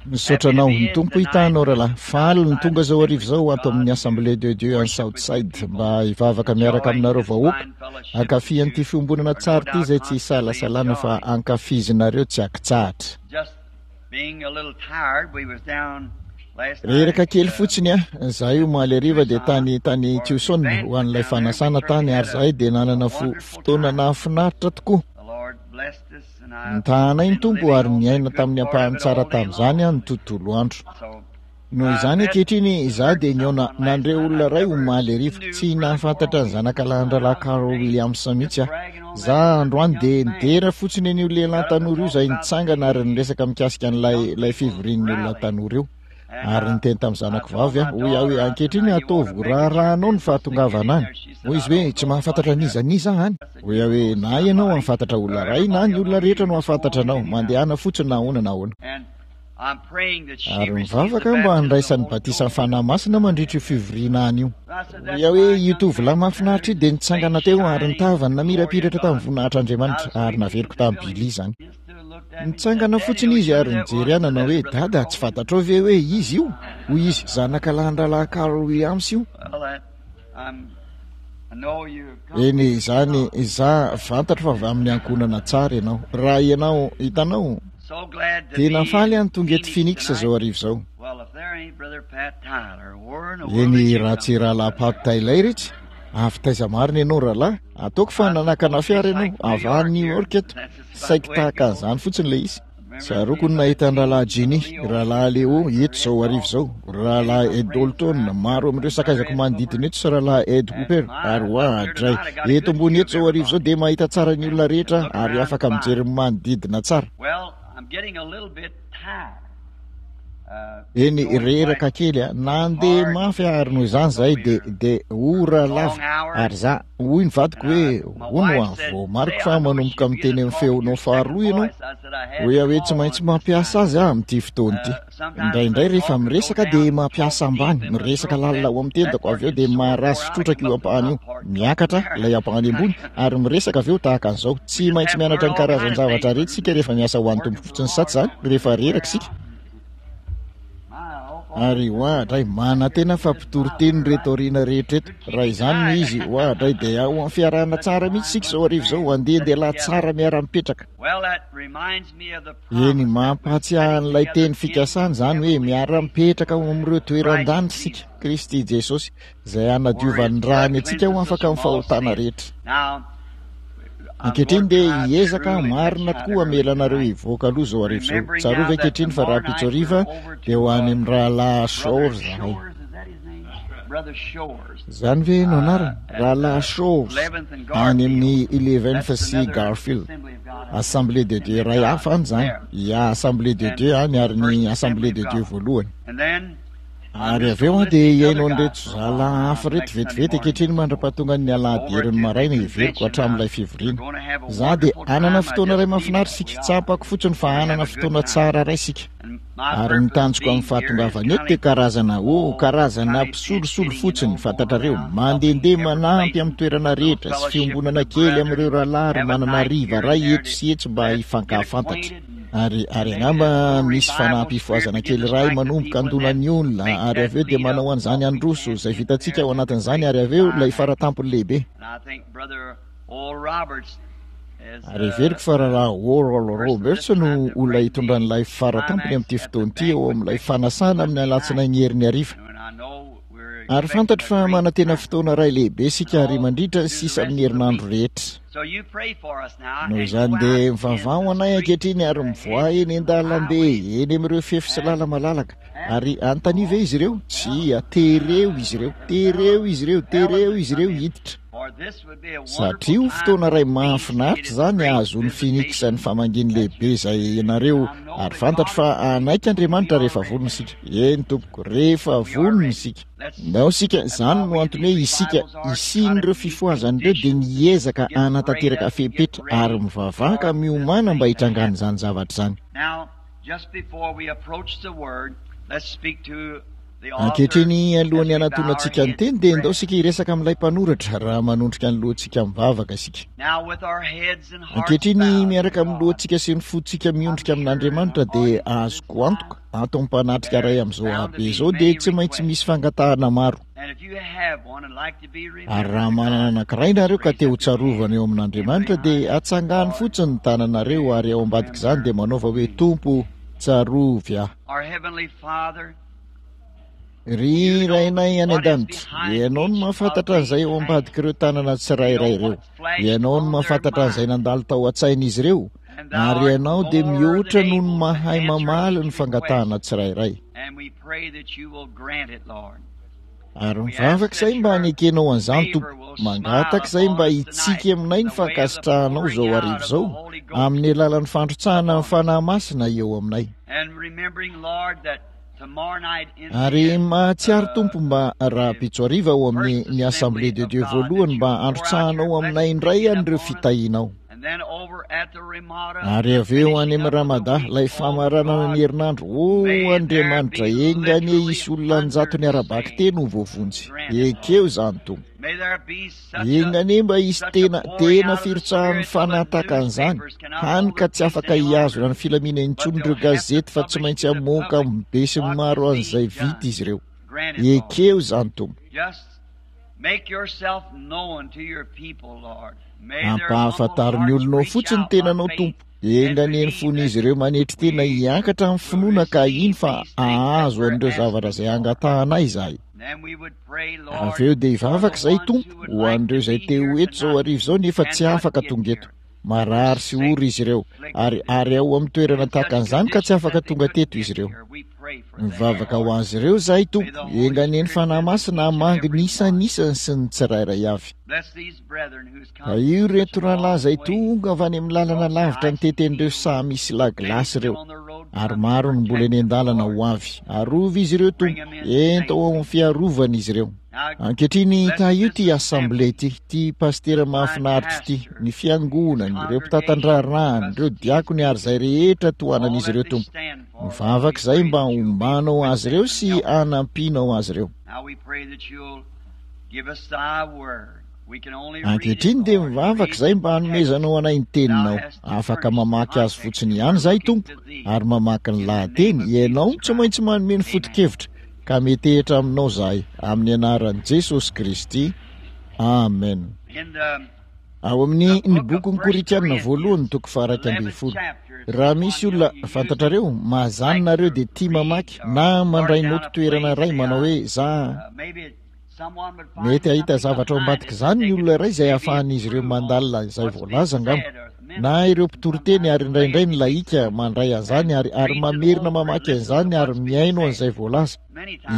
Misaotra anao. Ny Tompo hitahy anao rahalahy. Faly ny tonga izao hariva izao ato amin'ny Assemblée de Dieu any Southside mba hivavaka miaraka aminareo vahoaka. Hankafy an'ity fiombonana tsara ity izay tsy isalasalana fa ankafizinareo tsy ankitsahatra. Reraka kely fotsiny aho. Izahay omaly hariva dia tany tany Tucson ho an'ilay fanasana tany ary izahay dia nanana fotoana nahafinaritra tokoa. Nitaha anay ny Tompo ary niaina tamin'ny ampahany tsara tamin'izany aho ny tontolo andro. Noho izany ankehitriny izaho dia nihaona nandre olona iray omaly hariva. Tsy nahafantatra ny zanakalahin-drahalahy Carl Williams mihitsy aho. Izaho androany dia nidera fotsiny an'io lehilahy tanora io izay nitsangana ary niresaka mikasika an'ilay ilay fivorian'ny olona tanora io. Ary niteny tamin'ny zanako vavy aho, hoy aho hoe, Ankehitriny ataovy raharahanao ny fahatongavana any. Hoy izy hoe, Tsy mahafantatra an'iza n'iza aho any. Hoy aho hoe, Na ianao hahafantatra olona iray, na ny olona rehetra no hahafantatra anao. Mandehana fotsiny na ahoana na ahoana. Ary mivavaka aho mba handraisany batisan'ny Fanahy Masina mandritra io fivoriana any io. Hoy aho hoe, Io tovolahy mahafinaritra io dia nitsangana teo ary ny tavany namirapiratra tamin'ny voninahitr'Andriamanitra, ary naveriko tamin'i Billy izany. Nitsangana fotsiny izy ary nijery ahy nanao hoe, Dada, tsy fantatrao ve hoe iza io? Hoy izy, Zanaka lahin-drahalahy Carl Williams io. Eny, izany, izaho, fantatro fa avy amin'ny ankohonana tsara ianao. Raha ianao, hitanao? Tena faly aho ny tonga eto Phoenix izao hariva izao. Eny, raha tsy Rahalahy Pat Tyler itsy. Avy taiza marina ianao, rahalahy? Ataoko fa nanakana fiara ianao, avy any New York eto. Saiky tahaka an'izany fotsiny ilay izy. Tsaroako ny nahita an'i Rahalahy Jenny, Rahalahy Leo eto izao hariva izao, Rahalahy Ed Daulton, maro amin'ireo sakaizako manodidina eto sy Rahalahy Ed Hooper, ary oadray. Eto ambony eto izao hariva izao dia mahita tsara ny olona rehetra aho ary afaka mijery ny manodidina tsara. Eny, reraka kely aho. Nandeha mafy aho ary noho izany izahay dia, dia ora lava. Ary izaho, hoy ny vadiko hoe, Hono hoa, voamariko fa manomboka miteny amin'ny feonao faharoa ianao. Hoy aho hoe, Tsy maintsy mampiasa azy aho amin'ity fotoana ity. Indraindray rehefa miresaka dia mampiasa ambany, miresaka lalina ao amin'ny tendako, avy eo dia maharazo trotraka io ampahany io. Miakatra ilay ampahany ambony ary miresaka avy eo tahaka an'izao. Tsy maintsy mianatra ny karazan-javatra rehetra isika rehefa miasa ho an'ny Tompo fotsiny, sa tsy izany? Rehefa reraka isika. Ary oadray, manantena fa mpitory teny ireto aoriana rehetra eto. Raha izany no izy, oadray, dia ao amin'ny fiarahana tsara mihitsy isika izao hariva izao, andehandeha tsara miara-mipetraka. Eny, mampahatsiahy an'ilay teny fikasana izany hoe miara-mipetraka ao amin'ireo toeran-danitra isika, Kristy Jesosy, izay hanadiovan'ny rany antsika ho afaka amin'ny fahotana rehetra. Ankehitriny dia hiezaka aho marina tokoa hamela anareo hivoaka aloha izao hariva izao. Tsarovy ankehitriny fa rahampitso hariva dia ho any amin'ny Rahalahy Shores izahay. Izany ve no anarany? Rahalahy Shores, any amin'ny Eleventh sy Garfield. Assemblée de Dieu iray hafa any izany. Ya, Assemblée de Dieu any ary ny Assemblée de Dieu voalohany. Ary avy eo aho dia hihaino an'ireto zalahy hafa ireto vetivety ankehitriny mandra-pahatongan'ny alahady herin'ny maraina, heveriko, hatramin'ilay fivoriana. Izaho dia hanana fotoana iray mahafinaritra isika. Tsapako fotsiny fa hanana fotoana tsara iray isika. Ary ny tanjoko amin'ny fahatongavana eto dia karazana, oh, karazana mpisolosolo fotsiny, fantatrareo, mandehandeha manampy amin'ny toerana rehetra, sy fiombonana kely amin'ireo rahalahy ary manana hariva iray eto sy etsy mba hifankahafantatra. Ary, ary angamba misy fanampifohazana kely iray manomboka handona ny olona, ary avy eo dia manao an'izany handroso, izay vitantsika ao anatin'izany, ary avy eo ilay faratampony lehibe. Ary heveriko fa Rahalahy Oral Roberts no olona hitondra an'ilay faratampony amin'ity fotoana ity ao amin'ilay fanasana amin'ny alatsinainy heriny hariva. Ary fantatro fa manantena fotoana iray lehibe isika ary mandritra ny sisa amin'ny herinandro rehetra. Noho izany dia mivavaha ho anay ankehitriny ary mivoaha eny an-dalambe, eny amin'ireo fefy sy lala-malalaka. Ary anontanio ve izy ireo? Tsia, tereo izy ireo, tereo izy ireo, tereo izy ireo hiditra. Satria ho fotoana iray mahafinaritra izany hahazoan'i Phoenix ny famangiany lehibe izay ianareo, ary fantatro fa hanaiky Andriamanitra rehefa vonona isika. Eny, tompoko, rehefa vonona isika. Ndao isika, izany no antony hoe isika, hisian'ireo fifohazana ireo dia ny hiezaka hanatanteraka fepetra ary mivavaha ka miomàna mba hitrangan'izany zavatra izany. Ankehitriny, alohan'ny hanatonantsika ny teny, dia ndao isika hiresaka amin'ilay mpanoratra raha manondrika ny lohantsika mivavaka isika. Ankehitriny, miaraka amin'ny lohantsika sy ny fontsika miondrika amin'Andriamanitra, dia azoko antoka, ato amin'ny mpanatrika iray amin'izao habe izao, dia tsy maintsy misy fangatahana maro. Ary raha manana anankiray nareo ka te ho tsarovana eo amin'Andriamanitra, dia atsangano fotsiny ny tananareo ary ao ambadik'izany dia manaova hoe, Tompo, tsarovy aho. Ry Rainay any An-danitra, Ianao no mahafantatra an'izay ao ambadik'ireo tanana tsirairay ireo. Ianao no mahafantatra an'izay nandalo tao an-tsain'izy ireo, ary Ianao dia mihoatra noho ny mahay mamaly ny fangatahana tsirairay. Ary mivavaka izay mba hanekenao an'izany, Tompo. Mangataka izay mba hitsiky aminay ny fankasitrahanao izao hariva izao, amin'ny alalan'ny fandrotsahana ny Fanahy Masina eo aminay. Ary mahatsiaro Tompo mba rahampitso hariva ao amin'ny ny Assemblée de Dieu voalohany mba handrotsahanao aminay indray an'ireo fitahianao. Ary avy eo any amin'ny Ramada, ilay famaranana ny herinandro, O Andriamanitra, enga anie hisy olona an-jatony ara-bakiteny ho voavonjy. Ekeo izany, Tompo. Enga anie mba hisy tena, tena firotsahan'ny fanahy tahaka an'izany, hany ka tsy afaka hihazona ny filaminana intsony ireo gazety fa tsy maintsy hamoaka amin'ny besinimaro an'izay vita izy ireo. Ekeo izany, Tompo. Ampahafantaro ny olonao fotsiny ny tenanao, Tompo. Enga anie ny fon'izy ireo manetry tena hiakatra amin'ny finoana ka hino fa hahazo an'ireo zavatra izay angatahanay izahay. Avy eo dia hivavaka izahay, Tompo, ho an'ireo izay te ho eto izao hariva izao nefa tsy afaka tonga eto. Marary sy ory izy ireo, ary, ary ao amin'ny toerana tahaka an'izany ka tsy afaka tonga teto izy ireo. Mivavaka ho azy ireo izahay, Tompo, enga anie ny Fanahy Masina hamangy ny isan'isany sy ny tsirairay avy. Tahio ireto rahalahy izay tonga avy any amin'ny lalana lavitra nitety an'ireo saha misy lagilasy ireo, ary maro no mbola eny an-dalana ho avy. Arovy izy ireo, Tompo, ento ao amin'ny fiarovana izy ireo. Ankehitriny, tahio ity assemblée ity, ity pasitera mahafinaritra ity, ny fiangonany, ireo mpitantan-draharahany, ireo diakony ary izay rehetra tohanan'izy ireo, Tompo. Mivavaka izahay mba hombanao azy ireo sy hanampianao azy ireo. Ankehitriny dia mivavaka izahay mba hanomezanao anay ny Teninao. Afaka mamaky azy fotsiny ihany izahay, Tompo, ary mamaky ny lahateny. Ianao no tsy maintsy manome ny foto-kevitra, ka metehitra Aminao izahay, amin'ny Anaran'i Jesosy Kristy. Amen. Ao amin'ny Ny Bokin'ny Korintiana Voalohany, toko faha-11. Raha misy olona, fantatrareo, mahazany nareo dia tia mamaky na mandray noty toerana iray manao hoe za Mety hahita zavatra ao ambadik'izany ny olona iray izay ahafahan'izy ireo mandalina izay voalaza angamba. Na ireo mpitoriteny ary indraindray ny lahika mandray an'izany ary, ary mamerina mamaky an'izany ary mihaino an'izay voalaza.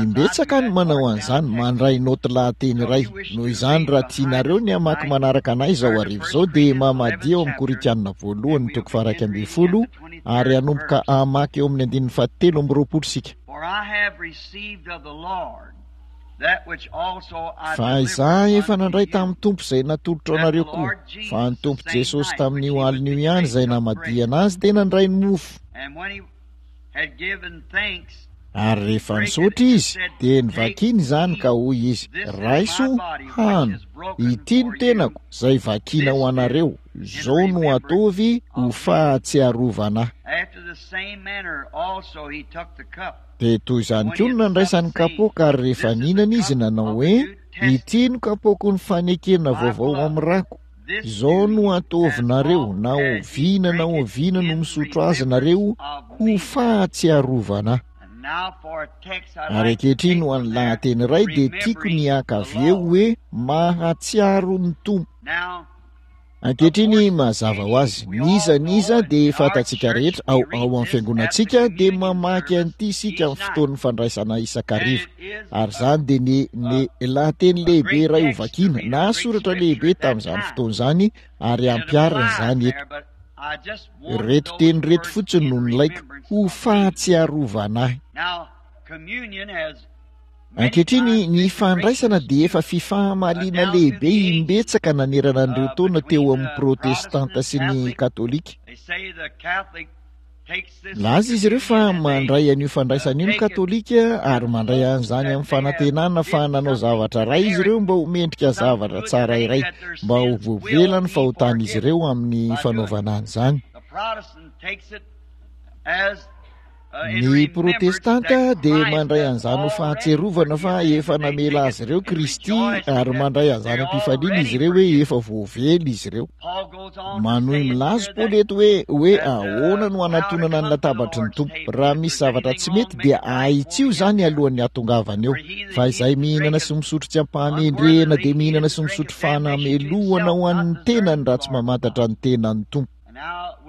Imbetsaka ny manao an'izany, mandray naoty lahateny iray. Noho izany, raha tianareo ny hamaky manaraka anay izao hariva izao, dia mamadia ao amin'ny Korintiana Voalohany toko faha-11 ary hanomboka hamaky eo amin'ny andininy fahatelo amby roapolo isika. Fa izaho efa nandray tamin'ny Tompo izay natolotro anareo koa, fa ny Tompo Jesosy tamin'io alina io ihany izay namadihana Azy dia nandray ny mofo. Ary rehefa nisaotra Izy, dia novakiny izany ka hoy Izy, Raiso, hano, ity ny tenako, izay vakina ho anareo, izao no ataovy ho fahatsiarovana Ahy. Dia toy izany koa no nandraisany kapoaka, ary rehefa nihinana izy, nanao hoe, Ity no kapoaky ny fanekena vaovao amin'ny rako. Izao no ataovinareo, na oviana na oviana no misotro azy nareo, ho fahatsiarovana Ahy. Ary ankehitriny ho an'ny lahateny iray dia tiako ny haka avy eo hoe Mahatsiaro ny Tompo. Ankehitriny, mazava ho azy, n'iza n'iza dia fantatsika rehetra ao ao amin'ny fiangonantsika dia mamaky an'ity isika amin'ny fotoan'ny fandraisana isan-kariva. Ary izany dia ny, ny lahateny lehibe iray ho vakiana, na soratra lehibe tamin'izany fotoana izany, ary ampiharina izany eto. Ireto teny ireto fotsiny no nilaiko ho fahatsiarovana ahy. Ankehitriny, ny fandraisana dia efa fifahamaliana lehibe imbetsaka nanerana an'ireo taona teo amin'ny Protestanta sy ny Katolika. Milaza izy ireo fa mandray an'io fandraisana io ny Katolika ary mandray an'izany amin'ny fanantenana fa nanao zavatra iray izy ireo mba ho mendrika zavatra tsara iray, mba ho voavela ny fahotan'izy ireo amin'ny fanaovana an'izany. Ny Protestanta dia mandray an'izany ho fahatsiarovana fa efa namela azy ireo Kristy ary mandray an'izany am-pifaliana izy ireo hoe efa voavela izy ireo. Manohy milaza Paoly eto hoe hoe ahoana no hanatonana ny latabatry ny Tompo. Raha misy zavatra tsy mety dia ahitsio izany alohan'ny hahatongavana eo. Fa izay mihinana sy misotro tsy am-pahamendrehana dia mihinana sy misotro fanamelohana ho an'ny tenany raha tsy mamantatra ny tenan'ny Tompo.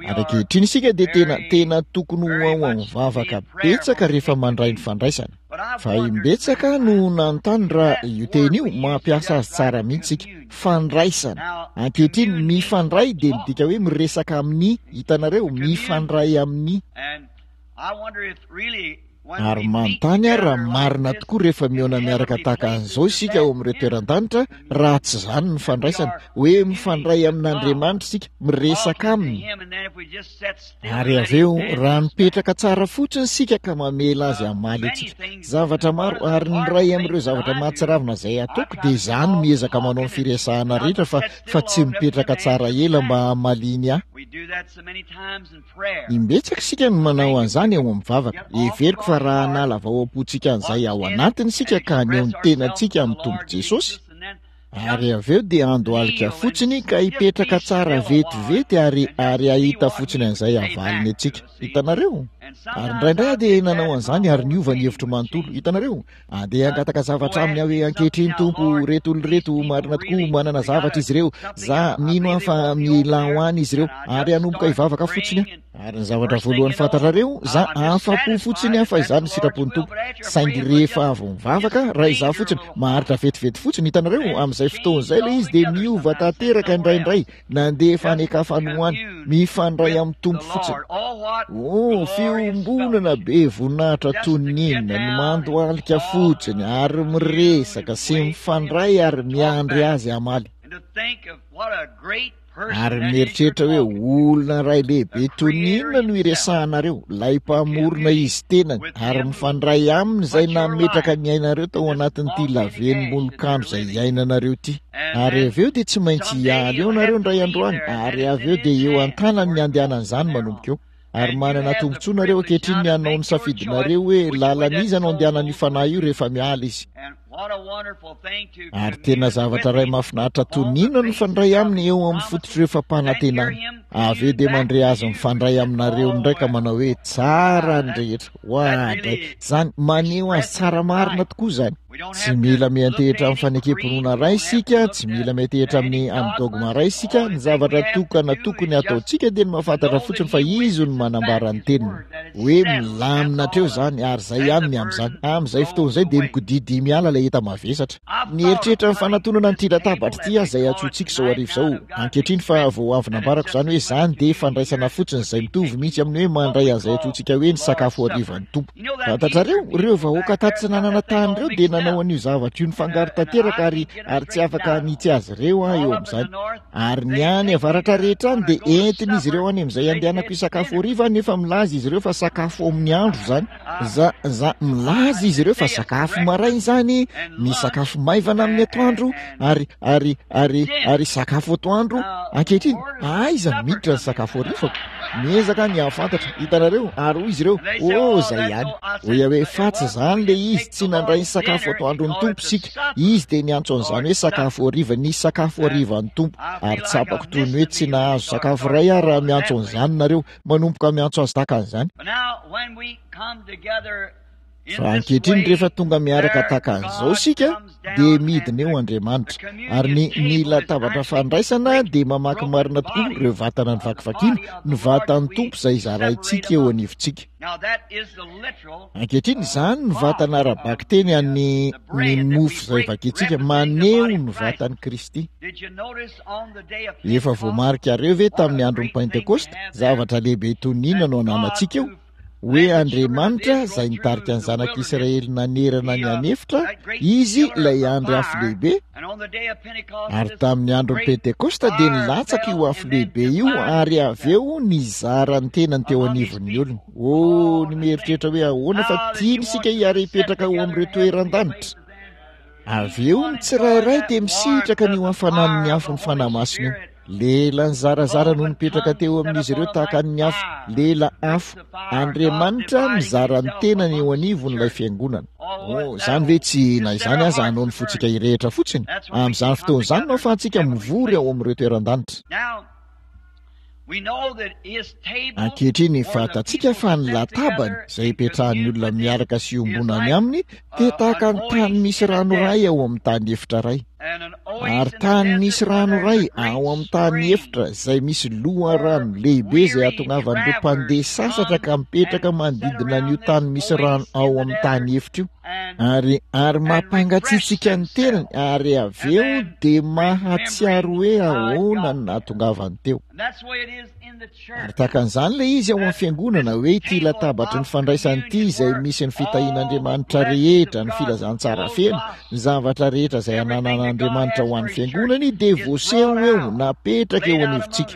Ary ankehitriny isika dia tena, tena tokony ho ao amin'ny vavaka betsaka rehefa mandray ny fandraisana. Fa imbetsaka no nanontany raha io teny io, mampiasa azy tsara mihitsy isika. Fandraisana. Ankehitriny, mifandray dia midika hoe miresaka amin'ny, hitanareo, mifandray amin'ny. Ary manontany aho raha marina tokoa rehefa mihaona miaraka tahaka an'izao isika ao amin'ireo toeran-danitra, raha tsy izany ny fandraisana, hoe mifandray amin'Andriamanitra isika, miresaka Aminy. Ary avy eo, raha mipetraka tsara fotsiny isika ka mamela Azy hamaly antsika. Zavatra maro, ary ny iray amin'ireo zavatra mahatsiravina izay ataoko dia izaho no miezaka manao ny firesahana rehetra fa, fa tsy mipetraka tsara ela mba hamaliany ahy. Imbetsaka isika no manao an'izany ao amin'ny vavaka. Heveriko fa raha hanala avy ao am-pontsika an'izay ao anatiny isika ka haneho ny tenantsika amin'ny Tompo Jesosy, ary avy eo dia handohalika fotsiny ka hipetraka tsara vetivety ary, ary hahita fotsiny an'izay havaliny antsika. Hitanareo? Ary indraindray aho dia nanao an'izany ary niova ny hevitro manontolo. Hitanareo? Andeha hangataka zavatra aminy aho hoe, Ankehitriny, Tompo, ireto olona ireto, marina tokoa, manana zavatra izy ireo. Za, mino aho fa mila ho any izy ireo. Ary hanomboka hivavaka fotsiny aho. Ary ny zavatra voalohany fantatrareo, za, afa-po fotsiny aho fa izany no sitrapon'ny Tompo. Saingy rehefa avy mivavaka, raha izaho fotsiny, maharitra vetivety fotsiny, hitanareo, amin'izay fotoana izay ilay izy dia miova tanteraka indraindray. Nandefa any an-kafa any ho any, mifandray amin'ny Tompo fotsiny. Oh, fiombonana be voninahitra toy ny inona, ny mandohalika fotsiny ary miresaka sy mifandray ary miandry Azy hamaly. Ary mieritreritra hoe olona iray lehibe toy ny inona no iresahanareo, ilay Mpamorona Izy tenany, ary mifandray Aminy izay nametraka ny ainareo tao anatin'ity lavenom-bolokandro izay iainanareo ity. Ary avy eo dia tsy maintsy hiala eo nareo indray andro any, ary avy eo dia eo an-tanany ny andehanan'izany manomboka eo. Ary manana tombontsoa nareo ankehitriny ny hanao ny safidinareo hoe lalan'iza no andehanan'io fanahy io rehefa miala izy. Ary tena zavatra iray mahafinaritra toy ny inona no mifandray aminy eo amin'ny fototr'ireo fampanantenany. Avy eo dia mandre azy mifandray aminareo indray ka manao hoe tsara ny rehetra. Oadray! Izany maneho azy tsara marina tokoa izany. Tsy mila miantehitra amin'ny fanekem-pinoana iray isika, tsy mila miantehitra amin'ny amin'ny dogma iray isika, ny zavatra tokana tokony hataontsika dia ny mahafantatra fotsiny fa Izy no manambara ny Teniny. Hoe milamina hatreo izany, ary izay ihany ny amin'izany. Amin'izay fotoana izay dia mikodidia miala ilay enta-mavesatra. Nieritreritra ny fanatonana an'ity latabatra ity aho izay antsointsika izao hariva izao ankehitriny fa vao avy nambarako izany hoe izany dia fandraisana fotsiny izay mitovy mihitsy amin'ny hoe mandray an'izay antsointsika hoe ny sakafo harivan'ny Tompo. Fantatrareo, ireo vahoaka tatsinanana tany ireo dia nanao an'io zavatra io nifangaro tanteraka ary, ary tsy afaka hanitsy azy ireo aho eo amin'izany. Ary ny any avaratra rehetra any dia entin'izy ireo any amin'izay andehanako hisakafo hariva aho nefa milaza izy ireo fa sakafo amin'ny andro izany. Za, za, milaza izy ireo fa sakafo maraina izany, misakafo maivana amin'ny atoandro, ary, ary, ary, ary sakafo atoandro. Ankehitriny, aiza no miditra ny sakafo harivako? Miezaka ny hahafantatra, hitanareo? Ary hoy izy ireo, Oh, izay ihany. Hoy aho hoe, Fa tsy izany ilay izy, tsy nandray ny sakafo atoandron'ny Tompo isika. Izy dia niantso an'izany hoe sakafo hariva, ny sakafo harivan'ny Tompo. Ary tsapako toy ny hoe tsy nahazo sakafo iray aho raha miantso an'izany nareo, manomboka miantso azy tahaka an'izany. Fa ankehitriny rehefa tonga miaraka tahaka an'izao isika dia midina eo Andriamanitra. Ary ny, ny latabatra fandraisana dia mamaky marina tokoa ireo vatana novakivakiana, ny vatan'ny Tompo izay zaraintsika eo anivontsika. Ankehitriny izany ny vatana ara-bakiteny an'ny ny mofo izay vakintsika, maneho ny vatan'i Kristy. Efa voamarikareo ve tamin'ny andron'ny Pentekosta, zavatra lehibe toy ny inona no ananantsika eo? Hoe Andriamanitra izay nitarika ny zanak'Israely nanerana ny an'efitra, Izy ilay andry afo lehibe, ary tamin'ny andron'ny Pentekosta dia nilatsaka io afo lehibe io ary avy eo nizara ny tenany teo anivon'ny olona. Oh, ny mieritreritra hoe ahoana fa tiany isika hiara-hipetraka ao amin'ireo toeran-danitra. Avy eo ny tsirairay dia misitraka an'io hafanan'ny afon'ny Fanahy Masina io. Lela nizarazara no nipetraka teo amin'izy ireo tahaka ny afo, lela afo. Andriamanitra mizara ny tenany eo anivon'ilay fiangonana. Oh, izany ve tsy, na izany aza, hanao ny fontsika hirehitra fotsiny? Amin'izany fotoana izany no ahafahantsika mivory ao amin'ireo toeran-danitra. Ankehitriny, fantatsika fa ny latabany, izay ipetrahan'ny olona miaraka sy iombonany aminy, dia tahaka ny tany misy rano iray ao amin'ny tany efitra iray. Ary tany misy rano iray ao amin'ny tany efitra izay misy loharano lehibe izay ahatongavan'ireo mpandeha sasatra ka mipetraka manodidina an'io tany misy rano ao amin'ny tany efitra io. Ary, ary mampangatsiatsiaka ny tenany, ary avy eo dia mahatsiaro hoe ahoana no nahatongavany teo. Ary tahaka an'izany ilay izy ao amin'ny fiangonana, hoe ity latabatry ny fandraisana ity izay misy ny fitahian'Andriamanitra rehetra, ny filazantsara feno, ny zavatra rehetra izay ananan'Andriamanitra ho an'ny fiangonany dia voaseho eo, napetraka eo anivontsika.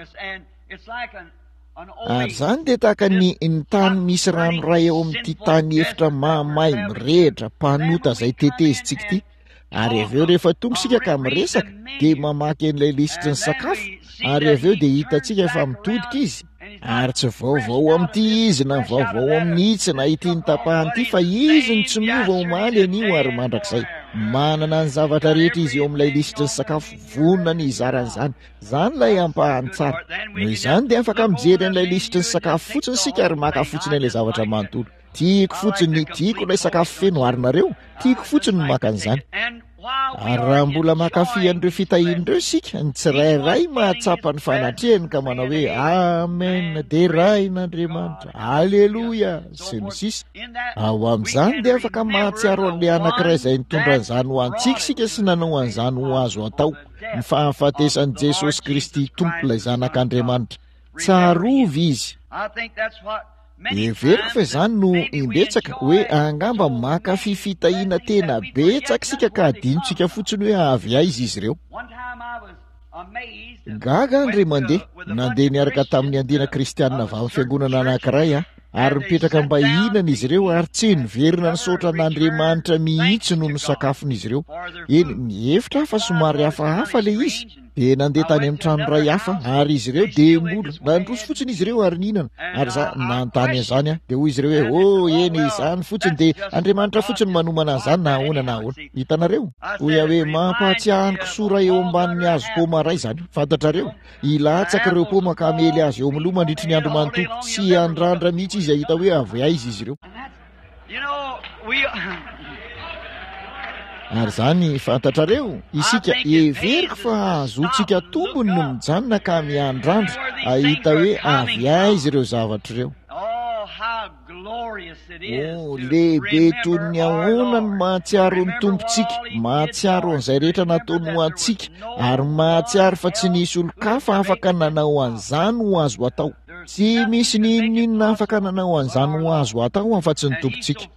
Ary izany dia tahaka ny ny tany misy rano iray eo amin'ity tany efitra mahamay mirehitra mpanota izay tetezintsika ity. Ary avy eo rehefa tonga isika ka miresaka dia mamaky an'ilay lisitry ny sakafo ary avy eo dia hitantsika fa mitodika izy ary tsy vaovao amin'ity izy na vaovao amin'itsy na ity nitapahany ity fa izy no tsy miova omaly anio ary mandrakizay. Manana ny zavatra rehetra izy eo amin'ilay lisitry ny sakafo, vonona ny hizara an'izany. Izany ilay ampahany tsara. Noho izany dia afaka mijery an'ilay lisitry ny sakafo fotsiny isika ary maka fotsiny an'ilay zavatra manontolo. Tiako fotsiny, tiako ilay sakafo feno, ary nareo? Tiako fotsiny ny maka an'izany. Ary raha mbola mankafy an'ireo fitahiana ireo isika, ny tsirairay mahatsapa ny fanatrehany ka manao hoe, Amen, deraina Andriamanitra, Aleloia, sy ny sisa. Ao amin'izany dia afaka mahatsiaro an'ilay anankiray izay nitondra an'izany ho antsika isika sy nanao an'izany ho azo atao. ny fahafatesan'i Jesosy Kristy Tompo ilay Zanak'Andriamanitra. Tsarovy Izy. Heveriko fa izany no imbetsaka hoe angamba mankafy fitahiana tena betsaka isika ka adinontsika fotsiny hoe avy aiza izy ireo. Gaga aho indray mandeha, nandeha niaraka tamin'ny andiana kristianina avy amin'ny fiangonana anankiray aho. Ary nipetraka mba hihinana izy ireo ary tsy niverina nisaotra an'Andriamanitra mihitsy noho ny sakafon'izy ireo. Eny, nihevitra aho fa somary hafahafa ilay izy. Dia nandeha tany amin'ny trano iray hafa ary izy ireo dia mbola nandroso fotsiny izy ireo ary nihinana. Ary za nanontany an'izany aho. Dia hoy izy ireo hoe, Oh, eny, izany fotsiny dia Andriamanitra fotsiny manomana an'izany na ahoana na ahoana. Hitanareo? Hoy aho hoe, Mampahatsiahy ny kisoa iray eo ambanin'ny hazo paoma iray izany. Fantatrareo? Hilatsaka ireo paoma ka hamely azy eo amin'ny loha mandritry ny andro manontolo. Tsy hiandrandra mihitsy izy hahita hoe avy aiza izy ireo. Ary izany, fantatrareo, isika, heveriko fa hahazoantsika tombony ny mijanona ka miandrandra hahita hoe avy aiza ireo zavatra ireo. Oh, lehibe toy ny ahoana ny mahatsiaro ny Tompontsika, mahatsiaro an'izay rehetra nataony ho antsika, ary mahatsiaro fa tsy nisy olon-kafa afaka nanao an'izany ho azo atao. Tsy misy n'inon'inona afaka nanao an'izany ho azo atao afa-tsy ny Tompontsika.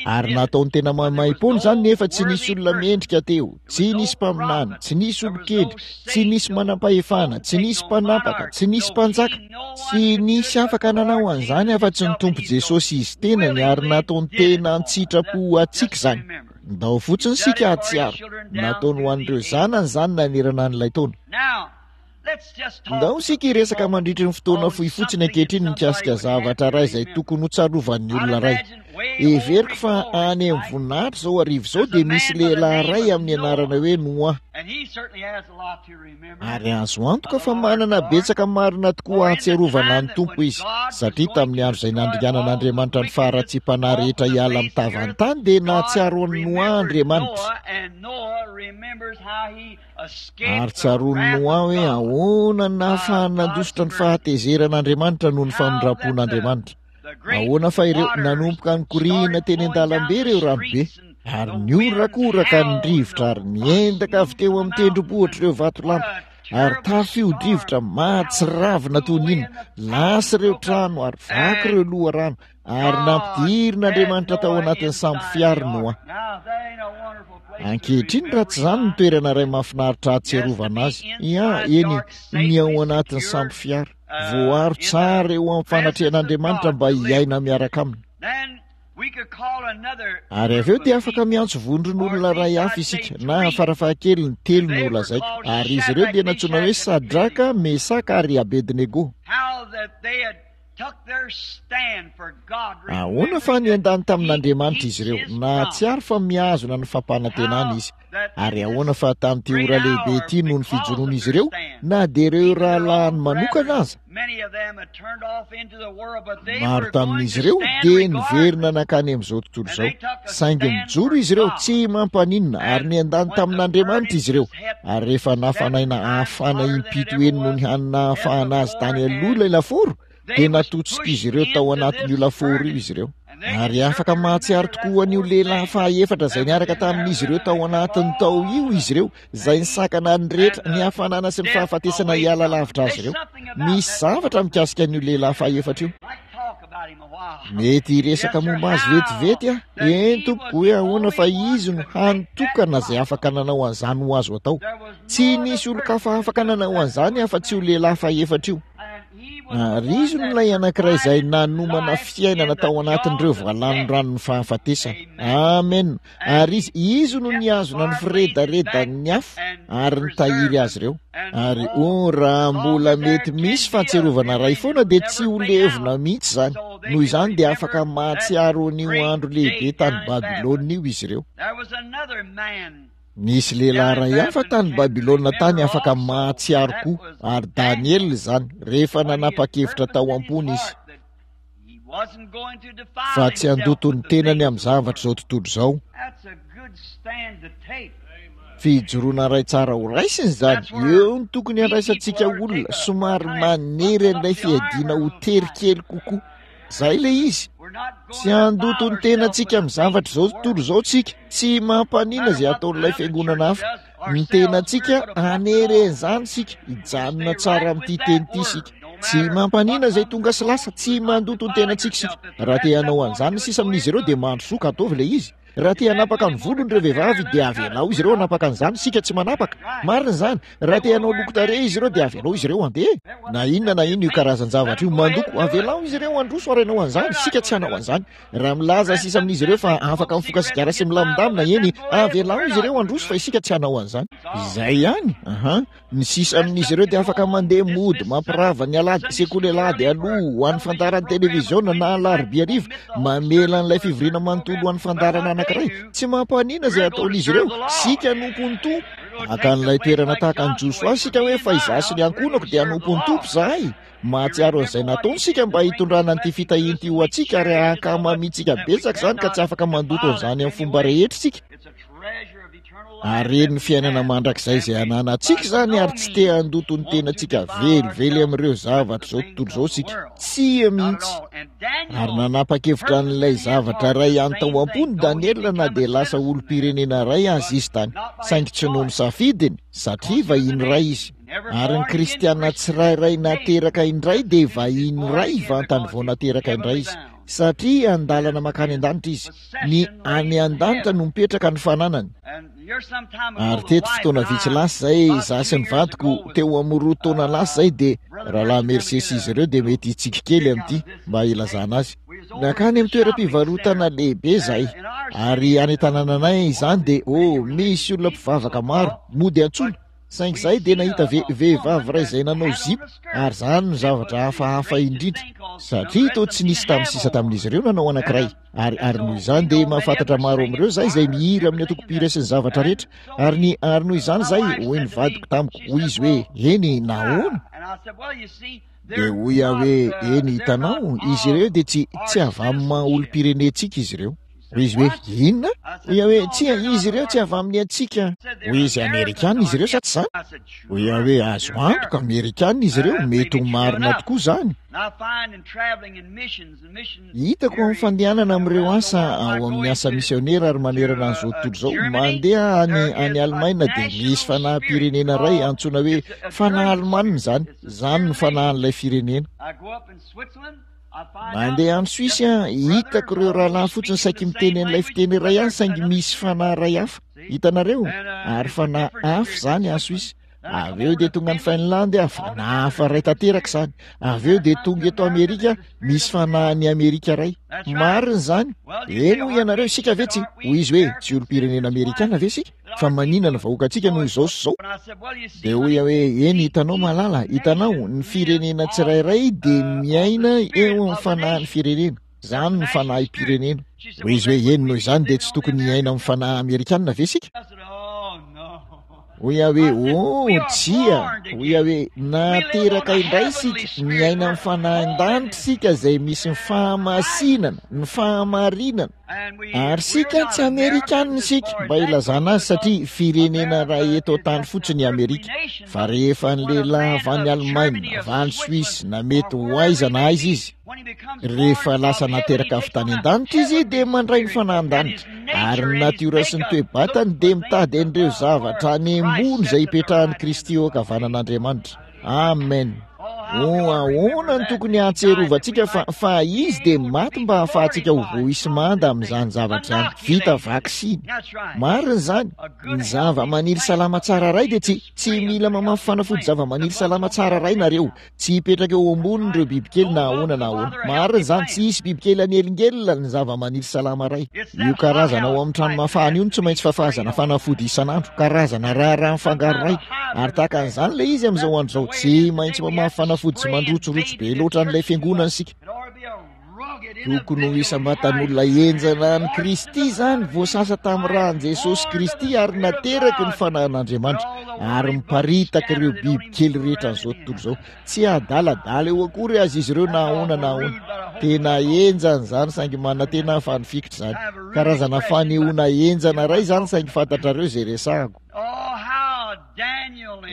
Ary nataony tena maimaimpoana izany nefa tsy nisy olona mendrika teo, tsy nisy mpaminany, tsy nisy olon-kendry, tsy nisy manam-pahefana, tsy nisy mpanapaka, tsy nisy mpanjaka, tsy nisy afaka nanao an'izany afa-tsy ny Tompo Jesosy Izy tenany ary nataony tena an-tsitrapo ho antsika izany. Ndao fotsiny isika hahatsiaro, nataony ho an'ireo zanany izany nanerana an'ilay taona. Ndao isika hiresaka mandritry ny fotoana fohy fotsiny ankehitriny mikasika zavatra iray izay tokony ho tsarovan'ny olona iray. Heveriko fa any amin'ny voninahitra izao hariva izao dia misy lehilahy iray amin'ny anarana hoe Noa. Ary azo antoka fa manana betsaka marina tokoa hahatsiarovana ny Tompo izy, satria tamin'ny andro izay nandringanan'Andriamanitra ny faharatsiam-panahy rehetra hiala amin'ny tavan'ny tany dia nahatsiaro an'i Noa Andriamanitra. Ary tsaroan'i Noa hoe ahoana no nahafahany nandositra ny fahatezeran'Andriamanitra noho ny famindram-pon'Andriamanitra. Ahoana fa ireo nanomboka nikoriana teny an-dalambe ireo ranobe, ary nihorakoraka ny rivotra ary niendaka avy teo amin'ny tendrombohitra ireo vatolampy. Ary tafio-drivotra mahatsiravina toy ny inona, lasa ireo trano ary vaky ireo loharano, ary nampidirin'Andriamanitra tao anatin'ny sambo fiara Noa. Ankehitriny raha tsy izany ny toerana iray mahafinaritra ahatsiarovana azy, ia, eny, ny ao anatin'ny sambo fiara, voaro tsara eo amin'ny fanatrehan'Andriamanitra mba hiaina miaraka aminy. Ary avy eo dia afaka miantso vondron'olona iray hafa isika, na farafahakeliny telo no holazaiko. Ary izy ireo dia nantsoina hoe Sadraka, Mesaka ary Abednego. Ahoana fa niandany tamin'Andriamanitra izy ireo, nahatsiaro fa mihazona ny fampanantenany izy. Ary ahoana fa tamin'ity ora lehibe ity noho ny fijoroan'izy ireo, na dia ireo rahalahiny manokana aza? Maro tamin'izy ireo dia niverina nankany amin'izao tontolo izao. Saingy nijoro izy ireo, tsy mampaninona, ary niandany tamin'Andriamanitra izy ireo. Ary rehefa nafanaina hafana impito heny noho ny hany nahafahana azy tany aloha ilay lafaoro, dia natotsik'izy ireo tao anatin'io lafaoro io izy ireo. Ary afaka mahatsiaro tokoa an'io lehilahy fahaefatra izay niaraka tamin'izy ireo tao anatiny tao io izy ireo, izay nisakana ny rehetra, ny hafanana sy ny fahafatesana hiala lavitra azy ireo. Misy zavatra mikasika an'io lehilahy fahefatra io. Mety hiresaka momba azy vetivety aho. Eny tompoko, hoe ahoana fa izy no hany tokana izay afaka nanao an'izany ho azo atao. Tsy nisy olon-kafa afaka nanao an'izany afa-tsy io lehilahy fahefatra io. Ary izy no ilay anankiray izay nanomana fiainana tao anatin'ireo valanoranon'ny fahafatesana. Amen. Ary izy, izy no nihazona ny firedaredan'ny afo ary nitahiry azy ireo. Ary oh, raha mbola mety misy fahatsiarovana iray foana dia tsy ho levona mihitsy izany. Noho izany dia afaka mahatsiaro an'io andro lehibe tany Babylona io izy ireo. Nisy lehilahy iray hafa tany Babylona tany afaka mahatsiaro koa, ary Daniela izany, rehefa nanapa-kevitra tao am-pony izy fa tsy handoto ny tenany amin'ny zavatr'izao tontolo izao. Fijoroana iray tsara ho raisina izany. Eo no tokony handraisantsika olona, somary manery an'ilay fiadiana ho tery kely kokoa. Izay ilay izy. Tsy handoto ny tenantsika amin'ny zavatra izao tontolo izao tsika. Tsy mampaninona izay ataon'ilay fiangonana hafa. Ny tenantsika hanery an'izany isika. Hijanona tsara amin'ity teny ity isika. Tsy mampaninona izay tonga sy lasa. Tsy mandoto ny tenantsika isika. Raha te hanao an'izany ny sisa amin'izy ireo dia mandrosoa ka ataovy ilay izy. Raha te hanapaka ny volony ireo vehivavy dia avelao izy ireo hanapaka an'izany, isika tsy manapaka. Marina izany. Raha te hanao loko tarehy izy ireo dia avelao izy ireo handeha. Na inona na inona io karazan-javatra io, mandoko, avelao izy ireo handroso ary hanao an'izany, isika tsy hanao an'izany. Raha milaza sisa amin'izy ireo fa afaka mifoka sigara sy milamindamina, eny, avelao izy ireo handroso fa isika tsy hanao an'izany. Izay ihany. Aha. Ny sisa amin'izy ireo dia afaka mandeha mody, mampirava ny alahady, sekoly alahady aloha ho an'ny fandaharan'ny televiziona na alarobia hariva, mamela an'ilay fivoriana manontolo ho an'ny fandaharana anankiray. Tsy mampaninona izay ataon'izy ireo, isika hanompo ny Tompo. Haka an'ilay toerana tahaka an'i Josoa isika hoe fa izaho sy ny ankohonako dia hanompo ny Tompo izahay. Mahatsiaro an'izay nataony isika mba hitondrana an'ity fitahiana ity ho antsika ary hankamamintsika betsaka izany ka tsy afaka mandoto an'izany amin'ny fomba rehetra isika. Haren'ny fiainana mandrakizay izay ananantsika izany ary tsy te handoto ny tenantsika velively amin'ireo zavatra izao tontolo izao isika. Tsia mihitsy. Ary nanapa-kevitra an'ilay zavatra iray ihany tao am-pony Daniela na dia lasa olom-pirenena iray aza izy tany. Saingy tsy noho ny safidiny, satria vahiny iray izy. Ary ny kristiana tsirairay nateraka indray dia vahiny iray vantany vao nateraka indray izy. Satria an-dalana mankany an-danitra izy. Ny any an-danitra no mipetraka ny fananany. Ary teto fotoana vitsy lasa izay, izaho sy ny vadiko, teo amin'ny 2 taona lasa izay, dia Rahalahy Mercier sy izy ireo dia mety hitsiky kely amin'ity, mba hilazana azy. Nankany amin'ny toeram-pivarotana lehibe izahay. Ary any an-tanànanay izany dia, oh, misy olona mpivavaka maro, mody antsoina. Saingy izahay dia nahita ve, vehivavy iray izay nanao zipo, ary izany no zavatra hafahafa indrindra, satria toa tsy nisy tamin'ny sisa tamin'izy ireo nanao anankiray. Ary, ary noho izany dia mahafantatra maro amin'ireo izahay izay mihira amin'ny antokom-pihira sy ny zavatra rehetra. Ary ny, ary noho izany izahay, hoy ny vadiko tamiko, hoy izy hoe, Eny, nahoana? Dia hoy aho hoe, Eny, hitanao, izy ireo dia tsy, tsy avy amin'ny maha olom-pirenentsika izy ireo. Hoy izy hoe, Inona? Hoy aho hoe, Tsia, izy ireo tsy avy amin'ny antsika. Hoy izy, Amerikana izy ireo, sa tsy izany? Hoy aho hoe, Azo antoka, Amerikana izy ireo, mety ho marina tokoa izany. Hitako amin'ny fandehanana amin'ireo asa ao amin'ny asa misionera ary manerana an'izao tontolo izao, mandeha any any Alemaina dia misy fanahim-pirenena iray antsoina hoe fanahy alemanina izany, izany no fanahin'ilay firenena. Mandeha any Suisse aho, hitako ireo rahalahy fotsiny saiky miteny an'ilay fiteny iray ihany saingy misy fanahy iray hafa. Hitanareo? Ary fanahy hafa izany any Suisse. Avy eo dia tonga any Finlande aho, fanahy hafa iray tanteraka izany. Avy eo dia tonga eto Amerika, misy fanahin'i Amerika iray. Marina izany. Eny hoy ianareo, isika ve tsy, hoy izy hoe, tsy olom-pirenena amerikana ve isika? Fa maninona ny vahoakantsika no izao sy izao? Dia hoy aho hoe, Eny, hitanao malala, hitanao, ny firenena tsirairay dia miaina eo amin'ny fanahin'ny firenena. Izany no fanahim-pirenena. Hoy izy hoe, Eny, noho izany dia tsy tokony hiaina amin'ny fanahy amerikanina ve isika? Hoy aho hoe, Oh, tsia! Hoy aho hoe, Nateraka indray isika, miaina amin'ny fanahin-danitra isika izay misy ny fahamasinana, ny fahamarinana. Ary isika tsy Amerikanina isika, mba ilazana azy, satria firenena iray eto an-tany fotsiny i Amerika. Fa rehefa ny lehilahy avy any Alemaina, avy any Suisse, na mety ho aiza na aiza izy, rehefa lasa nateraka avy tany an-danitra izy dia mandray ny fanahin-danitra, ary ny natiora sy ny toe-batany dia mitady an'ireo zavatra any ambony izay ipetrahan'i Kristy eo ankavanan'Andriamanitra. Amen. Oh, ahoana no tokony hahatsiarovantsika fa, fa Izy dia maty mba hahafahantsika ho voaisy manda amin'izany zavatra izany. Vita vaksiny. Marina izany. Ny zava-maniry salama tsara iray dia tsy, tsy mila mamafy fanafody zava-maniry salama tsara iray nareo. Tsy hipetraka eo amboniny ireo bibikely na ahoana na ahoana. Marina izany, tsy hisy bibikely hanelingelina ny zava-maniry salama iray. Io karazana ao amin'ny trano mafana io no tsy maintsy fafazana fanafody isan'andro, karazana raharaha mifangaro iray. Ary tahaka an'izany ilay izy amin'izao andro izao. Tsy maintsy mamafy fanafody tsy mandrotsirotsy be loatra an'ilay fiangonana isika. Tokony ho isam-batan'olona henjana an'i Kristy izany, voasasa tamin'ny ràn'i Jesosy Kristy ary nateraky ny Fanahin'Andriamanitra, ary miparitaka ireo bibikely rehetra an'izao tontolo izao. Tsy adaladala eo akory aza izy ireo na ahoana na ahoana. Tena henjana izany saingy manantena aho fa nifikitra izany. Karazana fanehoana henjana iray izany saingy fantatrareo izay resahako.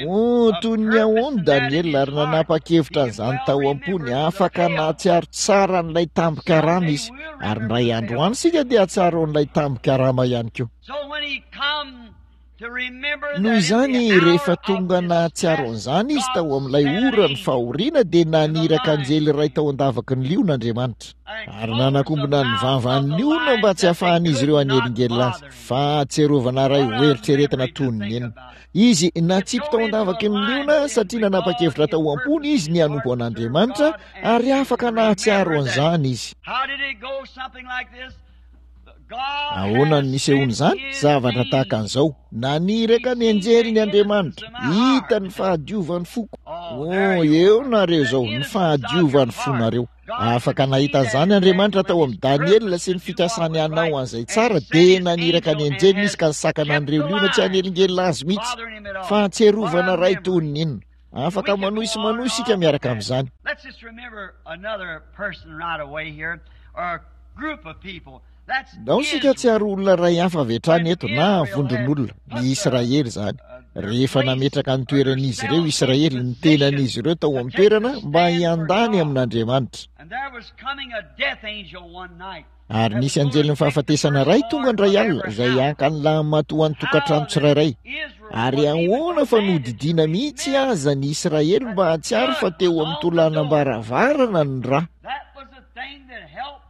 Oh, toy ny ahoany Daniela ary nanapa-kevitra an'izany tao am-pony. Afaka nahatsiaro tsara an'ilay tambin-karama izy. Ary indray andro any isika dia hahatsiaro an'ilay tambin-karama ihany koa. Noho izany, rehefa tonga nahatsiaro an'izany izy tao amin'ilay oran'ny fahoriana, dia naniraka anjely iray tao an-davaky ny liona Andriamanitra, ary nanakombona ny vavan'ny liona mba tsy hahafahan'izy ireo hanelingelina azy. Fahatsiarovana iray hoeritreretina toy ny inona! Izy natsipy tao an-davaky ny liona satria nanapa-kevitra tao am-pony izy ny hanompo an'Andriamanitra, ary afaka nahatsiaro an'izany izy. Ahoana no nisehoan'izany? Zavatra tahaka an'izao. Naniraka ny anjeliny Andriamanitra. Hita ny fahadiovan'ny foko. Oh, eo nareo izao, ny fahadiovan'ny fonareo. Afaka nahita an'izany Andriamanitra tao amin'i Daniela sy ny fikasany hanao an'izay tsara, dia naniraka ny anjeliny izy ka nisakana an'ireo liona tsy hanelingelina azy mihitsy. Fahatsiarovana iray toy ny inona! Afaka manohy sy manohy isika miaraka amin'izany. Ndao isika hahatsiaro olona iray hafa avy hatrany eto, na vondron'olona, ny Israely izany. Rehefa nametraka ny toeran'izy ireo Israely, ny tenan'izy ireo tao amin'ny toerana mba hiandany amin'Andriamanitra. Ary nisy anjelin'ny fahafatesana iray tonga indray alina, izay haka ny lahimatoan'ny tokantrano tsirairay. Ary ahoana fa nodidiana mihitsy aza ny Israely mba hahatsiaro fa teo amin'ny tolanam-baravarana ny ra.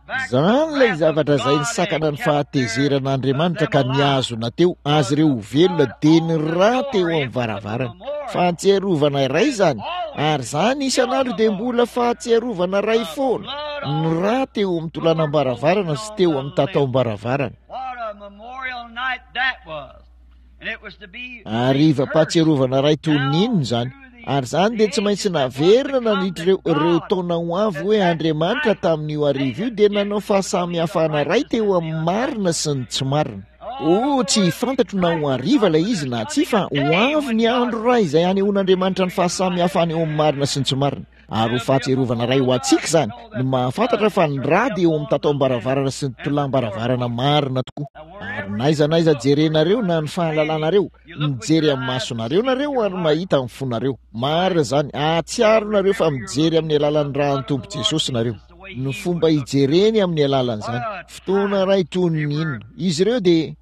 Izany ilay zavatra izay nisakana ny fahatezeran'Andriamanitra ka nihazona teo azy ireo ho velona dia ny ra teo amin'ny varavarana. Fahatsiarovana iray izany, ary izany isan'andro dia mbola fahatsiarovana iray foana, ny ra teo amin'ny tolanam-baravarana sy teo amin'ny tataom-baravarana. Harivam-pahatsiarovana iray toy ny inona izany! Ary izany dia tsy maintsy naverina nandritra ireo, ireo taona ho avy hoe Andriamanitra tamin'io hariva io dia nanao fahasamihafana iray teo amin'ny marina sy ny tsy marina. Oh, tsy fantatro na ho hariva ilay izy na tsia, fa ho avy ny andro iray izay hanehoan'Andriamanitra ny fahasamihafana eo amin'ny marina sy ny tsy marina. Ary ho fahatsiarovana iray ho antsika izany, ny mahafantatra fa ny rà dia eo amin'ny tataom-baravarana sy ny tolam-baravarana marina tokoa. Ary n'aiza n'aiza jerenareo na ny fahalalanareo, mijery amin'ny masonareo nareo ary mahita amin'ny fonareo. Marina izany, hahatsiaro nareo fa mijery amin'ny alalan'ny ràn'ny Tompo Jesosy nareo. Ny fomba hijereny amin'ny alalan'izany. Fotoana iray toy ny inona. Izy ireo dia.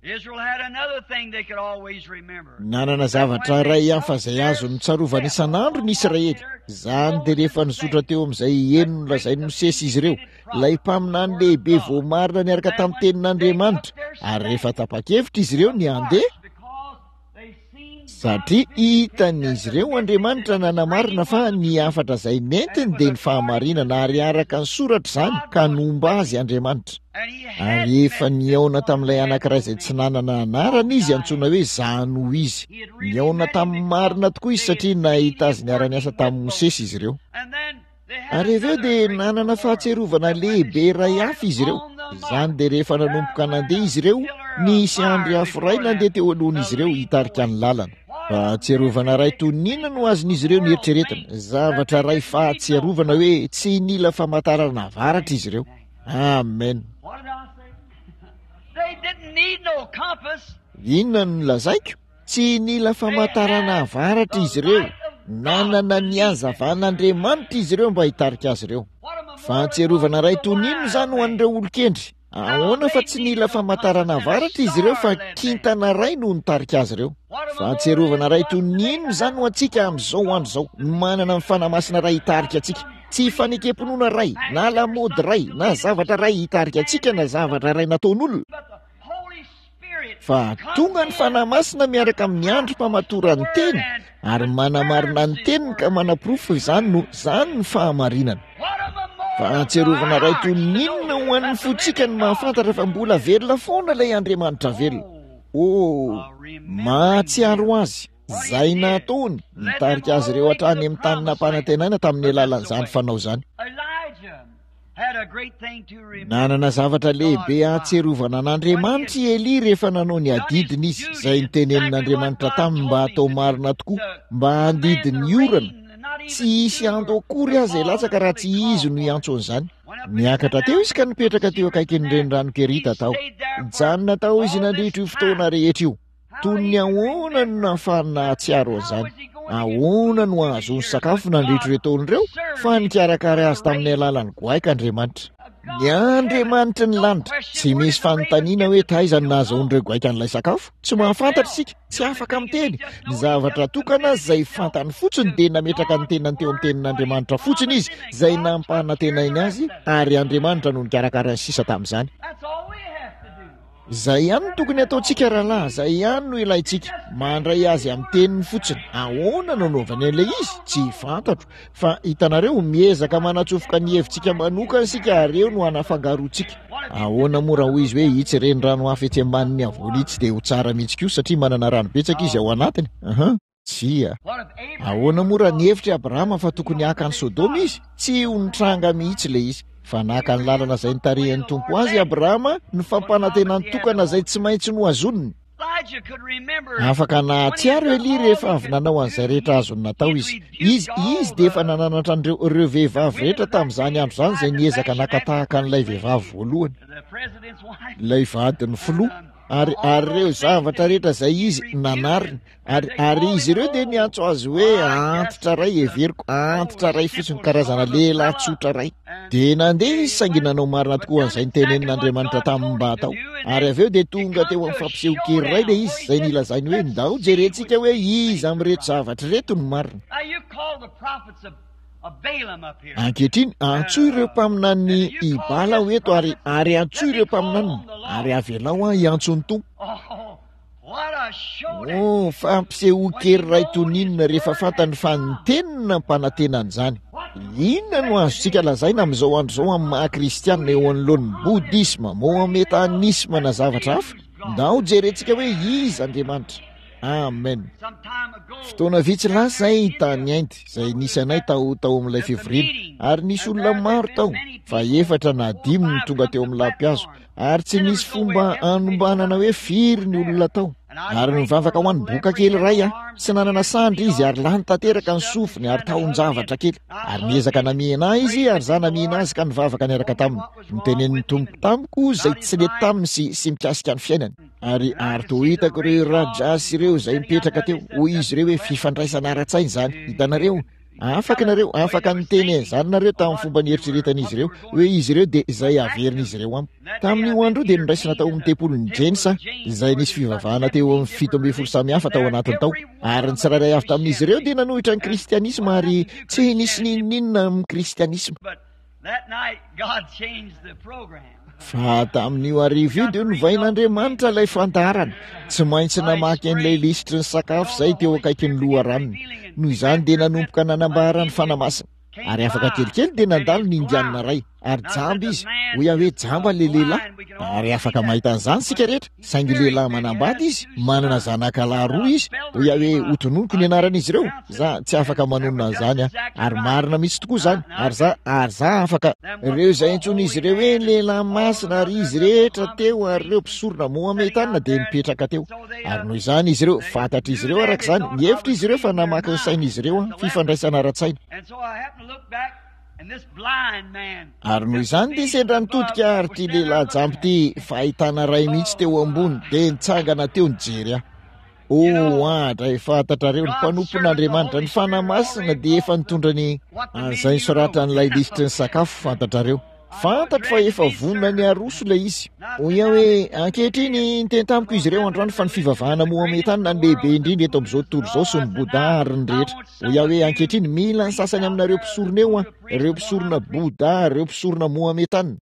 Nanana zavatra iray hafa izay azony notsarovana isan'andro ny Israely. Izany dia rehefa nizotra teo amin'izay heno nolazain'i Mosesy izy ireo, ilay mpaminany lehibe voamarina niaraka tamin'ny tenin'Andriamanitra, ary rehefa tapa-kevitra izy ireo ny handeha, Satria hitan'izy ireo Andriamanitra nanamarina fa ny hafatra izay nentiny dia ny fahamarinana ary araka ny soratra izany ka nomba azy Andriamanitra. Ary efa nihaona tamin'ilay anankiray izay tsy nanana anarana izy antsoina hoe Izaho no Izy. Nihaona tamin'ny marina tokoa izy satria nahita azy niara-niasa tamin'i Mosesy izy ireo. Ary avy eo dia nanana fahatsiarovana lehibe iray hafa izy ireo. Izany dia rehefa nanomboka nandeha izy ireo, nisy andry afo iray nandeha teo alohan'izy ireo hitarika ny lalana. Fahatsiarovana iray toy ny inona no azon'izy ireo nieritreretina? Zavatra iray fahatsiarovana hoe tsy nila famantarana avaratra izy ireo. Amen. Inona no nolazaiko? Tsy nila famantarana avaratra izy ireo. Nanana ny hazavan'Andriamanitra izy ireo mba hitarika azy ireo. Fahatsiarovana iray toy ny inona izany ho an'ireo olon-kendry? Ahoana fa tsy nila famantarana avaratra izy ireo fa kintana iray no nitarika azy ireo? Fahatsiarovana iray toy ny inona izany ho antsika amin'izao andro izao, ny manana ny Fanahy Masina iray hitarika antsika. Tsy fanekem-pinoana iray, na lamaody iray, na zavatra iray hitarika antsika, na zavatra iray nataon'olona. Fa tonga ny Fanahy Masina miaraka amin'ny androm-pamatoran'ny Teny ary manamarina ny Teniny ka manaporofo fa izany no, izany ny fahamarinana. Fahatsiarovana iray toy ny inona ho an'ny fontsika ny mahafantatra fa mbola velona foana ilay Andriamanitra velona. Oh, mahatsiaro Azy, izay nataony, nitarika azy ireo hatrany amin'ny tany nampanantenaina tamin'ny alalan'izany fanao izany. Nanana zavatra lehibe hahatsiarovana an'Andriamanitra i Elia rehefa nanao ny adidiny izy, izay notenenin'Andriamanitra taminy mba hatao marina tokoa, mba handidy ny orana. Tsy hisy ando akory aza hilatsaka raha tsy izy no hiantso an'izany. Niakatra teo izy ka nipetraka teo akaikin'ny renirano Kerita tao. Nijanona tao izy nandritra io fotoana rehetra io. Toy ny ahoana no nahafahany nahatsiaro an'izany? Ahoana no ahazoany sakafo nandritra ireo taona ireo? Fa nikarakara azy tamin'ny alalan'ny goaika Andriamanitra. Ny Andriamanitry ny lanitra. Tsy misy fanontaniana hoe taiza no nahazoan'ireo goaika an'ilay sakafo. Tsy mahafantatra isika, tsy afaka miteny. Ny zavatra tokana izay fantany fotsiny dia nametraka ny tenany teo amin'ny tenin'Andriamanitra fotsiny izy, izay nampanantenainy azy, ary Andriamanitra no nikarakara ny sisa tamin'izany. Izay ihany no tokony hataontsika rahalahy, izay ihany no ilaintsika. Mandray azy amin'ny teniny fotsiny. Ahoana no anaovany an'ilay izy? Tsy fantatro. Fa hitanareo, miezaka manatsofoka ny hevitsika manokana isika ary eo no anafangaroantsika. Ahoana moa raha hoy izy hoe itsy renirano hafa etsy ambanin'ny havoana itsy dia ho tsara mihitsy koa satria manana rano betsaka izy ao anatiny? Aha. Tsia. Ahoana moa raha nihevitra i Abrahama fa tokony haka an'i Sodoma izy? Tsy ho nitranga mihitsy ilay izy. Fa naka ny lalana izay nitarihan'ny Tompo azy i Abrahama, ny fampanantenany tokana izay tsy maintsy nohazoniny. Afaka nahatsiaro Elia rehefa avy nanao an'izay rehetra azony natao izy. Izy, izy dia efa nananatra an'ireo, ireo vehivavy rehetra tamin'izany andro izany izay niezaka naka tahaka an'ilay vehivavy voalohany, ilay vadin'ny filoha, ary, ary ireo zavatra rehetra izay izy nanariny. Ary, ary izy ireo dia niantso azy hoe antitra iray, heveriko, antitra iray fotsiny, karazana lehilahy tsotra iray. Dia nandeha izy saingy nanao marina tokoa an'izay notenenin'Andriamanitra taminy mba hatao. Ary avy eo dia tonga teo amin'ny fampisehoan-kery iray ilay izy, izay nilazainy hoe, Ndao jerentsika hoe iza amin'ireto zavatra ireto no marina. Ankehitriny, antsoy ireo mpaminanin'i Ibala aho eto, ary, ary antsoy ireo mpaminaniny, ary avelao aho hiantso ny Tompo. Oh, fampisehoan-kery iray toy ny inona rehefa fantany fa ny teniny nampanantena an'izany. Inona no azontsika lazaina amin'izao andro izao amin'ny maha kristianina eo anoloan'ny bodisma, mohametanisma na zavatra hafa? Ndao jerentsika hoe iza Andriamanitra. Amen. Fotoana vitsy lasa izay tany Inde, izay nisy anay tao tao amin'ilay fivoriana, ary nisy olona maro tao, fa efatra na dimy no tonga teo amin'ny lampihazo. Ary tsy nisy fomba hanombanana hoe firy ny olona tao. Ary nivavaka ho an'ny boka kely iray aho. Tsy nanana sandry izy ary lany tanteraka ny sofiny ary tahon-javatra kely. Ary niezaka namihina ahy izy ary izaho namihina azy ka nivavaka niaraka taminy. Notenenin'ny Tompo tamiko izay tsy nety taminy sy, sy mikasika ny fiainany. Ary, ary toa hitako ireo Rajas ireo izay nipetraka teo. Hoy izy ireo hoe fifandraisana ara-tsaina izany. Hitanareo? Afaka nareo, afaka niteny an'izany nareo tamin'ny fomba nieritreretan'izy ireo, hoe izy ireo dia izay averin'izy ireo amiko. Tamin'io andro io dia noraisina tao amin'ny tempolin'i James aho, izay nisy fivavahana teo amin'ny 17 samy hafa tao anatiny tao. Ary ny tsirairay avy tamin'izy ireo dia nanohitra ny kristianisma ary tsy nisy n'inon'inona amin'ny kristianisma. Fa tamin'io hariva io dia novain'Andriamanitra ilay fandaharana. Tsy maintsy namaky an'ilay lisitry ny sakafo izay teo akaikin'ny loharanony. Noho izany dia nanomboka nanambara ny Fanahy Masina. Ary afaka kelikely dia nandalo ny Indianina iray, ary jamba izy. Hoy aho hoe, Jamba ilay lehilahy. Ary afaka mahita an'izany isika rehetra. Saingy lehilahy manambady izy, manana zanakalahy roa izy. Hoy aho hoe, Hotononiko ny anaran'izy ireo. Za, tsy afaka manonona an'izany aho. Ary marina mihitsy tokoa izany. Ary za, ary za afaka. Ireo izay antsoin'izy ireo hoe lehilahy masina, ary izy rehetra teo, ary ireo mpisorona Mohametana dia nipetraka teo. Ary noho izany izy ireo, fantatr'izy ireo araka izany, nihevitra izy ireo fa namaky ny sain'izy ireo aho, fifandraisana ara-tsaina. Ary noho izany dia sendra nitodika ary ity lehilahy jamba ity, fahitana iray mihitsy teo ambony, dia nitsangana teo nijery ahy. Oh, andray, fantatrareo, ny mpanompon'Andriamanitra, ny Fanahy Masina dia efa nitondra ny an'izay nosoratan'ilay lisitry ny sakafo, fantatrareo. Fantatro fa efa vonona ny haroso ilay izy. Hoy aho hoe, Ankehitriny, niteny tamiko izy ireo androany fa ny fivavahana Mohametana no lehibe indrindra eto amin'izao tontolo izao sy ny Bouddha ary ny rehetra. Hoy aho hoe, Ankehitriny, mila ny sasany aminareo mpisorona eo aho, ireo mpisorona Bouddha, ireo mpisorona Mohametana.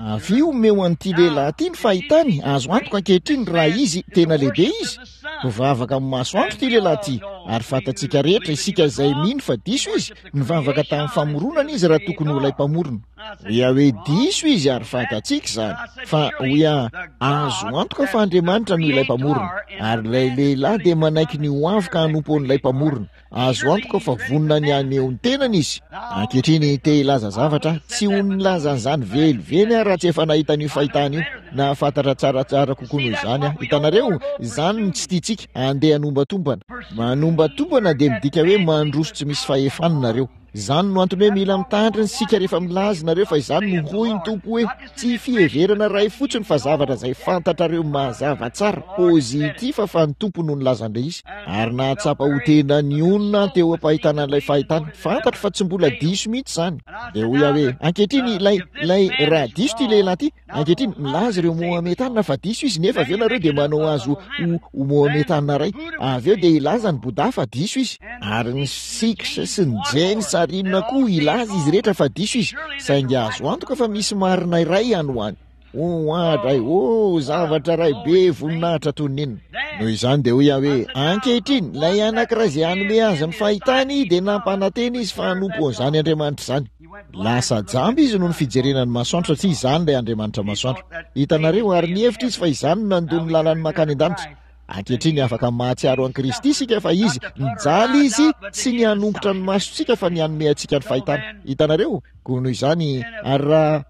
Avia omeo an'ity lehilahy ity ny fahitany, azo antoka ankehitriny raha izy, tena lehibe izy. Mpivavaka amin'ny masoandro ity lehilahy ity, ary fantatsika rehetra, isika izay mino fa diso izy, nivavaka tamin'ny famoronana izy raha tokony ho ilay mpamorona. Hoy aho hoe diso izy ary fantatsika izany, fa hoy aho, azo antoka fa Andriamanitra no ilay mpamorona, ary ilay lehilahy dia manaiky ny ho avy ka hanompo an'ilay mpamorona. Azo antoka fa vonona ny haneho ny tenany izy. Ankehitriny, te hilaza zavatra aho. Tsy ho nilaza an'izany velively aho raha tsy efa nahita an'io fahitana io. Nahafantatra tsaratsara kokoa noho izany aho. Hitanareo? Izany no tsy tiantsika, handeha hanombatombana. Manombatombana dia midika hoe mandroso tsy misy fahefana nareo. Izany no antony hoe mila mitandrina isika rehefa milaza nareo fa izany no hoy ny Tompo hoe tsy fiheverana iray fotsiny fa zavatra izay fantatrareo mazava tsara, positif, fa ny Tompo no nilaza an'ilay izy. Ary nahatsapa ho tena nionona aho teo am-pahitana an'ilay fahitana. Fantatro fa tsy mbola diso mihitsy izany. Dia hoy aho hoe, Ankehitriny, ilay, ilay, raha diso ity lehilahy ity, Ankehitriny, milaza ireo Mohametana fa diso izy, nefa avy eo nareo dia manao azy ho, ho, ho Mohametana iray. Avy eo dia hilaza ny Bouddha fa diso izy. Ary ny Sikhs sy ny Jains ary inona koa, hilaza izy rehetra fa diso izy. Saingy azo antoka fa misy marina iray any ho any. Oh, adray, oh, zavatra iray be voninahitra toy ny inona. Noho izany dia hoy aho hoe, Ankehitriny, ilay anankiray izay hanome azy ny fahitany dia nampanantena izy fa hanompo an'izany Andriamanitra izany. Lasa jamba izy noho ny fijerena ny masoandro satria izany ilay Andriamanitra masoandro. Hitanareo, ary nihevitra izy fa izany no nandoa ny lalany mankany an-danitra. Ankehitriny afaka mahatsiaro an'i Kristy isika fa Izy, nijaly Izy, tsy ny hanongotra ny masontsika fa ny hanome antsika ny fahitana. Hitanareo? Koa noho izany, ary raha,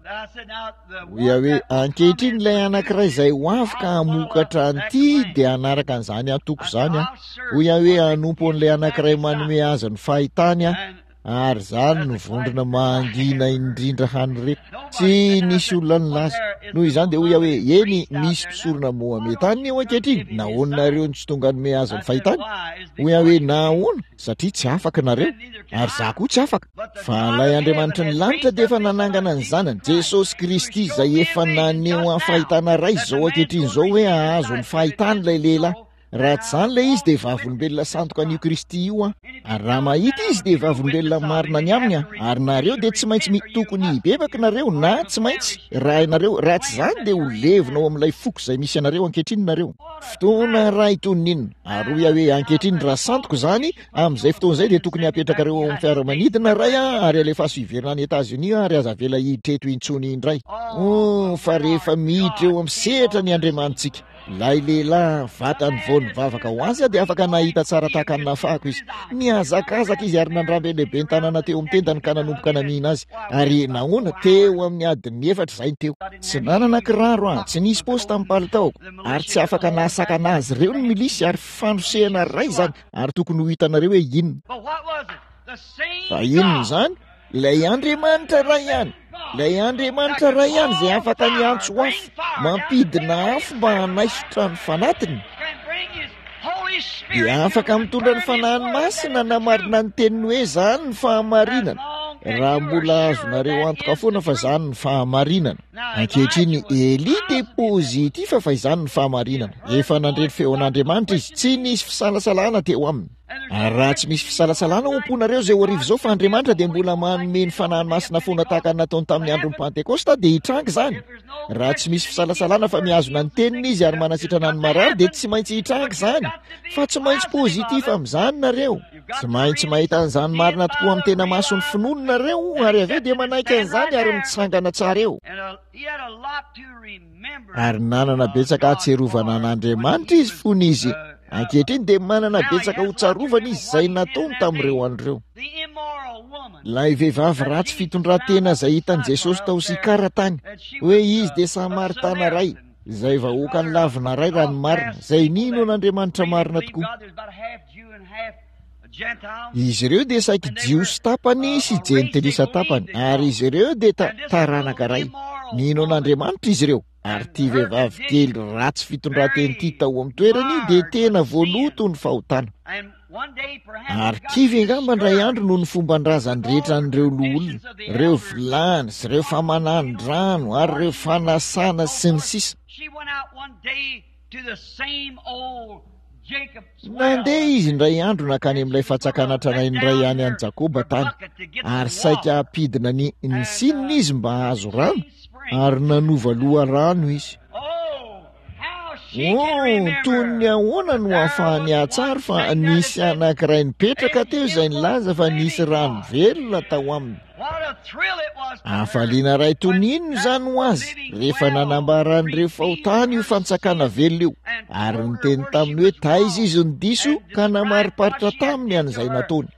hoy aho hoe, ankehitriny ilay anankiray izay ho avy ka hamokatra an'ity dia hanaraka an'izany antoko izany aho. Hoy aho hoe, hanompo an'ilay anankiray manome azy ny fahitany aho. Ary izany no vondrona mangina indrindra hany re. Tsy nisy olona nilaza. Noho izany dia hoy aho hoe, Eny, misy mpisorona Mohametana eo ankehitriny. Nahoana nareo no tsy tonga hanome azy ny fahitany? Hoy aho hoe, Nahoana? Satria tsy afaka nareo. Ary izaho koa tsy afaka. Fa ilay Andriamanitry ny lanitra dia efa nanangana ny Zanany, Jesosy Kristy, izay efa naneho ahy fahitana iray izao ankehitriny izao hoe hahazo ny fahitany ilay lehilahy. Raha tsy izany ilay izy dia vavolombelona sandoka an'io Kristy io aho. Ary raha mahita izy dia vavolombelona marina ny aminy aho. Ary nareo dia tsy maintsy mi, tokony hibebaka nareo na tsy maintsy, raha ianareo, raha tsy izany dia ho levona ao amin'ilay foko izay misy anareo ankehitriny nareo. Fotoana iray toy ny inona. Ary hoy aho hoe, Ankehitriny raha sandoka izany, amin'izay fotoana izay dia tokony hapetrakareo ao amin'ny fiaramanidina iray aho ary alefaso hiverina any Etazonia aho ary aza avela hiditra eto intsony indray. Oh, fa rehefa miditra eo amin'ny sehatra ny Andriamanitsika. Ilay lehilahy vatany vao nivavaka ho azy dia afaka nahita tsara tahaka ny nahafahako izy. Nihazakazaka izy ary nandramby an'ilay ben'ny tanàna teo amin'ny tendany ka nanomboka namihina azy. Ary nahoana? Teo amin'ny adin'ny efatra izay teo. Tsy nanana kiraro aho, tsy nisy paosy tamin'ny palitaoko, ary tsy afaka nahasakana azy ireo ny milisy ary fandrosehana iray izany ary tokony ho hitanareo hoe inona. Fa inona izany? Ilay Andriamanitra iray ihany, ilay Andriamanitra iray ihany izay afaka miantso afo, mampidina afo mba hanaisotra ny fanatiny, dia afaka mitondra ny Fanahiny Masina hanamarina ny teniny hoe izany ny fahamarinana, raha mbola azonareo antoka foana fa izany ny fahamarinana. Ankehitriny, Elia dia pozitifa fa izany ny fahamarinana. Efa nandre ny feon'Andriamanitra izy, tsy nisy fisalasalana teo aminy. Ary raha tsy misy fisalasalana ao am-ponareo izao hariva izao fa Andriamanitra dia mbola manome ny Fanahiny Masina foana tahaka ny nataony tamin'ny andron'ny Pantekosta, dia hitranga izany. Raha tsy misy fisalasalana fa mihazona ny Teniny Izy ary manasitrana ny marary, dia tsy maintsy hitranga izany. Fa tsy maintsy positif amin'izany nareo. Tsy maintsy mahita an'izany marina tokoa amin'ny tena mason'ny finoana nareo, ary avy eo dia manaiky an'izany ary mitsangana tsara eo. Ary nanana betsaka hahatsiarovana an'Andriamanitra izy fony izy. Ankehitriny dia manana betsaka ho tsarovana izy izay nataony tamin'ireo andro ireo. Ilay vehivavy ratsy fitondran-tena izay hitan'i Jesosy tao Sikara tany, hoe izy dia Samaritana iray, izay vahoaka nilavina iray raha ny marina, izay nino an'Andriamanitra marina tokoa. Izy ireo dia saiky Jiosy tapany sy Jentilisa tapany, ary izy ireo dia ta, taranaka iray. Nino an'Andriamanitra izy ireo, ary ity vehivavy kely ratsy fitondran-tena ity tao amin'ny toerany dia tena voaloto ny fahotana. Ary kivy angamba indray andro noho ny fomban-drazany rehetra an'ireo loholona, ireo vilany sy ireo famanan-drano ary ireo fanasana sy ny sisa. Nandeha izy indray andro nankany amin'ilay fatsakana tranainy iray ihany an'i Jakoba tany, ary saika hampidina ny ny sininy izy mba hahazo rano, ary nanova loharano izy. Oh, toy ny ahoana no ahafahany hahatsary fa nisy anankiray nipetraka teo izay nilaza fa nisy rano velona tao aminy. Hafaliana iray toy ny inona izany ho azy rehefa nanambara an'ireo fahotany io fantsakana velona io, ary niteny taminy hoe taiza izy no diso ka namariparitra taminy an'izay nataony.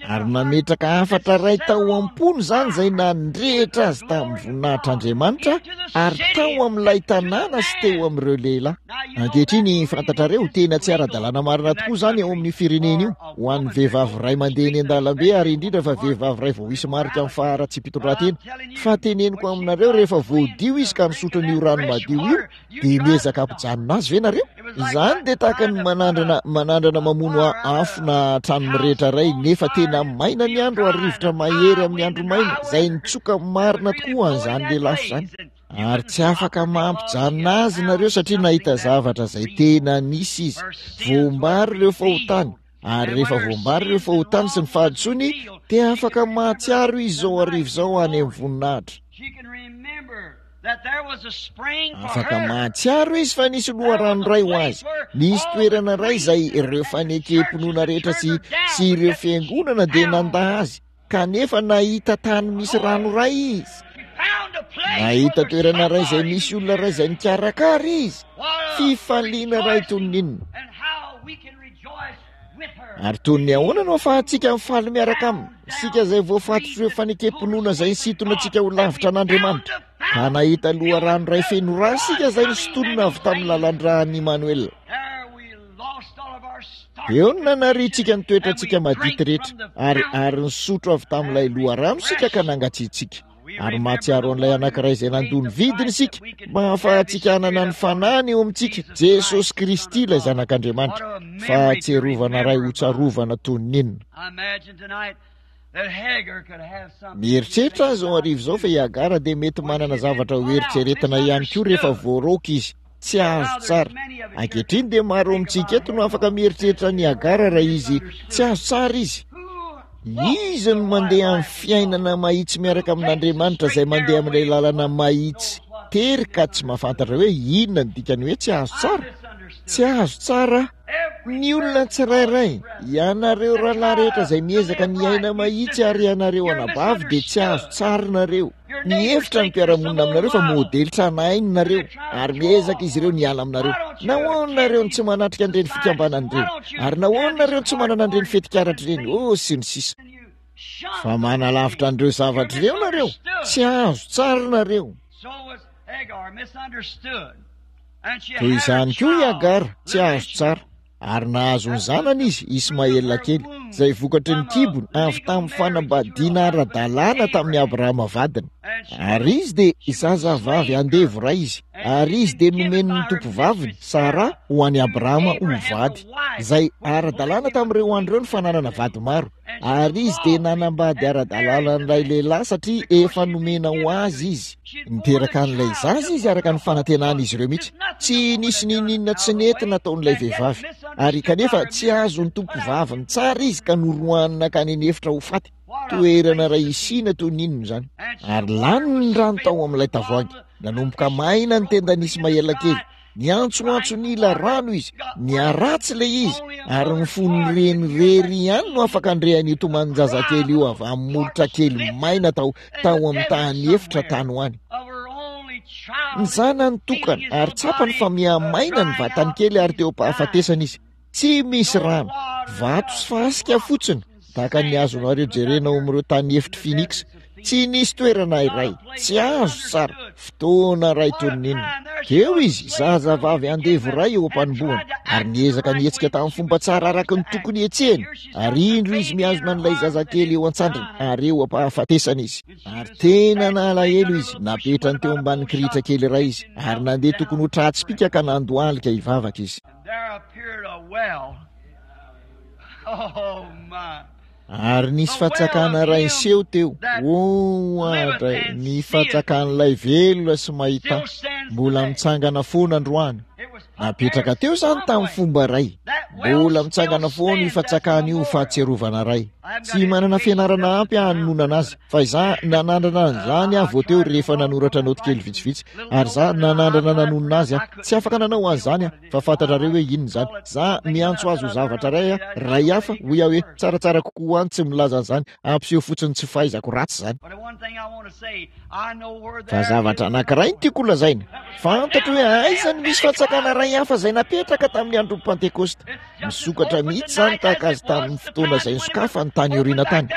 Ary nametraka hafatra iray tao am-pony izany izay nandrehitra azy tamin'ny voninahitr'Andriamanitra ary tao amin'ilay tanàna sy teo amin'ireo lehilahy. Ankehitriny, fantatrareo, tena tsy ara-dalàna marina tokoa izany ao amin'io firenena io, ho an'ny vehivavy iray mandeha eny an-dalambe ary indrindra fa vehivavy iray vao hisy marika amin'ny faharatsiam-pitondrantena. Fa teneniko aminareo, rehefa voadio izy ka nisotro an'io rano madio io, dia miezaka hampijanona azy ve nareo? Izany dia tahaka ny manandrana manandrana mamono afo na trano mirehitra iray nefa tena maina ny andro ary rivotra mahery amin'ny andro maina izay nitsoka marina tokoa an'izany lelafo izany. Ary tsy afaka mampijanona azy nareo satria nahita zavatra izay tena nisy izy. Voambary ireo fahotany ary rehefa voambary ireo fahotany sy ny fahadisoany dia afaka mahatsiaro izy izao hariva izao any amin'ny voninahitra. Afaka mahatsiaro izy fa nisy loharano iray ho azy, nisy toerana iray izay ireo fanekem-pinoana rehetra sy sy ireo fiangonana dia nandà azy, kanefa nahita tany misy rano iray izy. Nahita toerana iray izay misy olona iray izay nikarakara izy. Fifaliana iray toy ny inona! Ary toy ny ahoana no ahafahantsika mifaly miaraka aminy, isika izay voafatotr'ireo fanekem-pinoana izay nisintona antsika ho lavitra an'Andriamanitra, ka nahita loharano iray feno ra isika izay nosintonina avy tamin'ny lalan-dran'i Immanuel. Eo no nanariantsika ny toetrantsika madity rehetra, ary ary nisotro avy tamin'ilay loharano isika ka nangatsiatsiaka. Ary mahatsiaro an'ilay anankiray izay nandoa ny vidiny isika mba hahafahantsika hanana ny fanahiny eo amintsika, Jesosy Kristy ilay Zanak'Andriamanitra. Fahatsiarovana iray hotsarovana toy ny inona! Mieritreritra aho izao hariva izao fa i Hagara dia mety manana zavatra hoeritreretina ihany koa rehefa voaroaka izy. Tsy azo tsara. Ankehitriny dia maro amintsika eto no afaka mieritreritra an'i Hagara raha izy tsy azo tsara izy. Izy no mandeha amin'ny fiainana mahitsy miaraka amin'Andriamanitra izay mandeha amin'ilay lalana mahitsy tery ka tsy mahafantatra hoe inona ny dikany hoe tsy azo tsara. Tsy azo tsara ny olona tsirairay. Ianareo rahalahy rehetra izay miezaka ny hiaina mahitsy ary ianareo anabavy dia tsy azo tsara nareo. Mihevitra ny mpiara-monina aminareo fa modely tranainy nareo, ary miezaka izy ireo ny hiala aminareo. Nahoana nareo no tsy manatrika an'ireny fikambanana ireny? Ary nahoana nareo no tsy manana an'ireny fetikaratra ireny? Oh, sy ny sisa. Fa manalavitra an'ireo zavatra ireo nareo. Tsy azo tsara nareo. Toy izany koa i Hagara, tsy azo tsara. Ary nahazo ny zanany izy, Ismaela kely, izay vokatry ny kibony avy tamin'ny fanambadiana ara-dalàna tamin'i Abrahama vadiny. Ary izy dia zazavavy andevo iray izy, ary izy dia nomen'ny tompovaviny, Sara, ho an'i Abrahama ho vady, izay ara-dalàna tamin'ireo andro ireo ny fananana vady maro. Ary izy dia nanambady ara-dalàna an'ilay lehilahy satria efa nomena ho azy izy. Niteraka an'ilay zaza izy araka ny fanantenan'izy ireo mihitsy. Tsy nisy n'inon'inona tsy nety nataon'ilay vehivavy. Ary kanefa tsy azon'ny tompovaviny tsara izy ka noroahany nankany an'efitra ho faty. Toerana iray isiana toy ny inona izany. Ary lany ny rano tao amin'ilay tavoahangy. Nanomboka maina ny tendan'i Ismaela kely. Niantsoantso nila rano izy, niharatsy ilay izy, ary ny fon'ny reny irery ihany no afaka handre an'io tomanin-jazakely io avy amin'ny molotra kely maina tao tao amin'ny tany efitra tany ho any. Ny zanany tokana, ary tsapany fa miha-maina ny vatany kely ary teo am-pahafatesana izy. Tsy misy rano, vato sy fasika fotsiny, tahaka ny azonareo jerena ao amin'ireo tany efitr'i Phoenix. Tsy nisy toerana iray, tsy azo tsara, fotoana iray toy ny inona. Teo izy, zazavavy andevo iray eo am-panombohana, ary niezaka nihetsika tamin'ny fomba tsara araka ny tokony hetsehiny, ary indro izy mihazona an'ilay zazakely eo an-tsandriny, ary eo am-pahafatesana izy. Ary tena nalahelo izy, napetrany teo ambanin'ny kirihitra kely iray izy, ary nandeha tokony ho tra-tsipìka ka nandohalika hivavaka izy. Ary nisy fatsakana iray niseho teo. Oh, oadray, ny fatsakan'ilay velona sy mahita, mbola mitsangana foana androany. Napetraka teo izany tamin'ny fomba iray. Mbola mitsangana foana io fatsakana io ho fahatsiarovana iray. Tsy manana fianarana ampy aho hanononana azy, fa izaho nanandrana an'izany aho vao teo rehefa nanoratra naoty kely vitsivitsy, ary izaho nanandrana nanonona azy aho. Tsy afaka nanao an'izany aho, fa fantatrareo hoe inona izany. Izaho miantso azy ho zavatra iray aho, iray hafa, hoy aho hoe, tsaratsara kokoa ho ahy ny tsy milaza an'izany, hampiseho fotsiny tsy fahaizako ratsy izany. Fa zavatra anankiray no tiako holazaina, fantatro hoe aiza no misy fantsakana iray hafa izay napetraka tamin'ny andron'ny Pantekosta. Misokatra mihitsy izany tahaka azy tamin'ny fotoana izay nisokafany tany aoriana tany.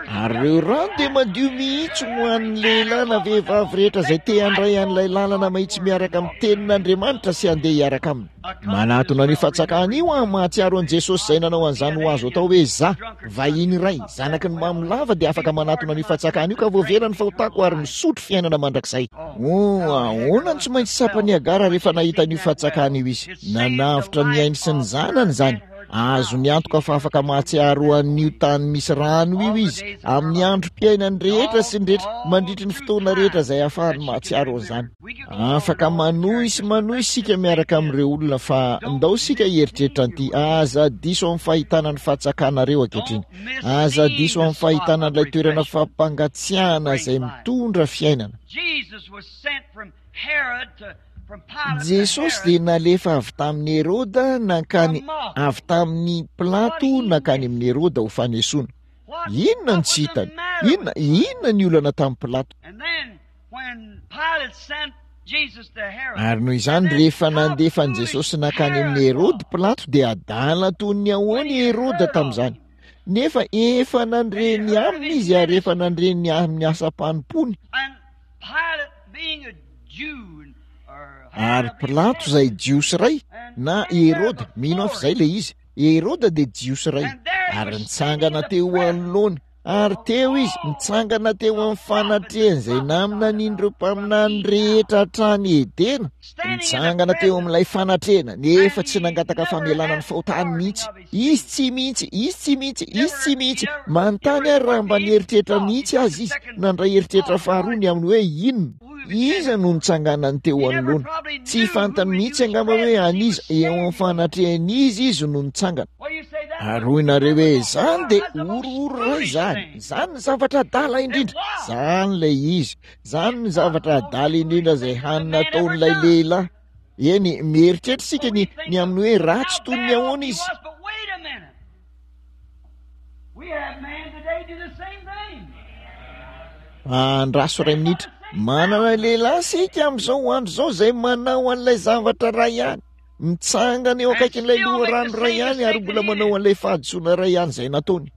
Ary ireo rano dia madio mihitsy ho an'ny lehilahy na vehivavy rehetra izay te handray an'ilay lalana mahitsy miaraka amin'ny tenin'Andriamanitra sy handeha hiaraka aminy. Manatona an'io fatsakana io aho mahatsiaro an'i Jesosy izay nanao an'izany ho azo atao hoe za, vahiny iray, zanaky ny mamo lava dia afaka manatona an'io fatsakana io ka voavela ny fahotako ary misotro fiainana mandrakizay. Oh, ahoana no tsy maintsy tsapan'i Hagara rehefa nahita an'io fatsakana io izy? Nanavotra ny ainy sy ny zanany izany. Azony antoka fa afaka mahatsiaro an'io tany misy rano io izy amin'ny androm-piainany rehetra sy ny rehetra mandritry ny fotoana rehetra izay ahafahany mahatsiaro an'izany. Afaka manohy sy manohy isika miaraka amin'ireo olona fa ndao isika hieritreritra an'ity, aza diso amin'ny fahitana ny fatsakanareo ankehitriny. Aza diso amin'ny fahitana an'ilay toerana fampangatsiahana izay mitondra fiainana. Jesosy dia nalefa avy tamin'i Heroda nankany avy tamin'i Pilato nankany amin'i Heroda ho fanesoana. Inona no tsy hitany? Inona, inona ny olana tamin'i Pilato? Ary noho izany, rehefa nandefa an'i Jesosy nankany amin'i Heroda Pilato dia adala toy ny ahoana i Heroda tamin'izany. Nefa efa nandre ny aminy izy ary efa nandre ny amin'ny asam-panompoany. Ary Pilato izay Jiosy iray, na Heroda, mino aho fa izay ilay izy, Heroda dia Jiosy iray, ary nitsangana teo anoloany, ary teo izy, nitsangana teo amin'ny fanatrehan'izay naminanian'ireo mpaminany rehetra hatrany Edena, nitsangana teo amin'ilay fanatrehana, nefa tsy nangataka famelana ny fahotany mihitsy. Izy tsy mihitsy, izy tsy mihitsy, izy tsy mihitsy. Manontany ary raha mba nieritreritra mihitsy aza izy, nandray eritreritra faharoa ny amin'ny hoe inona. Iza no nitsanganany teo anoloana? Tsy fantany mihitsy angamba hoe an'iza, eo amin'ny fanatrehan'iza izy no nitsangana. Ary hoy nareo hoe, Izany dia horohoro iray izany. Izany ny zavatra adala indrindra. Izany ilay izy. Izany ny zavatra adala indrindra izay hany nataon'ilay lehilahy. Eny, mieritreritra isika ny, ny amin'ny hoe ratsy toy ny ahoana izy. Andraso iray minitra. Manana lehilahy isika amin'izao andro izao izay manao an'ilay zavatra iray ihany. Mitsangana eo akaikin'ilay loharano iray ihany ary mbola manao an'ilay fahadisoana iray ihany izay nataony.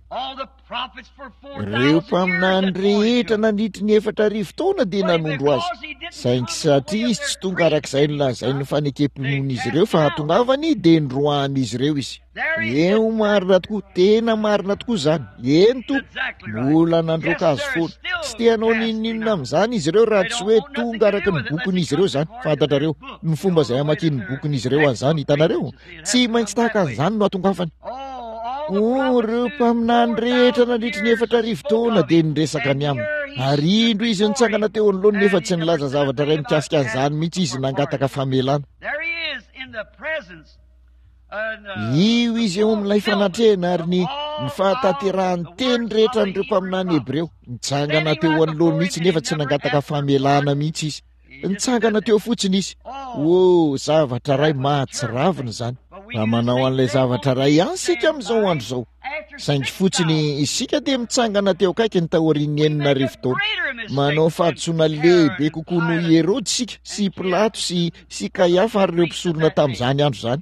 Ireo mpaminany rehetra nandritry ny 4000 taona dia nanondro azy. Saingy satria izy tsy tonga araka izay nolazain'ny fanekem-pinoan'izy ireo fa hahatongavany dia noroahan'izy ireo izy. Eo marina tokoa, tena marina tokoa izany. Eny tompo, mbola nandroaka azy foana. Tsy te hanao n'inon'inona amin'izany izy ireo raha tsy hoe tonga araka ny bokin'izy ireo izany. Fantatrareo, ny fomba izay hamakian'ny bokin'izy ireo an'izany, hitanareo? Tsy maintsy tahaka an'izany no hatongavany. Oh, ireo mpaminany rehetra nandritry ny 4000 taona dia niresaka ny aminy. Ary indro izy nitsangana teo anoloany nefa tsy nilaza zavatra iray mikasika an'izany mihitsy izy nangataka famelana. Io izy eo amin'ilay fanatrehana ary ny ny fahatanterahan'ny teny rehetra an'ireo mpaminany hebreo. Nitsangana teo anoloany mihitsy nefa tsy nangataka famelana mihitsy izy. Nitsangana teo fotsiny izy. Oh, zavatra iray mahatsiravina izany. Raha manao an'ilay zavatra iray ihany isika amin'izao andro izao. Saingy fotsiny isika dia mitsangana teo akaikiny taorian'ny 6000 taona. Manao fahadisoana lehibe kokoa noho i Heroda isika, sy i Pilato, sy, sy Kaiafa ary ireo mpisorona tamin'izany andro izany.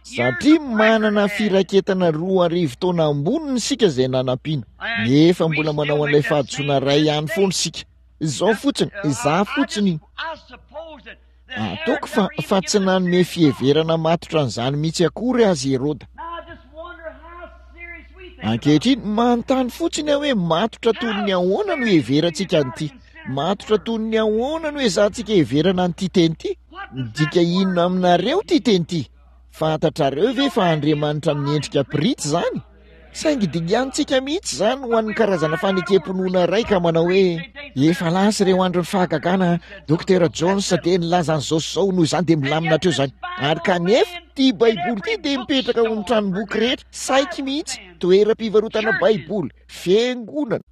Satria manana firaketana 2000 taona amboniny isika izay nanampiana, nefa mbola manao an'ilay fahadisoana iray ihany foana isika. Izao fotsiny, izaho fotsiny, ataoko fa, fa tsy nanome fiheverana matotra an'izany mihitsy akory azy Heroda. Ankehitriny, manontany fotsiny aho hoe matotra toy ny ahoana no iheverantsika an'ity? Matotra toy ny ahoana no ezahantsika heverana an'ity teny ity? Midika inona aminareo ity teny ity? Fantatrareo ve fa Andriamanitra amin'ny endrika pirity izany? Saingy dinganintsika mihitsy izany ho an'ny karazana fanekem-pinoana iray ka manao hoe, Efa lasa ireo andron'ny fahagagana, Dokotera Jones dia nilaza an'izao sy izao, noho izany dia milamina hatreo izany. Ary kanefa, ity Baiboly ity dia mipetraka ao amin'ny tranomboky rehetra, saiky mihitsy, toeram-pivarotana Baiboly, fiangonana.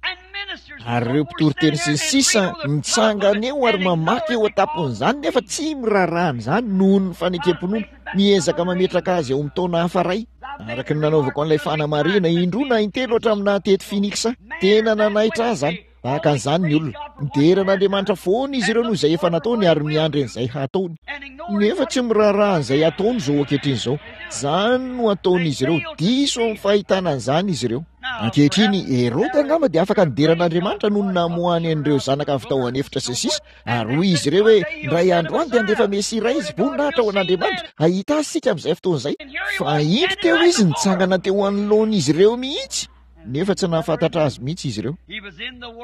Ary ireo mpitoriteny sy ny sisa mitsangana eo ary mamaky eo an-tampon'izany nefa tsy miraharaha an'izany noho ny fanekem-pinoana, miezaka mametraka azy ao amin'ny taona hafa iray. Araka ny nanaovako an'ilay fanamarihana indroa na intelo hatramin'ny naha teto Phoenix ahy, tena nanaitra ahy izany. Tahaka an'izany ny olona. Midera an'Andriamanitra foana izy ireo noho izay efa nataony ary miandry an'izay hataony. Nefa tsy miraharaha an'izay ataony izao ankehitriny izao. Izany no ataon'izy ireo. Diso amin'ny fahitana an'izany izy ireo. Ankehitriny, Heroda angamba dia afaka nidera an'Andriamanitra noho ny namoahany an'ireo zanaka avy tao an'efitra sy ny sisa, ary hoy izy ireo hoe, Indray andro any dia handefa Mesia iray izy, voninahitra ho an'Andriamanitra, hahita azy isika amin'izay fotoana izay. Fa indro teo izy nitsangana teo anoloan'izy ireo mihitsy, nefa tsy nahafantatra azy mihitsy izy ireo.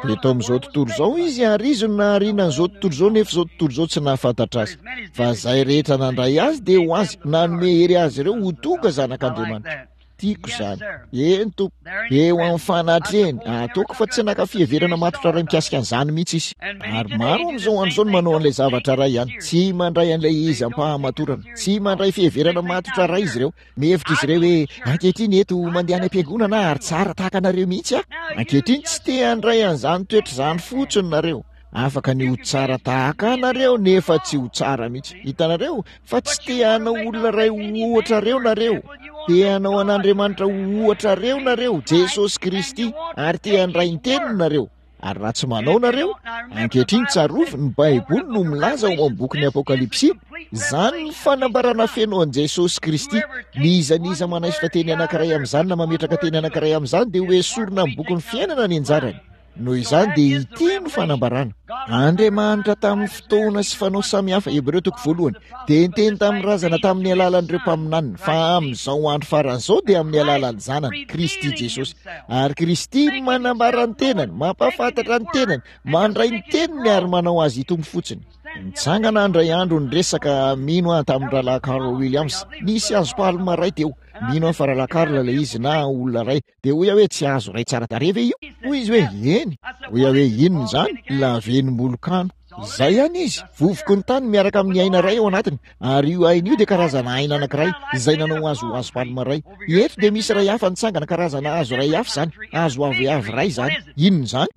Teto amin'izao tontolo izao izy, ary izy no nahariana an'izao tontolo izao, nefa izao tontolo izao tsy nahafantatra azy. Fa izay rehetra nandray azy dia ho azy, nanome hery azy ireo ho tonga zanak'Andriamanitra. Tiako izany. Eny, Tompo. Eo amin'ny fanatrehany. Ataoko fa tsy naka fiheverana matotra iray mikasika an'izany mihitsy izy. Ary maro amin'izao andro izao no manao an'ilay zavatra iray ihany. Tsy mandray an'ilay izy am-pahamatorana. Tsy mandray fiheverana matotra iray izy ireo. Mihevitra izy ireo hoe, Ankehitriny eto, mandeha any am-piangonana aho ary tsara tahaka anareo mihitsy aho. Ankehitriny, tsy te handray an'izany toetra izany fotsiny nareo. Afaka ny ho tsara tahaka anareo nefa tsy ho tsara mihitsy. Hitanareo? Fa tsy te hanao olona iray ho ohatrareo nareo. Te hanao an'Andriamanitra ho ohatrareo nareo, Jesosy Kristy, ary te handray ny teniny nareo. Ary raha tsy manao nareo, ankehitriny tsarovy, ny Baiboly no milaza ao amin'ny bokin'ny Apokalypsy, izany ny fanambarana feno an'i Jesosy Kristy. N'iza n'iza manaisotra teny anankiray amin'izany na mametraka teny anankiray amin'izany dia ho esorina amin'ny bokin'ny fiainana ny anjarany. Noho izany dia ity no fanambarana. Andriamanitra tamin'ny fotoana sy fanao samihafa, Hebreo toko voalohany, dia niteny tamin'ny razana tamin'ny alalan'ireo mpaminaniny, fa amin'izao andro farany izao dia amin'ny alalan'ny Zanany, Kristy Jesosy. Ary Kristy manambara ny tenany, mampahafantatra ny tenany, mandray ny teniny ary manao azy hitombo fotsiny. Nitsangana indray andro niresaka mino aho tamin'ny rahalahy Carl Williams. Nisy hazo palma iray teo. Mino aho fa rahalahy Carl ilay izy na olona iray. Dia hoy aho hoe, Tsy hazo iray tsara tarehy ve io? Hoy izy hoe, Eny. Hoy aho hoe, Inona izany? Lavenom-bolokano. Izay ihany izy, vovoky ny tany miaraka amin'ny aina iray ao anatiny. Ary io aina io dia karazana aina anankiray izay nanao hazo ho hazo palma iray. Eto dia misy iray hafa nitsangana, karazana hazo iray hafa izany, hazo aviavy iray izany. Inona izany?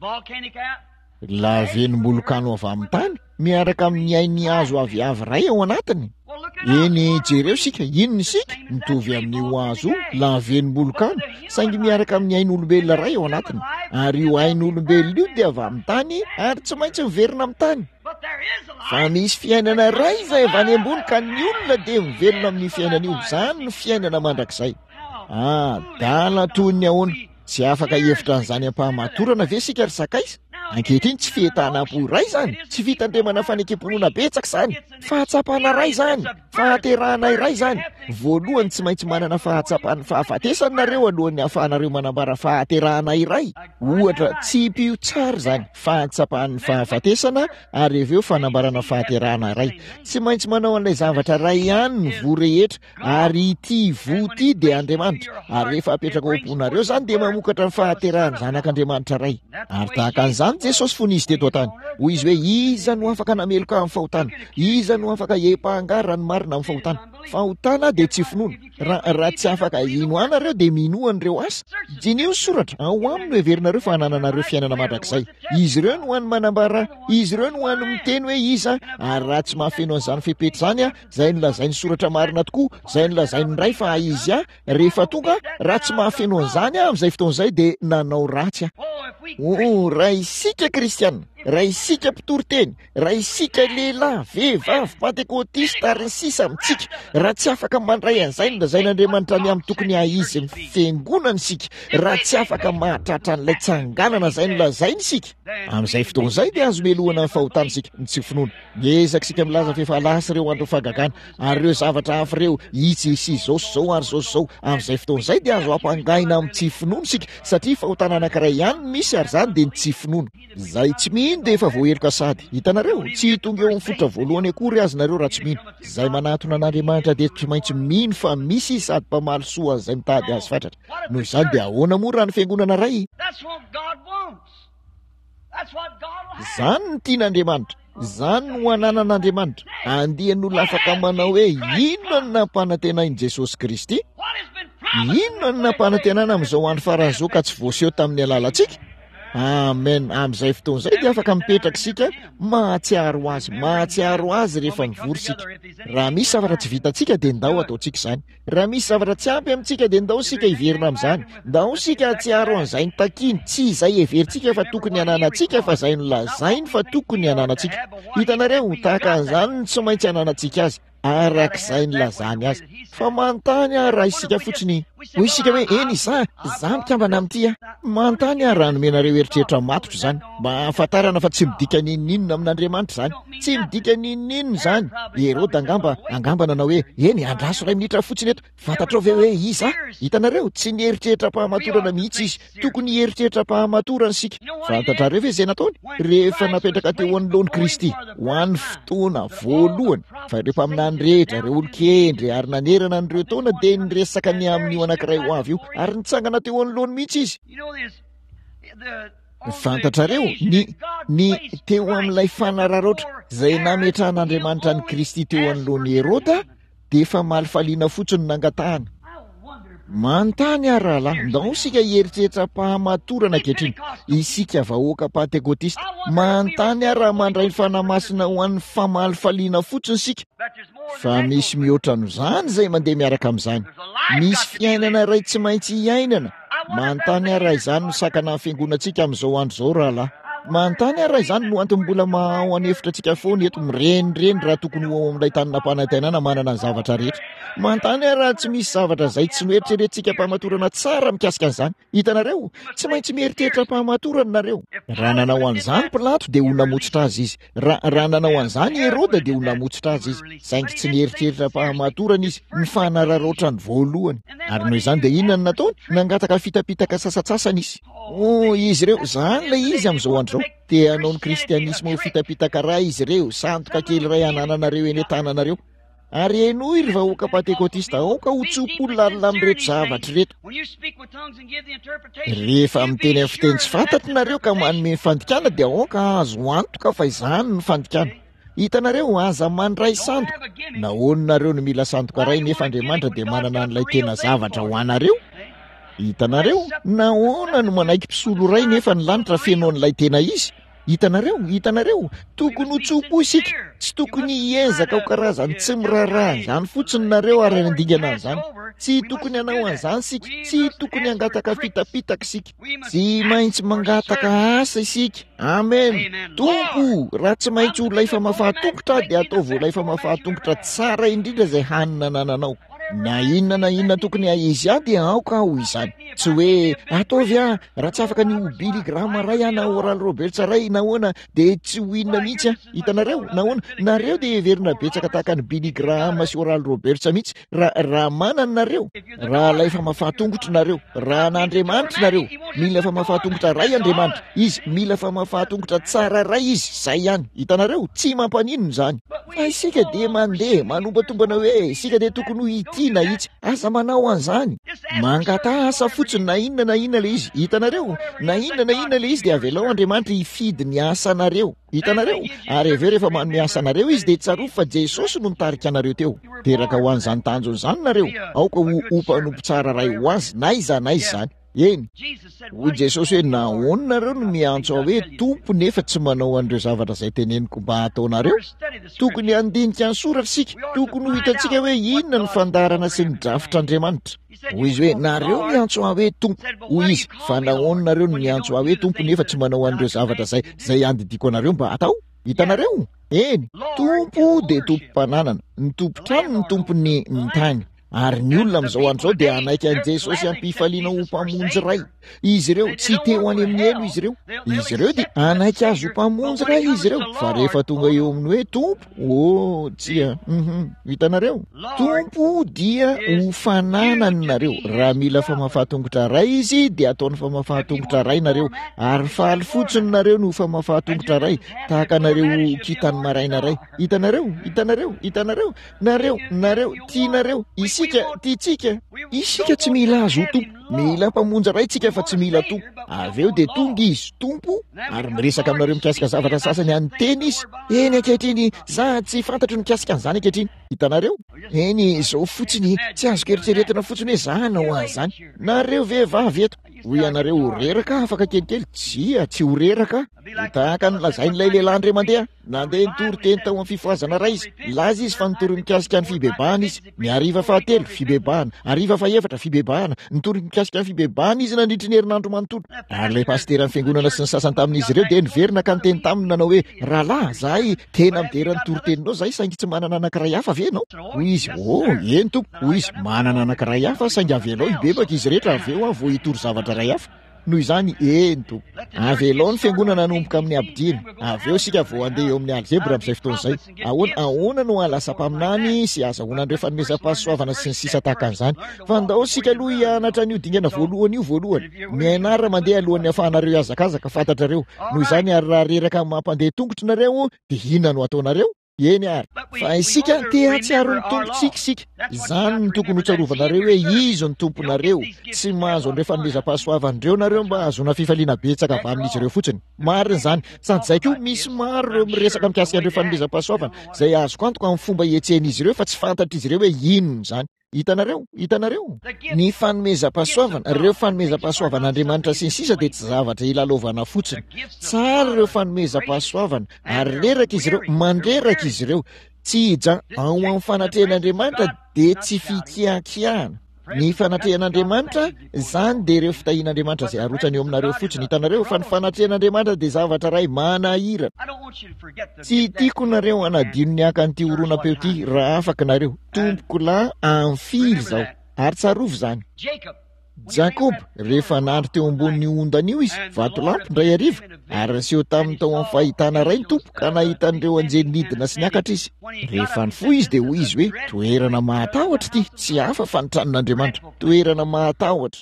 Lavenom-bolokano avy amin'ny tany miaraka amin'ny ain'ny hazo aviavy iray ao anatiny. Eny, jereo isika, inona isika? Mitovy amin'io hazo io, lavenom-bolokano, saingy miaraka amin'ny ain'olombelona iray ao anatiny. Ary io ain'olombelona io dia avy amin'ny tany ary tsy maintsy miverina amin'ny tany. Fa misy fiainana iray izay avy any ambony ka ny olona dia mivelona amin'io fiainana io. Izany no fiainana mandrakizay. Adala toy ny ahoana! Tsy afaka hihevitra an'izany am-pahamatorana ve isika ry sakaiza? Ankehitriny, tsy fientanam-po iray izany, tsy fitandremana fanekem-pinoana betsaka izany, fahatsapana iray izany, fahaterahana iray izany. Voalohany, tsy maintsy manana fahatsapan'ny fahafatesana nareo alohan'ny hahafahanareo manambara fahaterahana iray. Ohatra, tsipio tsara izany, fahatsapan'ny fahafatesana ary avy eo fanambarana fahaterahana iray. Tsy maintsy manao an'ilay zavatra iray ihany ny voa rehetra Ary ity voa ity dia Andriamanitra, ary rehefa apetraka ao am-ponareo izany dia mamokatra ny fahaterahan'ny Zanak'Andriamanitra Ray. Ary tahaka an'izany Jesosy fony Izy teto an-tany. Hoy Izy hoe, Iza no afaka nameloka ahy amin'ny fahotana? Iza no afaka hiampanga raha ny marina amin'ny fahotana? Fahotana dia tsy finoana. Raha, raha tsy afaka hino ahy nareo dia minoa an'ireo asa. Diniho ny Soratra, ao aminy no heverinareo fa hanananareo fiainana mandrakizay. Izy ireo no hany manambara, izy ireo no hany miteny hoe iza, ary raha tsy mahafeno an'izany fepetra izany aho, Izay nolazain'ny soratra marina tokoa, izay nolazain'ny Ray fa izy ahy, rehefa tonga, raha tsy mahafeno an'izany aho amin'izay fotoana izay dia nanao ratsy aho. Oh, raha isika kristiana, raha isika mpitory teny, raha isika lehilahy, vehivavy, pantekotista ary ny sisa amintsika, raha tsy afaka mandray an'izay nolazain'Andriamanitra ny amin'ny tokony haha-izy ny fiangonana isika, raha tsy afaka mahatratra an'ilay tsanganana izay nolazainy isika, amin'izay fotoana izay dia azo melohana ny fahotana isika, ny tsy finoana. Miezaka isika milaza fa efa lasa ireo andron'ny fahagagana ary ireo zavatra hafa ireo, itsy sy izao sy izao ary izao sy izao. Amin'izay fotoana izay dia azo ampangaina amin'ny tsy finoana isika satria fahotana anankiray ihany no misy ary izany dia ny tsy finoana. Izay tsy mino dia efa voaheloka sady. Hitanareo? Tsy tonga eo amin'ny fototra voalohany akory aza nareo raha tsy mino. Izay manatona an'Andriamanitra dia tsy maintsy mino fa misy Izy sady mpamaly soa an'izay mitady Azy fatratra. Noho izany dia ahoana moa raha ny fiangonana iray? Izany no tian'Andriamanitra. Izany no ananan'Andriamanitra. Andian'olona afaka manao hoe inona no nampanantenain'i Jesosy Kristy? Inona no nampanantenana amin'izao andro farany izao ka tsy voaseho tamin'ny alalantsika? Amen. Amin'izay fotoana izay dia afaka mipetraka isika mahatsiaro azy, mahatsiaro azy rehefa mivory isika. Raha misy zavatra tsy vitantsika dia ndao ataontsika izany. Raha misy zavatra tsy ampy amintsika dia ndao isika hiverina amin'izany. Ndao isika hahatsiaro an'izay notakiany, tsy izay heverintsika fa tokony hananantsika fa izay nolazainy fa tokony hananantsika. Hitanareo, tahaka an'izany no tsy maintsy hananantsika azy, arak'izay nilazany azy. Fa manontany aho raha isika fotsiny, hoy isika hoe, Eny, izaho, izaho mikambana amin'ity aho. Manontany aho raha nomenareo eritreritra matotra izany, mba hahafantarana fa tsy midika n'inon'inona amin'Andriamanitra izany. Tsy midika n'inon'inona izany. I Heroda angamba, angamba nanao hoe, Eny, andraso iray minitra fotsiny eto. Fantatrao ve hoe iza aho? Hitanareo, tsy nieritreritra am-pahamatorana mihitsy izy. Tokony hieritreritra am-pahamatorana isika. Fantatrareo ve izay nataony? Rehefa napetraka teo anoloan'i Kristy, ho an'ny fotoana voalohany, fa ireo mpaminany rehetra, ireo olon-kendry, ary nanerana an'ireo taona dia niresaka ny amin'io anankiray ho avy io, ary nitsangana teo anoloany mihitsy izy. Fantatrareo, ny, ny, teo amin'ilay fanararaotra izay nametrahan'Andriamanitra an'i Kristy teo anoloan'i Heroda, dia efa malifaliana fotsiny nangatahana. Manontany aho rahalahy, ndao isika hieritreritra am-pahamatorana ankehitriny, isika vahoaka Pantekotista. Manontany aho raha mandray ny Fanahy Masina ho an'ny famalifaliana fotsiny isika. Fa misy mihoatra an'izany izay mandeha miaraka amin'izany. Misy fiainana iray tsy maintsy iainana. Manontany aho raha izany no sakana ny fiangonantsika amin'izao andro izao rahalahy. Manontany aho raha izany no antony mbola maha ao an'efitra antsika foana eto mirenireny raha tokony ho ao amin'ilay tany nampanantenana manana ny zavatra rehetra. Manontany aho raha tsy misy zavatra izay tsy noeritreretintsika am-pahamatorana tsara mikasika an'izany. Hitanareo? Tsy maintsy mieritreritra am-pahamatorana nareo. Raha nanao an'izany Pilato dia ho namotsitra azy izy. Raha, raha nanao an'izany i Heroda dia ho namotsitra azy izy. Saingy tsy nieritreritra am-pahamatorana izy, ny fanararaotrany voalohany. Ary noho izany dia inona no nataony? Nangataka fitapitaka sasantsasany izy. Oh, izy ireo, izany ilay izy amin'izao andro izao. Te hanao ny kristianisma ho fitapitaka iray izy ireo, sandoka kely iray hanananareo eny an-tananareo. Ary henoy ry vahoaka Pantekotista, aoka ho tso-po lalina amin'ireto zavatra ireto. Rehefa miteny amin'ny fiteny tsy fantatro nareo ka manome ny fandikana dia aoka hahazo antoka fa izany no fandikana. Hitanareo, aza mandray sandoka. Nahoana nareo no mila sandoka iray nefa Andriamanitra dia manana an'ilay tena zavatra ho anareo? Hitanareo, nahoana no manaiky mpisolo iray nefa ny lanitra feno an'ilay tena izy? Hitanareo? Hitanareo? Tokony ho tso-po isika. Tsy tokony hiezaka ho karazan'ny tsy miraharaha an'izany fotsiny nareo ary handingana an'izany. Tsy tokony hanao an'izany isika. Tsy tokony hangataka fitapitaka isika. Tsy maintsy mangataka asa isika. Amen. Tompo, raha tsy maintsy ho ilay famafahan-tongotra aho dia ataovy ho ilay famafahan-tongotra tsara indrindra izay hany nanananao. Na inona na inona tokony hahizy ahy dia aoka aho izany. Tsy hoe ataovy aho, raha tsy afaka ny ho Billy Graham ray aho na Oral Roberts ray, nahoana, dia tsy ho inona mihitsy aho. Hitanareo? Nahoana? Nareo dia heverina betsaka tahaka an'i Billy Graham sy Oral Roberts mihitsy, raha, raha manana nareo. Raha ilay famafahan-tongotro nareo, raha an'Andriamanitra nareo, mila famafahan-tongotra ray Andriamanitra. Izy, mila famafahan-tongotra tsara ray Izy, izay ihany. Hitanareo? Tsy mampaninona izany. Fa isika dia mandeha, manombatombana hoe isika dia tokony ho ity na itsy. Aza manao an'izany. Mangataha asa fotsiny na inona na inona ilay izy. Hitanareo? Na inona na inona ilay izy dia avelao Andriamanitra hifidy ny asanareo. Hitanareo? Ary avy eo rehefa manome asa anareo Izy dia tsarovy fa Jesosy no nitarika anareo teo. Teraka ho an'izany tanjona izany nareo. Aoka ho ho mpanompo tsara iray ho Azy n'aiza n'aiza izany. Eny. Hoy Jesosy hoe, Nahoana nareo no miantso Ahy hoe Tompo nefa tsy manao an'ireo zavatra izay teneniko mba hataonareo? Tokony handinika ny soratra isika. Tokony ho hitantsika hoe inona ny fandaharana sy ny drafitr'Andriamanitra. Hoy Izy hoe, Nareo miantso Ahy hoe Tompo. Hoy Izy, Fa nahoana nareo no miantso Ahy hoe Tompo nefa tsy manao an'ireo zavatra izay, izay andidiako anareo mba hatao? Hitanareo? Eny. Tompo dia tompom-pananana. Ny tompon-trano no tompon'ny, ny tany. Ary ny olona amin'izao andro izao dia hanaiky an'i Jesosy am-pifaliana ho Mpamonjy iray. Izy ireo, tsy te ho any amin'ny helo izy ireo. Izy ireo dia hanaiky Azy ho Mpamonjy iray izy ireo. Fa rehefa tonga eo amin'ny hoe Tompo, oh, tsia, hum, hitanareo? Tompo dia ho fananany nareo. Raha mila famafahan-tongotra iray Izy, dia ataony famafahan-tongotra iray nareo. Ary faly fotsiny nareo no ho famafahan-tongotra iray, tahaka anareo ho kintan'ny maraina iray. Hitanareo? Hitanareo? Hitanareo? Nareo, nareo, tianareo, isika, tiantsika. Isika tsy mila Azy ho Tompo. Mila Mpamonjy iray tsika fa tsy mila Tompo. Avy eo dia tonga Izy, Tompo, ary miresaka aminareo mikasika zavatra sasany an'ny Teny Izy. Eny, ankehitriny, za tsy fantatro ny mikasika an'izany ankehitriny. Hitanareo? Eny, izao fotsiny, tsy azoko eritreretina fotsiny hoe za hanao an'izany. Nareo vehivavy eto, hoy ianareo, ho reraka afaka kelikely. Tsia, tsy ho reraka aho. Ho tahaka ny lazain'ilay lehilahy indray mandeha, nandeha nitory teny tao amin'ny fifohazana iray izy. Nilaza izy fa nitory mikasika ny fibebahana izy. Ny hariva fahatelo, fibebahana. Hariva fahefatra, fibebahana. Nitory mikasika ny fibebahana izy nandritry ny herinandro manontolo. Ary ilay pasiteran'ny fiangonana sy ny sasany tamin'izy ireo dia niverina ka niteny taminy nanao hoe, Rahalahy, izahay tena midera ny toriteninao izahay saingy tsy manana anankiray hafa ve ianao? Hoy izy, Oh, eny tompoko. Hoy izy, Manana anankiray hafa aho saingy avelao hibebaka izy rehetra avy eo aho vao hitory zavatra iray hafa. Noho izany, eny, Tompo. Avelao ny fiangonana hanomboka amin'ny abidiana. Avy eo isika vao handeha eo amin'ny alzebra amin'izay fotoana izay. Ahoana, ahoana no hahalasa mpaminany sy hahazahoana an'ireo fanomezam-pahasoavana sy ny sisa tahaka an'izany. Fa ndao isika aloha hianatra an'io dingana voalohany io voalohany. Mianara mandeha alohan'ny hahafahanareo hihazakazaka, fantatrareo. Noho izany, ary raha reraka mampandeha tongotra nareo, dia inona no hataonareo? Eny ary. Fa isika te hahatsiaro ny Tompontsika isika. Izany no tokony hotsarovanareo hoe Izy no Tomponareo. Tsy mahazo an'ireo fanomezam-pahasoavana ireo nareo mba hahazoana fifaliana betsaka avy amin'izy ireo fotsiny. Marina izany. Sady izay koa, misy maro ireo miresaka mikasika an'ireo fanomezam-pahasoavana izay azoko antoka amin'ny fomba ihetsehan'izy ireo fa tsy fantatr'izy ireo hoe inona izany. Hitanareo? Hitanareo? Ny fanomezam-pahasoavana, ireo fanomezam-pahasoavan'Andriamanitra sy ny sisa dia tsy zavatra ilalaovana fotsiny. Tsara ireo fanomezam-pahasoavana, ary reraka izy ireo, mandreraka izy ireo. Tsy hija ao amin'ny fanatrehan'Andriamanitra dia tsy fikiakiahana. Ny fanatrehan'Andriamanitra, izany dia ireo fitahian'Andriamanitra izay arotsany eo aminareo fotsiny. Hitanareo? Fa ny fanatrehan'Andriamanitra dia zavatra iray manahirana. Tsy tiako nareo hanadino ny haka an'ity horonam-peo ity raha afaka nareo. Tompokolahy amin'ny firy izao? Ary tsarovy izany. Jakoba, rehefa nandry teo ambonin'io ondana io izy, vatolampy, indray hariva, ary niseho taminy tao amin'ny fahitana iray ny Tompo, ka nahita an'ireo anjely nidina sy niakatra izy. Rehefa nifoha izy dia hoy izy hoe, Toerana mahatahotra ity, tsy hafa fa ny tranon'Andriamanitra. Toerana mahatahotra.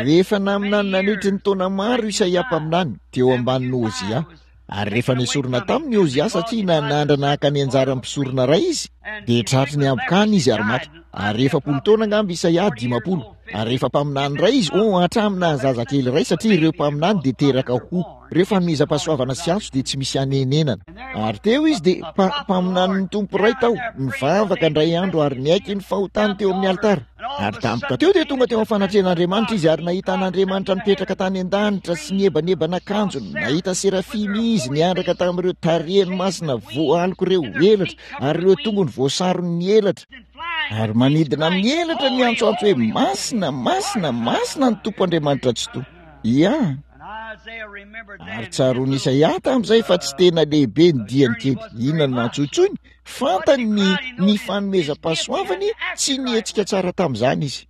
Rehefa naminany nandritry ny taona maro Isaia mpaminany, teo ambanin'i Hozia, ary rehefa nesorina taminy i Hozia satria nanandrana haka ny anjaran'ny mpisorona iray izy, dia tratry ny habokana izy ary maty. Ary 40 taona angamba Isaia, 50. Ary rehefa mpaminany iray izy, oh, hatramin'ny naha-zazakely iray, satria ireo mpaminany dia teraka ho. Ireo fanomezam-pahasoavana sy antso dia tsy misy hanenenana. Ary teo izy dia mpa, mpaminanin'ny Tompo iray tao, nivavaka indray andro ary niaiky ny fahotany teo amin'ny alitara. Ary tampoka teo dia tonga teo amin'ny fanatrehan'Andriamanitra izy ary nahita an'Andriamanitra nipetraka tany an-danitra sy niebaneba ny akanjony. Nahita serafima izy niaraka tamin'ireo tarehiny masina voaloka ireo elatra ary ireo tongony voasaron'ny elatra. Ary manidina amin'ny elatra niantsoantso hoe, Masina, masina, masina ny Tompo Andriamanitra Tsitoha. Ia. Ary tsaroan'i Isaia tamin'izay fa tsy tena lehibe ny diany kely. Inona no nantsointsoiny? Fantany ny, ny fanomezam-pahasoavany, tsy nihetsika tsara tamin'izany izy.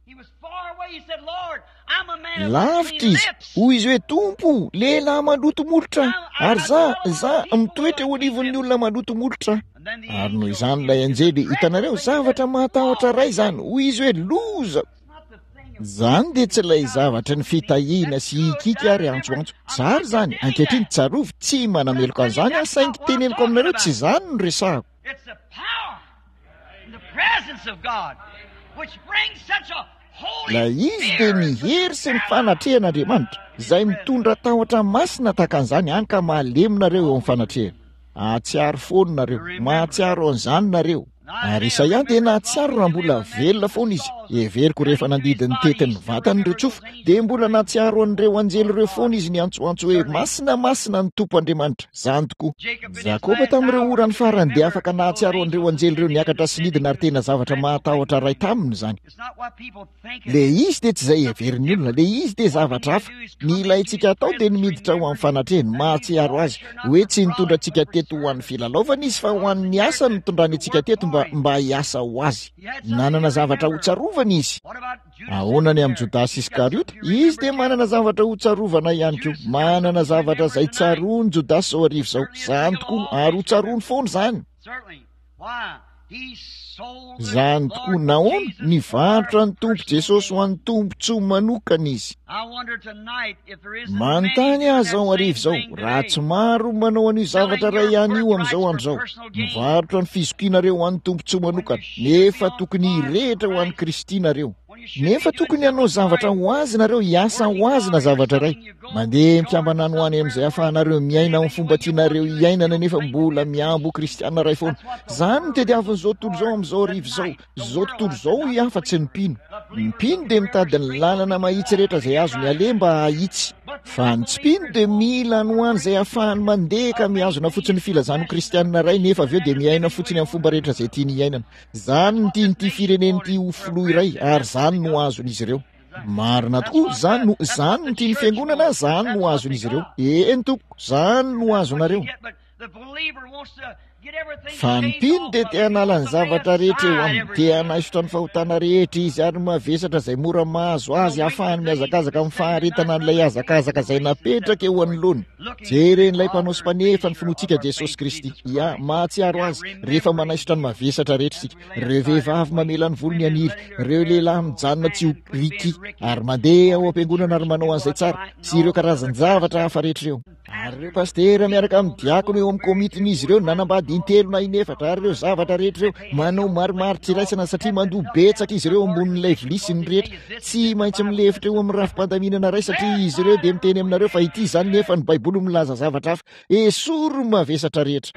Lavitra izy. Hoy izy hoe, Tompo, lehilahy maloto molotra aho, ary za, za, mitoetra eo anivon'ny olona maloto molotra aho. Ary noho izany ilay anjely, hitanareo, zavatra mahatahotra iray izany. Hoy izy hoe, Loza! Izany dia tsy ilay zavatry ny fitahiana sy hikiky ary antsoantso. Tsara izany. Ankehitriny, tsarovy, tsy manameloka an'izany aho, saingy teneniko aminareo, tsy izany no resahako. Ilay izy dia ny hery sy ny fanatrehan'Andriamanitra, izay mitondra tahotra masina tahaka an'izany, hany ka malemy nareo eo amin'ny fanatrehany. Hahatsiaro foana nareo. Mahatsiaro an'izany nareo. Ary Isaia dia nahatsiaro raha mbola velona foana izy. Heveriko rehefa nandidy ny tetin'ny vatany ireo tsofa, dia mbola nahatsiaro an'ireo anjely ireo foana izy niantsoantso hoe, Masina, masina ny Tompo Andriamanitra. Izany tokoa. Jakoba tamin'ireo orany farany dia afaka nahatsiaro an'ireo anjely ireo niakatra sy nidina ary tena zavatra mahatahotra iray taminy izany. Le izy dia tsy izay heverin'ny olona, le izy dia zavatra hafa. Ny ilaintsika atao dia ny miditra ao amin'ny fanatrehany, mahatsiaro azy, hoe tsy nitondra antsika teto ho an'ny filalaovana izy fa ho an'ny asa no nitondrany antsika teto mba, mba hiasa ho azy. Nanana zavatra hotsarovana izy. Ahoana ny amin'i Jodasy Iskariota? Izy dia manana zavatra hotsarovana ihany koa. Manana zavatra izay tsaroan'i Jodasy izao hariva izao. Izany tokoa, ary hotsaroany foana izany. Izany tokoa, nahoana? Nivarotra ny Tompo Jesosy ho an'ny tombontsoa manokana izy. Manontany aho izao hariva izao, raha tsy maro ny manao an'io zavatra iray ihany io amin'izao andro izao, mivarotra ny fizokianareo ho an'ny tombontsoa manokana, nefa tokony hirehitra ho an'i Kristy nareo. Nefa tokony hanao zavatra ho azy nareo, hiasa ho azy na zavatra iray. Mandeha mikambana any ho any amin'izay ahafahanareo miaina amin'ny fomba tianareo hiainana nefa mbola mihambo ho kristiana iray foana. Izany no tediavin'izao tontolo izao amin'izao hariva izao. Izao tontolo izao hoy aho fa tsy ny mpino. Ny mpino dia mitady ny lalana mahitsy rehetra izay azony aleha mba hahitsy. Fa ny tsy mpino dia mila any ho any izay ahafahany mandeha ka mihazona fotsiny ny filazany ho kristiana iray nefa avy eo dia miaina fotsiny amin'ny fomba rehetra izay tiany hiainana. Izany no tian'ity firenena ity ho filoha iray ary izany no azon'izy ireo. Marina tokoa, izany no, izany no tian'ny fiangonana, izany no azon'izy ireo. Eny tompoko, izany no azonareo. Fa ny mpino dia te hanala ny zavatra rehetra eo aminy, te hanaisotra ny fahotana rehetra izy ary mavesatra izay mora mahazo azy hahafahany mihazakazaka amin'ny faharetana an'ilay hazakazaka izay napetraka eo anoloany. Jeren'ilay mpanao sy mpanefa ny finoantsika Jesosy Kristy. Ia, mahatsiaro Azy rehefa manaisotra ny mavesatra rehetra isika. Ireo vehivavy mamela ny volony haniry, ireo lehilahy mijanona tsy ho Ricky ary mandeha ao am-piangonana ary manao an'izay tsara, sy ireo karazan-javatra hafa rehetra ireo. Ary ireo pasitera miaraka amin'ny diakona eo amin'ny komitin'izy ireo nanambady intelo na inefatra ary ireo zavatra rehetra ireo manao marimaritra iraisana satria mandoa betsaka izy ireo ambonin'ilay vilia sy ny rehetra. Tsy maintsy milefitra eo amin'ny rafi-pandaminana iray satria izy ireo dia miteny aminareo fa ity izany nefa ny Baiboly milaza zavatra hafa. Esory ny mavesatra rehetra.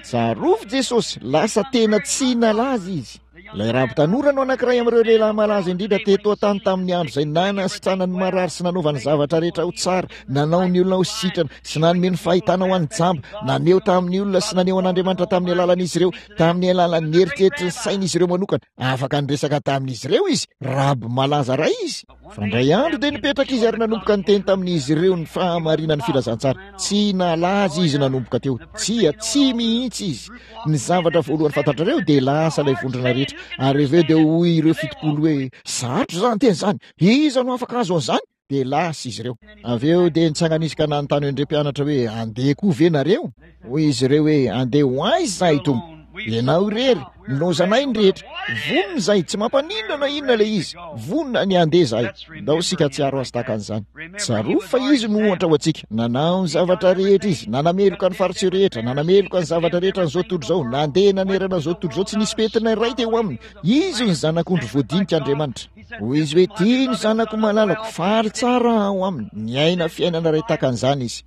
Tsarovy Jesosy, lasa tena tsy nalaza izy. Ilay raby tanora no anankiray amin'ireo lehilahy malaza indrindra teto an-tany tamin'ny andro izay nanasitrana ny marary sy nanaovany zavatra rehetra ho tsara, nanao ny olona ho sitrana sy nanome ny fahitana ho an'ny jamba, naneho tamin'ny olona sy naneho an'Andriamanitra tamin'ny alalan'izy ireo, tamin'ny alalan'ny eritreritry ny sain'izy ireo manokana. Afaka niresaka tamin'izy ireo izy, raby malaza iray izy. Fa indray andro dia nipetraka izy ary nanomboka niteny tamin'izy ireo ny fahamarinan'ny filazantsara. Tsy nalaza izy nanomboka teo. Tsia, tsy mihitsy izy. Ny zavatra voalohany fantatrareo dia lasa ilay vondrona rehetra. Ary avy eo dia hoy ireo 70 hoe, Sarotra izany teny izany. Iza no afaka hahazo an'izany? Dia lasa izy ireo. Avy eo dia nitsangana izy ka nanontany an'ireo mpianatra hoe, Handeha koa ve nareo? Hoy izy ireo hoe, Handeha ho aiza izahay, Tompo? Ianao irery, nilaozanay ny rehetra. Vonona izahay, tsy mampaninona na inona ilay izy. Vonona ny handeha izahay. Ndao isika hahatsiaro azy tahaka an'izany. Tsarovy fa izy no ohatra ho antsika. Nanao ny zavatra rehetra izy, nanameloka ny fariseo rehetra, nanameloka ny zavatra rehetra an'izao tontolo izao, nandeha nanerana an'izao tontolo izao, tsy nisy pentina iray teo aminy. Izy no Zanak'ondry voadinik'Andriamanitra. Hoy izy hoe, Ity ny zanako malalako, faly tsara aho aminy. Niaina fiainana iray tahaka an'izany izy.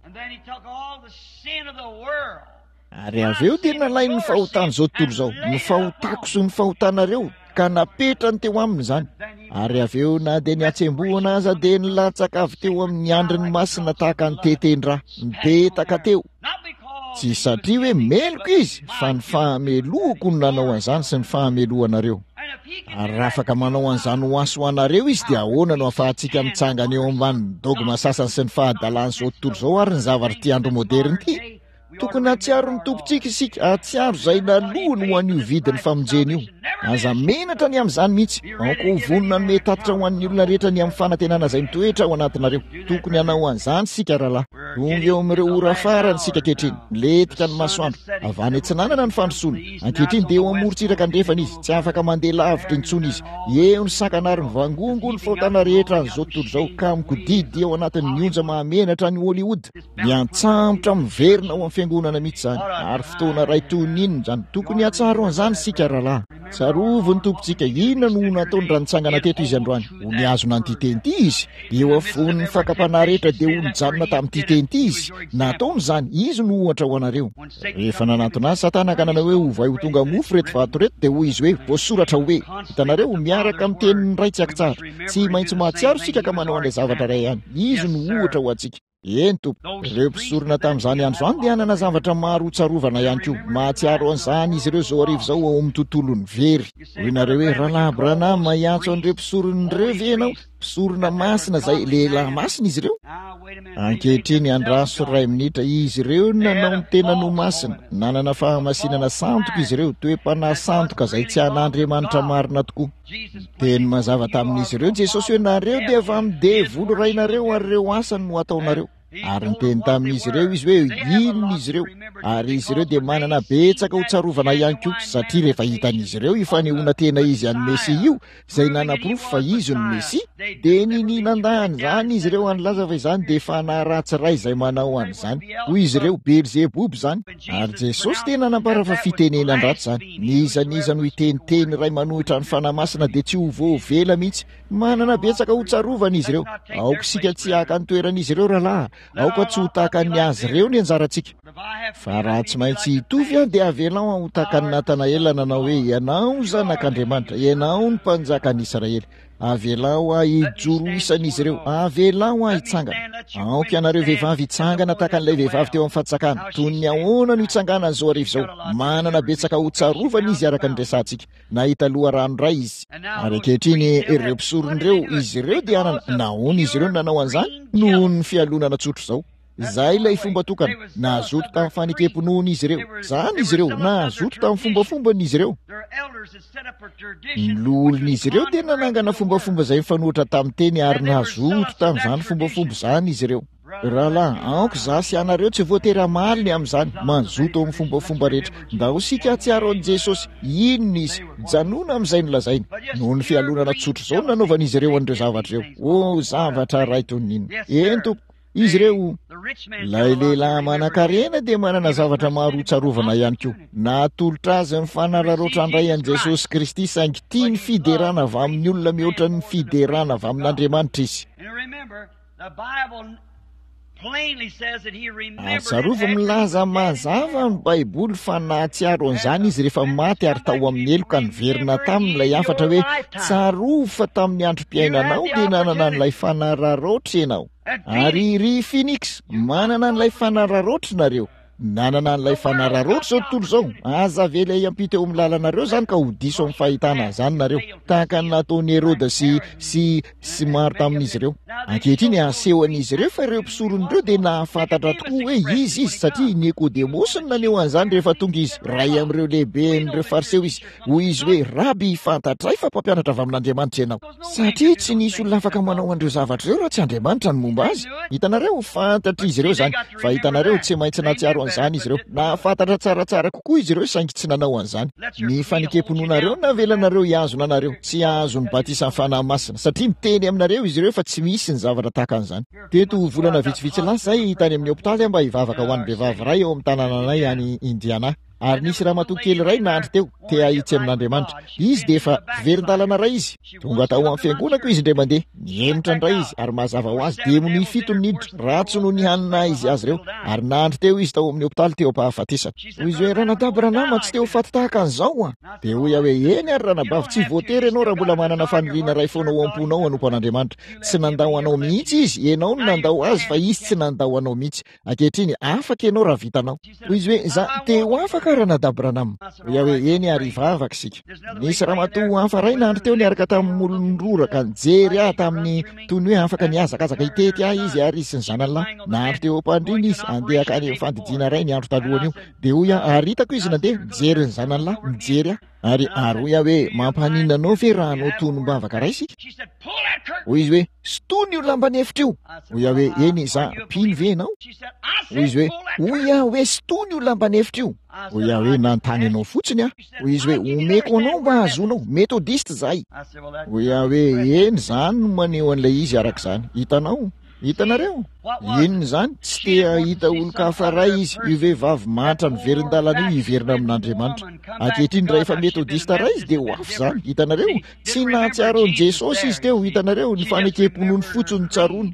Ary avy eo dia nalainy ny fahotan'izao tontolo izao, ny fahotako sy ny fahotanareo, ka napetrany teo aminy izany. Ary avy eo na dia ny hatsembohana aza dia nilatsaka avy teo amin'ny andriny masina tahaka ny teten-drà, nipetaka teo. Tsy satria hoe meloka izy, fa ny fahamelohako no nanao an'izany sy ny fahamelohanareo. Ary raha afaka manao an'izany ho ahy sy ho anareo izy, dia ahoana no ahafahantsika mitsangana eo ambanin'ny dogma sasany sy ny fahadalan'izao tontolo izao ary ny zavatr'ity andro moderina ity? Tokony hahatsiaro ny Tompontsika isika, hahatsiaro izay nalohany ho an'io vidin'ny famonjena io. Aza menatra ny amin'izany mihitsy. Aoka ho vonona hanome tatitra ho an'ny olona rehetra ny amin'ny fanantenana izay mitoetra ao anatinareo. Tokony hanao an'izany isika, rahalahy. Tonga eo amin'ireo ora farany isika ankehitriny. Milentika ny masoandro. Avy any atsinanana ny fandrosoana. Ankehitriny dia eo amorontsiraka andrefana izy. Tsy afaka mandeha lavitra intsony izy. Eo ny sakana ary mivangongo ny fahotana rehetra an'izao tontolo izao ka mikodidy ao anatin'ny onja mahamenatra any Hollywood. Miantsambotra miverina ao amin'ny fiangonana mihitsy izany. Ary fotoana iray toy ny inona izany. Tokony hahatsaro an'izany isika, rahalahy. Tsarovy ny Tompontsika. Inona no ho nataony raha nitsangana teto Izy androany? Ho nihazona an'ity teny ity Izy. Eo afovoan'ny fakam-panahy rehetra dia ho nijanona tamin'ity teny ity Izy. Nataony izany. Izy no ohatra ho anareo. Rehefa nanantona Azy Satana ka nanao hoe, Ovay ho tonga mofo ireto vato ireto, dia hoy Izy hoe, Voasoratra hoe. Hitanareo, miaraka amin'ny tenin'ny Ray tsy an-kitsahatra. Tsy maintsy mahatsiaro isika ka manao an'ilay zavatra iray ihany. Izy no ohatra ho antsika. Eny, tompoko. Ireo mpisorona tamin'izany andro izany dia hanana zavatra maro hotsarovana ihany koa. Mahatsiaro an'izany izy ireo izao hariva izao ao amin'ny tontolon'ny very. Hoy nareo hoe, Rahalahy Branham, hiantso an'ireo mpisorona ireo ve ianao? Mpisorona masina izay, lehilahy masina izy ireo? Ankehitriny, andraso iray minitra. Izy ireo no nanao ny tenany ho masina. Nanana fahamasinana sandoka izy ireo, toe-panahy sandoka izay tsy an'Andriamanitra marina tokoa. Niteny mazava tamin'izy ireo Jesosy hoe, Nareo dia avy amin'ny devoly rainareo ary ireo asany no ataonareo. Ary niteny tamin'izy ireo izy hoe inona izy ireo. Ary izy ireo dia manana betsaka ho tsarovana ihany koa, satria rehefa hitan'izy ireo io fanehoana tena izy an'ny Mesia io, izay nanaporofo fa izy no Mesia, dia ninia nandà an'izany izy ireo ary nilaza fa izany dia fanahy ratsy iray izay manao an'izany. Hoy izy ireo, Belzeboba izany. Ary Jesosy dia nanambara fa fitenenan-dratsy izany. N'iza n'iza no hiteny teny iray manohitra ny Fanahy Masina dia tsy ho voavela mihitsy. Manana betsaka ho tsarovana izy ireo. Aoka isika tsy haka ny toeran'izy ireo, rahalahy. Aoka tsy ho tahaka ny azy ireo ny anjarantsika. Fa raha tsy maintsy hitovy aho, dia avelao aho ho tahaka an'i Natanaela nanao hoe, Ianao Zanak'Andriamanitra, Ianao no Mpanjakan'Israely. Avelao aho hijoro ho isan'izy ireo. Avelao aho hitsangana. Aoka ianareo vehivavy hitsangana tahaka an'ilay vehivavy teo amin'ny fatsakana. Toy ny ahoana no hitsanganany izao hariva izao? Manana betsaka hotsarovana izy araka ny resahantsika. Nahita loharano iray izy. Ary ankehitriny, ireo mpisorona ireo, izy ireo dia hanana, nahoana izy ireo no nanao an'izany? Nohon'ny fialonana tsotra izao. Izay ilay fomba tokana. Nazoto tamin'ny fanekem-pinoana izy ireo. Izany izy ireo. Nazoto tamin'ny fombafombany izy ireo. Ny loholon'izy ireo dia nanangana fombafomba izay mifanohitra tamin'ny teny ary nazoto tamin'izany fombafomba izany izy ireo. Rahalahy, aoka izaho sy ianareo tsy voatery hamaly ny amin'izany. Mazoto amin'ny fombafomba rehetra. Ndao isika hahatsiaro an'i Jesosy. Inona Izy? Janona amin'izay nolazainy. Noho ny fialonana tsotra izao no nanaovan'izy ireo an'ireo zavatra ireo. Oh, zavatra iray toy ny inona. Eny, tompoko. Izy ireo. Ilay lehilahy manankarena dia manana zavatra maro hotsarovana ihany koa. Natolotra azy ny fanararaotra handray an'i Jesosy Kristy, saingy tia ny fiderana avy amin'ny olona mihoatra ny fiderana avy amin'Andriamanitra izy. Ary tsarovy milaza mazava ny Baiboly fa nahatsiaro an'izany izy rehefa maty ary tao amin'ny helo ka niverina taminy ilay hafatra hoe, Tsarovy fa tamin'ny androm-piainanao dia nanana an'ilay fanararaotra ianao. Ary ry Phoenix, manana an'ilay fanararaotra nareo. Nanana an'ilay fanararaotra izao tontolo izao. Aza avela hiampita eo amin'ny lalanareo izany ka ho diso amin'ny fahitana an'izany nareo. Tahaka ny nataon'i Heroda sy, sy, sy maro tamin'izy ireo. Ankehitriny, asehon'izy ireo fa ireo mpisorona ireo dia nahafantatra tokoa hoe iza izy, satria i Nikodemosy no naneho an'izany rehefa tonga izy. Iray amin'ireo lehiben'ireo Fariseo izy. Hoy izy hoe, Raby, fantatray fa mpampianatra avy amin'Andriamanitra ianao. Satria tsy nisy olona afaka manao an'ireo zavatra ireo raha tsy Andriamanitra no momba azy. Hitanareo, fantatr'izy ireo izany. Fa hitanareo, tsy maintsy nahatsiaro an'izany izy ireo. Nahafantatra tsaratsara kokoa izy ireo saingy tsy nanao an'izany. Ny fanekem-pinoanareo no navelanareo hihazona anareo tsy hahazo ny batisan'ny Fanahy Masina, satria miteny aminareo izy ireo fa tsy misy ny zavatra tahaka an'izany. Teto volana vitsivitsy lasa izay, tany amin'ny hopitaly aho mba hivavaka ho an'ny vehivavy iray ao amin'ny tanànanay any Indiana. Ary nisy ramatoa kely iray nandry teo, te hahitsy amin'Andriamanitra. Izy dia efa mpiverin-dalana iray izy. Tonga tao amin'ny fiangonako izy indray mandeha. Nihemotra indray izy, ary mazava ho azy, demonia fito no niditra, ratsy noho ny hanina izy azy ireo. Ary nandry teo izy tao amin'ny hopitaly teo am-pahafatesana. Hoy izy hoe, Ranadahy Branham, tsy te ho faty tahaka an'izao aho. Dia hoy aho hoe, Eny ary ranabavy, tsy voatery ianao raha mbola manana faniriana iray foana ao am-ponao hanompo an'Andriamanitra. Tsy nandao anao mihitsy Izy, ianao no nandao Azy, fa Izy tsy nandao anao mihitsy. Ankehitriny, afaka ianao raha vitanao. Hoy izy hoe, Za, te ho afaka Ranadahy Branham. Hoy aho hoe, Eny ary, hivavaka isika. Nisy ramatoa hafa iray nandry teo niaraka tamin'ny molony roraka nijery ahy tamin'ny toy ny hoe afaka nihazakazaka hitety ahy izy ary izy sy ny zanany lahy. Nandry teo am-pandriana izy, handeha hankany amin'ny fandidiana iray ny andro talohan'io. Dia hoy aho, ary hitako izy nandeha, nijery ny zanany lahy, nijery ahy. Ary, ary hoy aho hoe, Mampaninona anao ve raha hanao tonom-bavaka iray isika? Hoy izy hoe, Sintono io lamban'efitra io. Hoy aho hoe, Eny, izaho, mpino ve ianao? Hoy izy hoe, Hoy aho hoe, Sintono io lamban'efitra io. Hoy aho hoe, Nanontany anao fotsiny aho. Hoy izy hoe, Omeko anao mba hahazoanao. Metodista izahay. Hoy aho hoe, Eny, izany no maneho an'ilay izy arak'izany. Hitanao? Hitanareo? Inona izany? Tsy te hahita olon-kafa iray izy, io vehivavy mahantra niverin-dalana io hiverina amin'Andriamanitra. Ankehitriny, raha efa Metodista iray izy, dia ho hafa izany. Hitanareo? Tsy nahatsiaro an'i Jesosy izy teo, hitanareo, ny fanekem-pinoany fotsiny no tsaroany.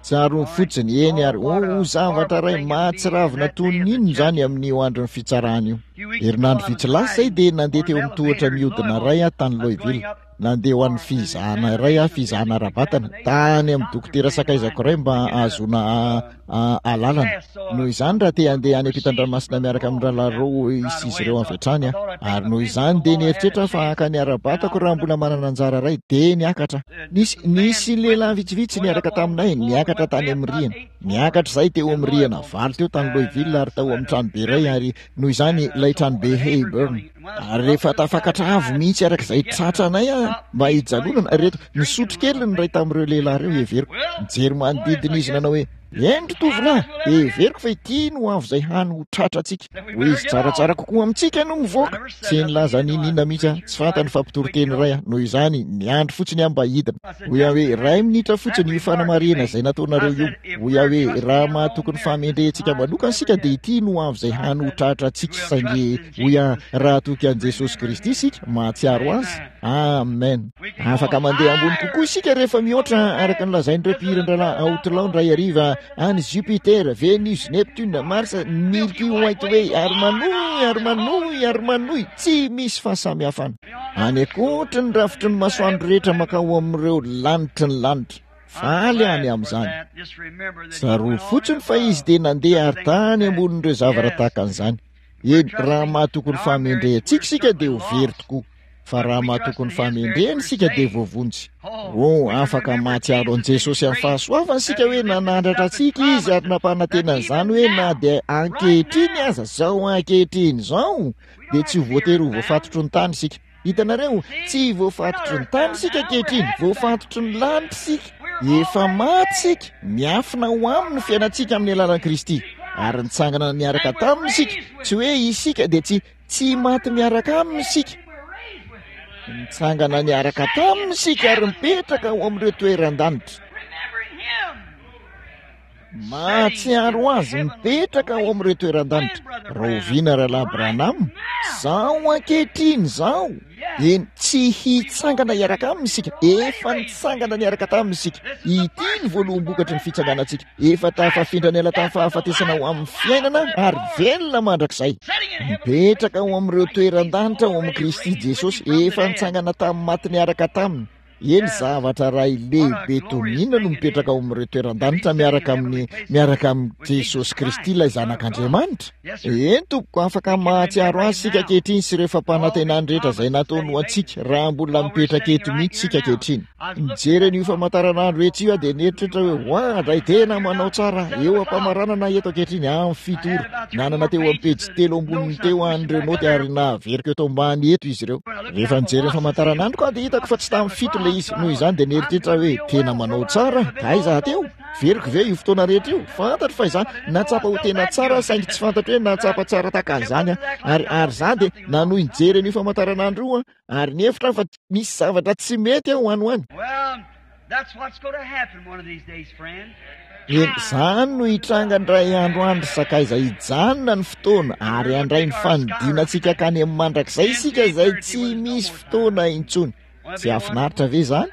Tsaroany fotsiny, eny ary, oh, ho zavatra iray mahatsiravina toy ny inona izany amin'io andron'ny fitsarana io. Herinandro vitsy lasa izay dia nandeha teo amin'ny tohatra mihodina iray aho tany Louisville. Nandeha ho an'ny fizahana iray aho, fizahana ara-batana, tany amin'ny dokotera sakaizako iray mba hahazoana alalana. Noho izany, raha te handeha any ampitan-dranomasina miaraka amin'ny Rahalahy Rowe sy izy ireo avy hatrany aho. Ary noho izany dia nieritreritra aho fa haka ny ara-batako raha mbola manana anjara iray, dia niakatra. Nisy, nisy lehilahy vitsivitsy niaraka taminay, niakatra tany amin'ny rihana. Niakatra izahay teo amin'ny rihana valo teo tany Louisville ary tao amin'ny tranobe iray, ary noho izany ilay tranobe Heyburn. Ary rehefa tafakatra avo mihitsy araka izay tratranay aho mba hijanonana, ireto, nisotro kely ny iray tamin'ireo lehilahy ireo, heveriko. Nijery manodidina izy nanao hoe, Eny ry tovolahy, heveriko fa ity no avo izay hany ho tratrantsika. Hoy izy, Tsaratsara kokoa amintsika no mivoaka. Tsy nilaza n'inon'inona mihitsy aho, tsy fantany fa mpitoriteny iray aho, noho izany, niandry fotsiny aho mba hidina. Hoy aho hoe, Iray minitra fotsiny io fanamarihana izay nataonareo io. Hoy aho hoe, Raha mahatoky ny fahamendrehantsika manokana isika dia ity no avo izay hany ho tratrantsika, saingy Hoy aho, raha toky an'i Jesosy Kristy isika, mahatsiaro Azy. Amen. Afaka mandeha ambony kokoa isika rehefa mihoatra, araka ny lazain'ireo mpihiran-drahalahy Outlaw indray hariva, any Jupiter, Venus, Neptune, Mars, Milky White Way, ary manohy, ary manohy, ary manohy, tsy misy fahasamihafana. Any ankoatry ny rafitry ny masoandro rehetra mankao amin'ireo lanitry ny lanitra. Faly any amin'izany. Tsarovy fotsiny fa izy dia nandeha ary tany ambonin'ireo zavatra tahaka an'izany. Eny, raha mahatoky ny fahamendrehantsika isika dia ho very tokoa, fa raha mahatoky ny fahamendrehany isika dia voavonjy. Oh, afaka mahatsiaro an'i Jesosy amin'ny fahasoavany isika hoe nanandratra antsika Izy ary nampanantena an'izany hoe na dia ankehitriny aza, izao ankehitriny izao, dia tsy ho voatery ho voafatotry ny tany isika. Hitanareo, tsy voafatotry ny tany isika ankehitriny, voafatotry ny lanitra isika. Efa maty isika, miafina ho aminy ny fiainantsika amin'ny alalan'i Kristy. Ary nitsangana niaraka taminy isika, tsy hoe isika dia tsy, tsy maty miaraka aminy isika. Nitsangana niaraka taminy isika ary mipetraka ao amin'ireo toeran-danitra. Mahatsiaro azy mipetraka ao amin'ireo toeran-danitra. Rahoviana Rahalahy Branham? Izao ankehitriny izao. Eny, tsy hitsangana hiaraka aminy isika. Efa nitsangana niaraka taminy isika. Ity ny voaloham-bokatry ny fitsanganantsika. Efa tafafindra niala tamin'ny fahafatesana ho amin'ny fiainana ary velona mandrakizay. Mipetraka ao amin'ireo toeran-danitra ao amin'i Kristy Jesosy. Efa nitsangana tamin'ny maty niaraka taminy. Eny, zavatra iray lehibe toy ny inona no mipetraka ao amin'ireo toeran-danitra miaraka amin'ny, miaraka amin'i Jesosy Kristy ilay Zanak'Andriamanitra? Eny, tompoko, afaka mahatsiaro Azy isika ankehitriny sy ireo fampanantenany rehetra izay nataony ho antsika, raha mbola mipetraka eto mihitsy isika ankehitriny. Nijery an'io famantaranandro etsy io aho dia nieritreritra hoe, Oadray, tena manao tsara aho. Eo am-pamaranana eto ankehitriny, amin'ny fito ora. Nanana teo amin'ny pejy telo amboniny teo aho an'ireo naoty ary naveriko eto ambany eto izy ireo. Rehefa nijery ny famantaranandroko aho dia hitako fa tsy tamin'ny fito ilay izy. Noho izany dia nieritreritra aho hoe, 'Tena manao tsara aho. Aiza aho teo? Veriko ve io fotoana rehetra io? Fantatro fa izaho nahatsapa ho tena tsara aho, saingy tsy fantatro hoe nahatsapa tsara tahaka an'izany aho. Ary, ary izaho dia nanohy nijery an'io famantaranandro io aho, ary nihevitra aho fa misy zavatra tsy mety aho any ho any. Well, that's what's going to happen one of these days, friend. Eny, izany no hitranga indray andro any ry sakaiza, hijanona ny fotoana ary handray ny fanidina antsika hankany amin'ny mandrakizay isika izay tsy misy fotoana intsony. Tsy hahafinaritra ve izany?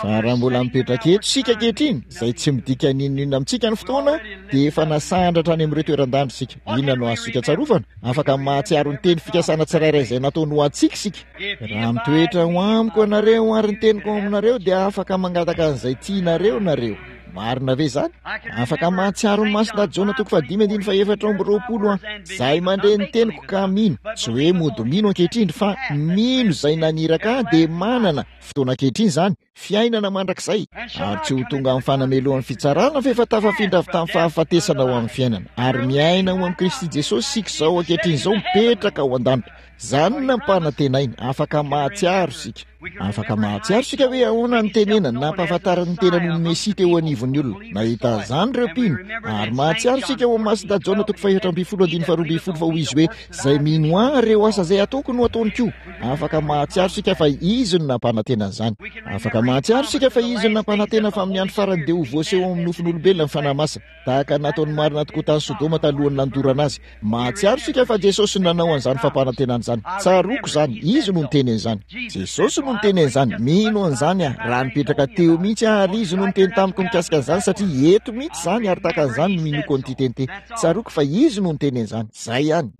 Fa raha mbola mipetraka eto isika ankehitriny, izay tsy midika n'inon'inona amintsika ny fotoana, dia efa nasandratra any amin'ireo toeran-danitra isika. Inona no azontsika tsarovana? Afaka mahatsiaro ny teny fikasana tsirairay izay nataony ho antsika isika. Raha mitoetra ho amiko ianareo ary ny teniko ao aminareo, dia afaka mangataka an'izay tianareo nareo. Marina ve izany? Afaka mahatsiaro ny Masina Jaona toko fahadimy andininy faha-24 aho. Izay mandre ny teniko ka mino, tsy hoe mody mino ankehitriny, fa mino izay naniraka ahy dia manana, fotoana ankehitriny izany, fiainana mandrakizay, ary tsy ho tonga amin'ny fanamelohan'ny fitsarana fa efa tafafindra avy tamin'ny fahafatesana ho amin'ny fiainana, ary miaina ao amin'i Kristy Jesosy isika izao ankehitriny izao mipetraka ao an-danitra. Izany no nampanantenainy. Afaka mahatsiaro isika. Afaka mahatsiaro isika hoe ahoana ny tenenany nampahafantarany ny tenany ho Mesia teo anivon'ny olona. Nahita an'izany ireo mpino. Ary mahatsiaro isika ao amin'ny Masindahy Jaona toko faha-14 andininy faha-12 fa hoy izy hoe, Izay mino Ahy, ireo asa izay ataoko no ataony koa. Afaka mahatsiaro isika fa Izy no nampanantena an'izany. Afaka mahatsiaro isika fa Izy no nampanantena fa amin'ny andro farany dia ho voaseho ao amin'ny nofon'olombelona ny Fanahy Masina. Tahaka ny nataony marina tokoa tany Sodoma talohan'ny nandorana azy. Mahatsiaro isika fa Jesosy no nanao an'izany fampanantenana izany. Tsaroako izany. Izy no niteny an'izany. Jesosy no niteny an'izany. Mino an'izany aho. Raha nipetraka teo mihitsy aho ary Izy no niteny tamiko mikasika an'izany satria eto mihitsy izany ary tahaka an'izany no inoako an'ity teny ity. Tsaroako fa Izy no niteny an'izany. Izay ihany.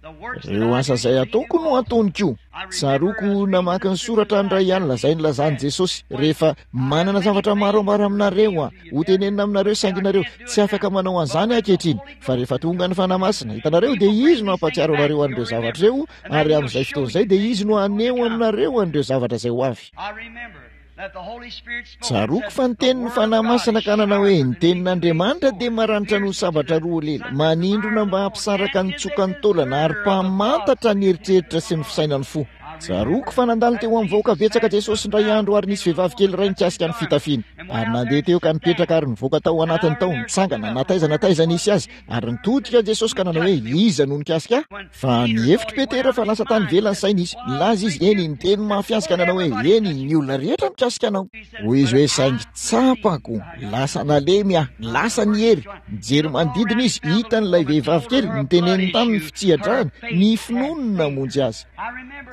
Ireo asa izay ataoko no ataony koa. Tsaroako namaky ny soratra indray alina izay nilazan'i Jesosy rehefa manana zavatra maro ambara aminareo aho, ho tenenina aminareo saingy nareo tsy afaka manao an'izany ankehitriny, fa rehefa tonga ny Fanahy Masina, hitanareo, dia Izy no hampahatsiaro anareo an'ireo zavatra ireo, ary amin'izay fotoana izay dia Izy no haneho aminareo an'ireo zavatra izay ho avy. Tsaroako fa niteny ny Fanahy Masina ka nanao hoe, Ny tenin'Andriamanitra dia maranitra noho sabatra roa lela, manindrona mba hampisaraka ny tsokan'ny taolana ary mpamantatra ny eritreritra sy ny fisainan'ny fo. Tsaroako fa nandalo teo amin'ny vahoaka betsaka Jesosy indray andro ary nisy vehivavy kely iray nikasika ny fitafiany. Ary nandeha teo ka nipetraka ary nivoaka tao anatiny tao, nitsangana na taiza na taiza nisy azy, ary nitodika Jesosy ka nanao hoe, Iza no nikasika ahy? Fa nihevitra Petera fa lasa tany ivelany saina izy. Nilaza izy, eny, niteny mafy azy ka nanao hoe, Eny, ny olona rehetra mikasika anao. Hoy izy hoe, Saingy tsapako, lasa nalemy aho, lasa ny hery. Nijery manodidina izy, hitany ilay vehivavy kely, niteneniny taminy ny fitsiha-drany, ny finoany no namonjy azy.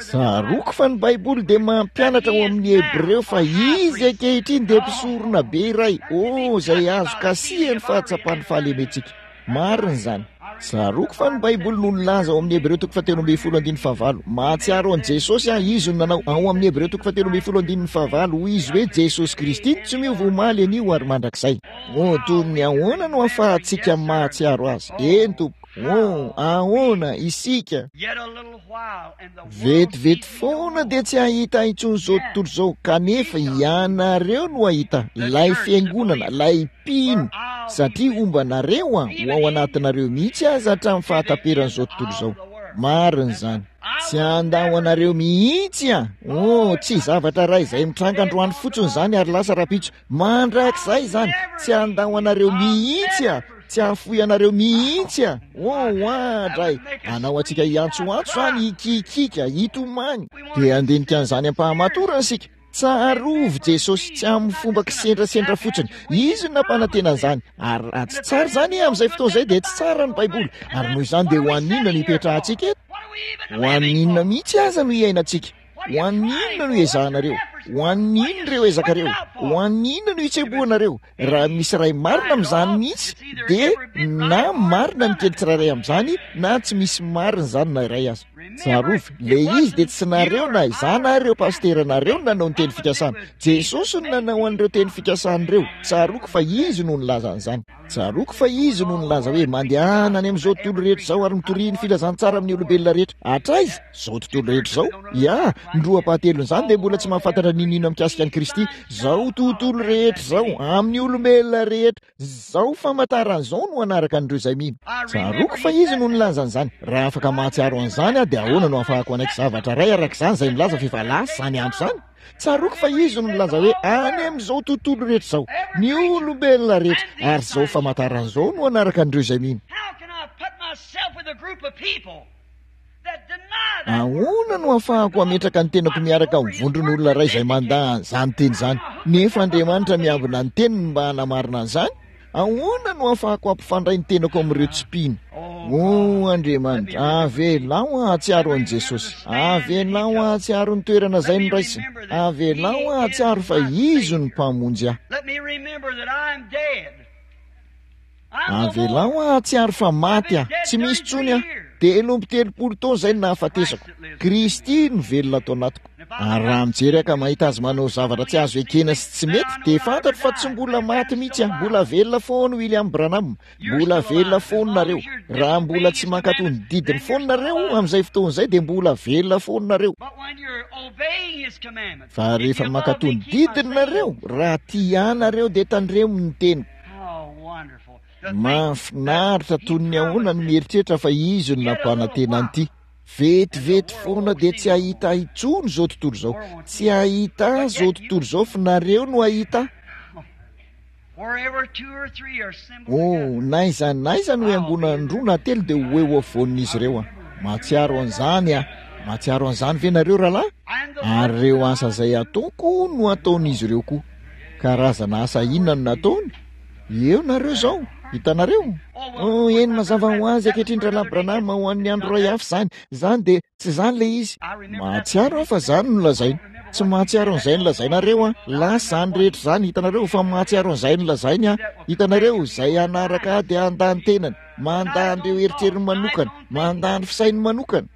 Tsaroako fa ny Baiboly dia mampianatra ao amin'ny Hebreo fa izy ankehitriny dia mpisorona be iray, oh, izay azo kasihan'ny fahatsapan'ny fahalementsika. Marina izany. Tsaroako fa ny Baiboly no nilaza ao amin'ny Hebreo toko fahatelo ambin'ny folo andininy fahavalo. Mahatsiaro an'i Jesosy aho, Izy no nanao, ao amin'ny Hebreo toko fahatelo ambin'ny folo andininy fahavalo, hoy Izy hoe, Jesosy Kristy no tsy miova omaly, anio ary mandrakizay. Oh, toy ny ahoana no ahafahantsika mahatsiaro Azy? Eny, tompoko. Oh, ahoana isika? Vetivety foana dia tsy hahita intsony izao tontolo izao, kanefa ianareo no hahita ilay fiangonana, ilay mpino, satria homba anareo Aho, ho ao anatinareo mihitsy aza hatramin'ny fahataperan'izao tontolo izao. Marina izany. Tsy handao anareo mihitsy Aho. Oh, tsy zavatra iray izay mitranga androany fotsiny izany ary lasa rahampitso. Mandrakizay izany. Tsy handao anareo mihitsy Aho. Tsy hahafoy anareo mihitsy aho. Oh, oadray! Hanao antsika hiantsoantso izany, hikiakiaka, hitomany. Dia handinika an'izany am-pahamatorana isika. Tsarovy Jesosy, tsy amin'ny fomba kisendrasendra fotsiny. Izy no nampanantena an'izany. Ary raha tsy tsara izany, amin'izay fotoana izay dia tsy tsara ny Baiboly. Ary noho izany dia ho an'inona no hipetrahantsika eto? Ho an'inona mihitsy aza no hiainantsika? Ho an'ny inona no iezahanareo? Ho an'ny inona ireo ezakareo? Ho an'ny inona no itsembohanareo? Raha misy iray marina amin'izany mihitsy, dia na marina ny kely tsirairay amin'izany, na tsy misy marina izany na iray aza. Tsarovy, ilay izy dia tsy nareo na izaho na ireo pasiteranareo no nanao ny teny fikasana. Jesosy no nanao an'ireo teny fikasana ireo. Tsaroako fa Izy no nilaza an'izany. Tsaroako fa Izy no nilaza hoe, Mandehana any amin'izao tontolo rehetra izao ary mitoria ny filazantsara amin'ny olombelona rehetra. Hatraiza? Izao tontolo rehetra izao? Ya, ny roa ampahatelon'izany dia mbola tsy mahafantatra n'inon'inona mikasika an'i Kristy. Izao tontolo rehetra izao, amin'ny olombelona rehetra. Izao famantarana izao no hanaraka an'ireo izay mino. Tsaroako fa Izy no nilaza an'izany. Raha afaka mahatsiaro an'izany aho, dia ahoana no ahafahako hanaiky zavatra iray araka izany izay milaza fa efa lasa izany andro izany? Tsaroako fa Izy no nilaza hoe any amin'izao tontolo rehetra izao, ny olombelona rehetra, ary izao famantarana izao no hanaraka an'ireo izay mino. Ahoana no ahafahako hametraka ny tenako miaraka amin'ny vondron'olona iray izay mandà an'izany teny izany, nefa Andriamanitra miambina ny teniny mba hanamarina an'izany? Ahoana no ahafahako hampifandray ny tenako amin'ireo tsy mpino? O Andriamanitra, avelao aho hahatsiaro an'i Jesosy. Avelao aho hahatsiaro ny toerana izay noraisiny. Avelao aho hahatsiaro fa Izy no Mpamonjy ahy. Avelao aho hahatsiaro fa maty aho, tsy misy intsony aho. 33 taona izay no nahafatesako. Kristy no velona ato anatiko. Ary raha mijery aho ka mahita azy manao zavatra tsy azo ekena sy tsy mety, dia fantatro fa tsy mbola maty mihitsy aho. Mbola velona foana William Branham. Mbola velona foana nareo. Raha mbola tsy mankatò ny didiny foana nareo, amin'izay fotoana izay dia mbola velona foana nareo. Fa rehefa mankatò ny didiny nareo, raha tia ahy nareo dia tandremo ny teniko. Mahafinaritra toy ny ahoana ny mieritreritra fa izy no nampanantena an'ity. Vetivety foana dia tsy hahita ahy intsony izao tontolo izao. Tsy hahita ahy izao tontolo izao fa nareo no hahita ahy. Oh, n'aiza n'aiza no iangonan'ny roa na telo dia ho eo afovoan'izy ireo aho. Mahatsiaro an'izany aho. Mahatsiaro an'izany ve nareo, rahalahy? Ary ireo asa izay ataoko no hataon'izy ireo koa. Karazana asa inona no nataony? Eo nareo izao. Hitanareo? Oh, eny, mazava ho azy ankehitriny, Rahalahy Branham, ho an'ny andro iray hafa izany. Izany dia, tsy izany ilay izy. Mahatsiaro aho fa izany no lazainy. Tsy mahatsiaro an'izay nolazainareo aho. Lasa izany rehetra izany, hitanareo, fa mahatsiaro an'izay nolazainy aho. Hitanareo, izay hanaraka ahy dia handà ny tenany, mandà an'ireo eritreriny manokana, mandà ny fisainy manokana.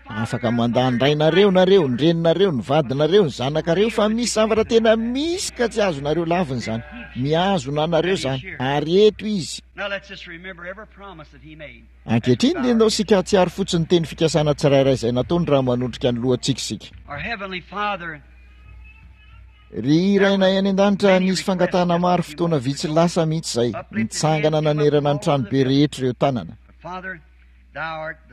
Afaka mandà ny rainareo nareo, ny reninareo, ny vadinareo, ny zanakareo, fa misy zavatra tena misy ka tsy azonareo lavina izany. Mihazona anareo izany. Ary eto izy. Ankehitriny dia ndao isika hahatsiaro fotsiny ny teny fikasana tsirairay izay nataony raha manondrika ny lohantsika isika. Ry Rainay any An-danitra, nisy fangatahana maro fotoana vitsy lasa mihitsy izay, nitsangana nanerana ny tranobe rehetra ireo tanana.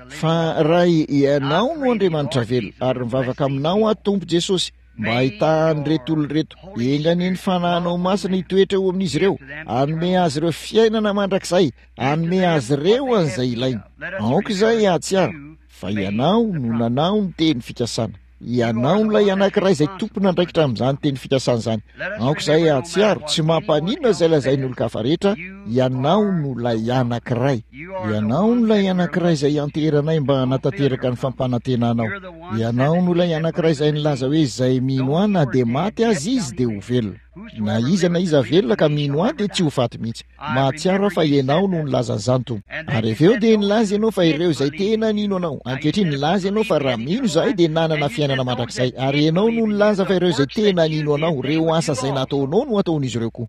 Fa Ray, Ianao no Andriamanitra velona, ary mivavaka Aminao aho, Tompo Jesosy, mba hahitahan'ireto olona ireto. Enga anie ny Fanahinao Masina hitoetra eo amin'izy ireo, hanome azy ireo fiainana mandrakizay, hanome azy ireo an'izay ilainy. Aoka izahay hahatsiaro fa Ianao no nanao ny teny fikasana. Ianao no ilay anankiray izay tompon'andraikitra amin'izany teny fikasana izany. Aoka izahay hahatsiaro, tsy mampaninona izay lazain'ny olon-kafa rehetra, Ianao no ilay anankiray. Ianao no ilay anankiray izay ianteheranay mba hanatanteraka ny fampanantenanao. Ianao no ilay anankiray izay nilaza hoe izay mino ahy na dia maty aza izy dia ho velona. Na iza na iza velona ka mino ahy dia tsy ho faty mihitsy. Mahatsiaro aho fa Ianao no nilaza an'izany, Tompo. Ary avy eo dia nilaza Ianao fa ireo izay tena nino Anao. Ankehitriny, nilaza Ianao fa raha mino izahay dia nanana fiainana mandrakizay. Ary Ianao no nilaza fa ireo izay tena nino Anao, ireo asa izay nataonao no hataon'izy ireo koa.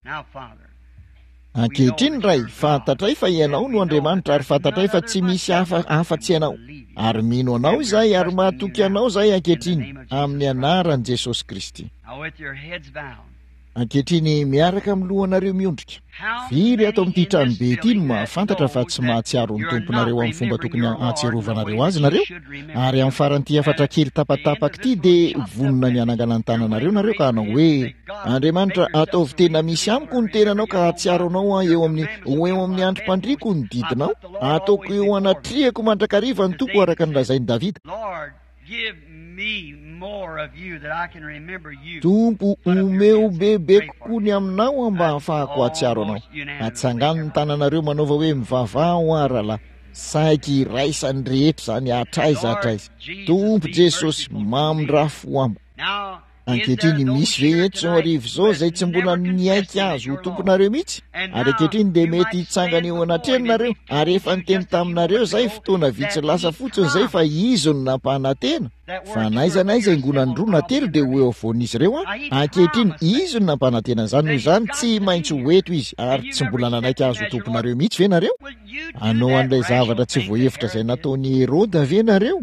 Ankehitriny, Ray, fantatray fa Ianao no Andriamanitra ary fantatray fa tsy misy hafa afa-tsy Ianao. Ary mino Anao izahay ary mahatoky Anao izahay ankehitriny, amin'ny Anaran'i Jesosy Kristy. Ankehitriny, miaraka amin'ny lohanareo miondrika, firy ato amin'ity tranobe ity no mahafantatra fa tsy mahatsiaro ny Tomponareo amin'ny fomba tokony hahatsiarovanareo Azy nareo? Ary amin'ny faran'ity hafatra kely tapatapaka ity dia vonona ny hanangana ny tananareo nareo ka hanao hoe, Andriamanitra, ataovy tena misy amiko ny tenanao ka hahatsiaro Anao aho eo amin'ny, ho eo amin'ny androm-pandriako ny didinao. Ataoko eo anatrehako mandrakariva ny Tompo araka ny lazain'i Davida. Tompo, omeo bebe kokoa ny aminao aho mba hahafahako hahatsiaro Anao. Atsangano ny tananareo manaova hoe mivavaha ho ahy rahalahy. Saiky iraisan'ny rehetra izany hatraiza hatraiza. Tompo Jesosy, mamindrà fo amiko. Ankehitriny, misy ve eto izao hariva izao izay tsy mbola niaiky Azy ho Tomponareo mihitsy? Ary ankehitriny dia mety hitsangana eo anatrehany nareo, ary efa niteny taminareo izay fotoana vitsy lasa fotsiny izay fa Izy no nampanantena fa n'aiza n'aiza ingonany roa na telo dia ho eo afovoan'izy ireo Aho. Ankehitriny, Izy no nampanantena an'izany, noho izany tsy maintsy ho eto Izy. Ary tsy mbola nanaiky Azy ho Tomponareo mihitsy ve nareo? Hanao an'ilay zavatra tsy voahevitra izay nataon'i Heroda ve nareo?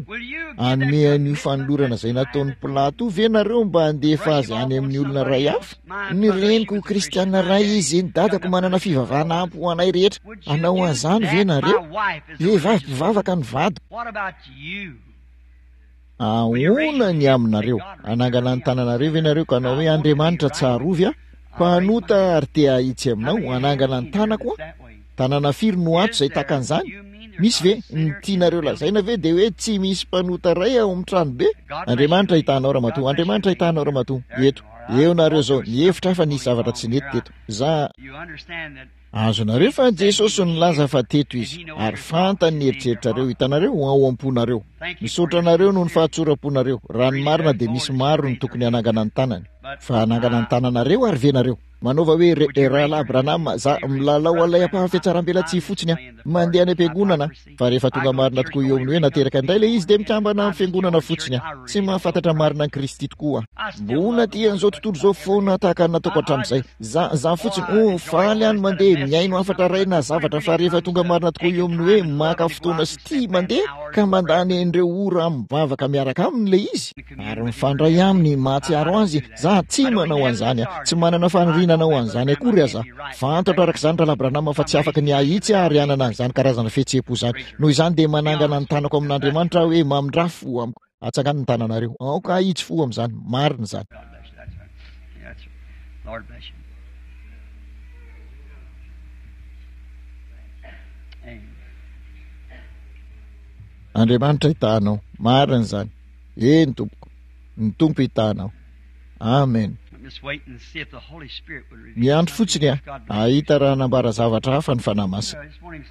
Hanome an'io fanolorana izay nataon'i Pilato io ve nareo mba handefa azy any amin'ny olona iray hafa? Ny reniko kristiana iray izy, ny dadako manana fivavahana ampy ho anay rehetra. Hanao an'izany ve nareo? Vehivavy mpivavaka ny vadiko. Ahoana ny aminareo? Hanangana ny tananareo ve nareo ka hanao hoe, Andriamanitra, tsarovy aho, mpanota ary te hahitsy aminao, hanangana ny tanako aho? Tanana firy no ato izay tahaka an'izany? Misy ve? Ny tianareo lazaina ve dia hoe tsy misy mpanota iray ao amin'ny tranobe? Andriamanitra hitahanao, ramatoa. Andriamanitra hitahanao, ramatoa. Eto. Eo nareo izao. Nihevitra aho fa nisy zavatra tsy nety teto. Za. Azonareo fa Jesosy nilaza fa teto Izy, ary fantany ny eritreritrareo, hitanareo, ao am-ponareo. Misaotra anareo noho ny fahatsoram-ponareo. Raha ny marina dia misy maro ny tokony hanangana ny tanany. Fa hanangana ny tananareo ary ve nareo? Manaova hoe, Ry Rahalahy Branham, za milalao an'ilay ampaham-fihatsarambelatsihy fotsiny aho. Mandeha any am-piangonana aho. Fa rehefa tonga marina tokoa eo amin'ny hoe nateraka indray ilay izy dia mikambana amin'ny fiangonana fotsiny aho. Tsy mahafantatra marina an'i Kristy tokoa aho. Mbola tia an'izao tontolo izao foana tahaka ny nataoko hatramin'izay. Za, za fotsiny, oh, faly aho ny mandeha, mihaino hafatra iray na zavatra, fa rehefa tonga marina tokoa eo amin'ny hoe maka fotoana sy tia mandeha ka mandany an'ireo ora mivavaka miaraka aminy ilay izy, ary mifandray aminy, mahatsiaro azy, za tsy manao an'izany aho. Tsy manana faniriana hanao an'izany akory aza aho. Fantatro araka izany Rahalahy Branham fa tsy afaka ny hahitsy aho ary hanana an'izany karazana fihetseham-po izany. Noho izany dia manangana ny tanako amin'Andriamanitra aho hoe mamindrà fo amiko. Atsangano ny tananareo. Aoka hahitsy fo amin'izany. Marina izany. Andriamanitra hitaha anao. Marina izany. Eny tompoko. Ny Tompo hitaha anao. Amen. Miandry fotsiny aho hahita raha hanambara zavatra hafa ny Fanahy Masina.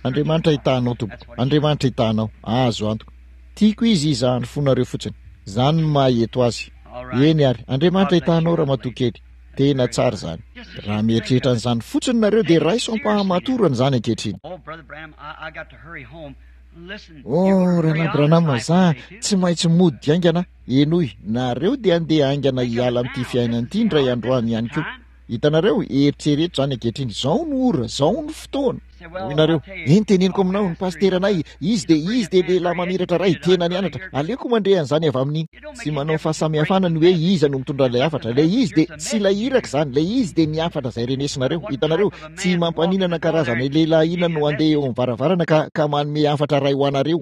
Andriamanitra hitaha anao tompoko. Andriamanitra hitaha anao. Azo antoka. Tiako Izy hizaha ny fonareo fotsiny. Izany no maha eto Azy. Eny ary. Andriamanitra hitaha anao ramatoa kely. Tena tsara izany. Raha mieritreritra an'izany fotsiny nareo dia raiso am-pahamatorana izany ankehitriny. Oh, Rahalahy Branham, za tsy maintsy mody haingana. Henoy, nareo dia handeha haingana hiala amin'ity fiainana ity indray andro any ihany koa. Hitanareo? Eritrereto izany ankehitriny. Izao no ora, izao no fotoana. Hoy nareo, Eny, teneniko aminao, ny pasiteranay, izy dia, izy dia lehilahy mamiratra iray, tena nianatra. Aleoko mandre an'izany avy amin'ny. Tsy manao fahasamihafana ny hoe iza no mitondra ilay hafatra. Ilay izy dia, tsy ilay iraka izany, ilay izy dia ny hafatra izay renesinareo. Hitanareo? Tsy mampaninana karazana lehilahy inona no handeha eo amin'ny varavarana ka, ka manome hafatra iray ho anareo.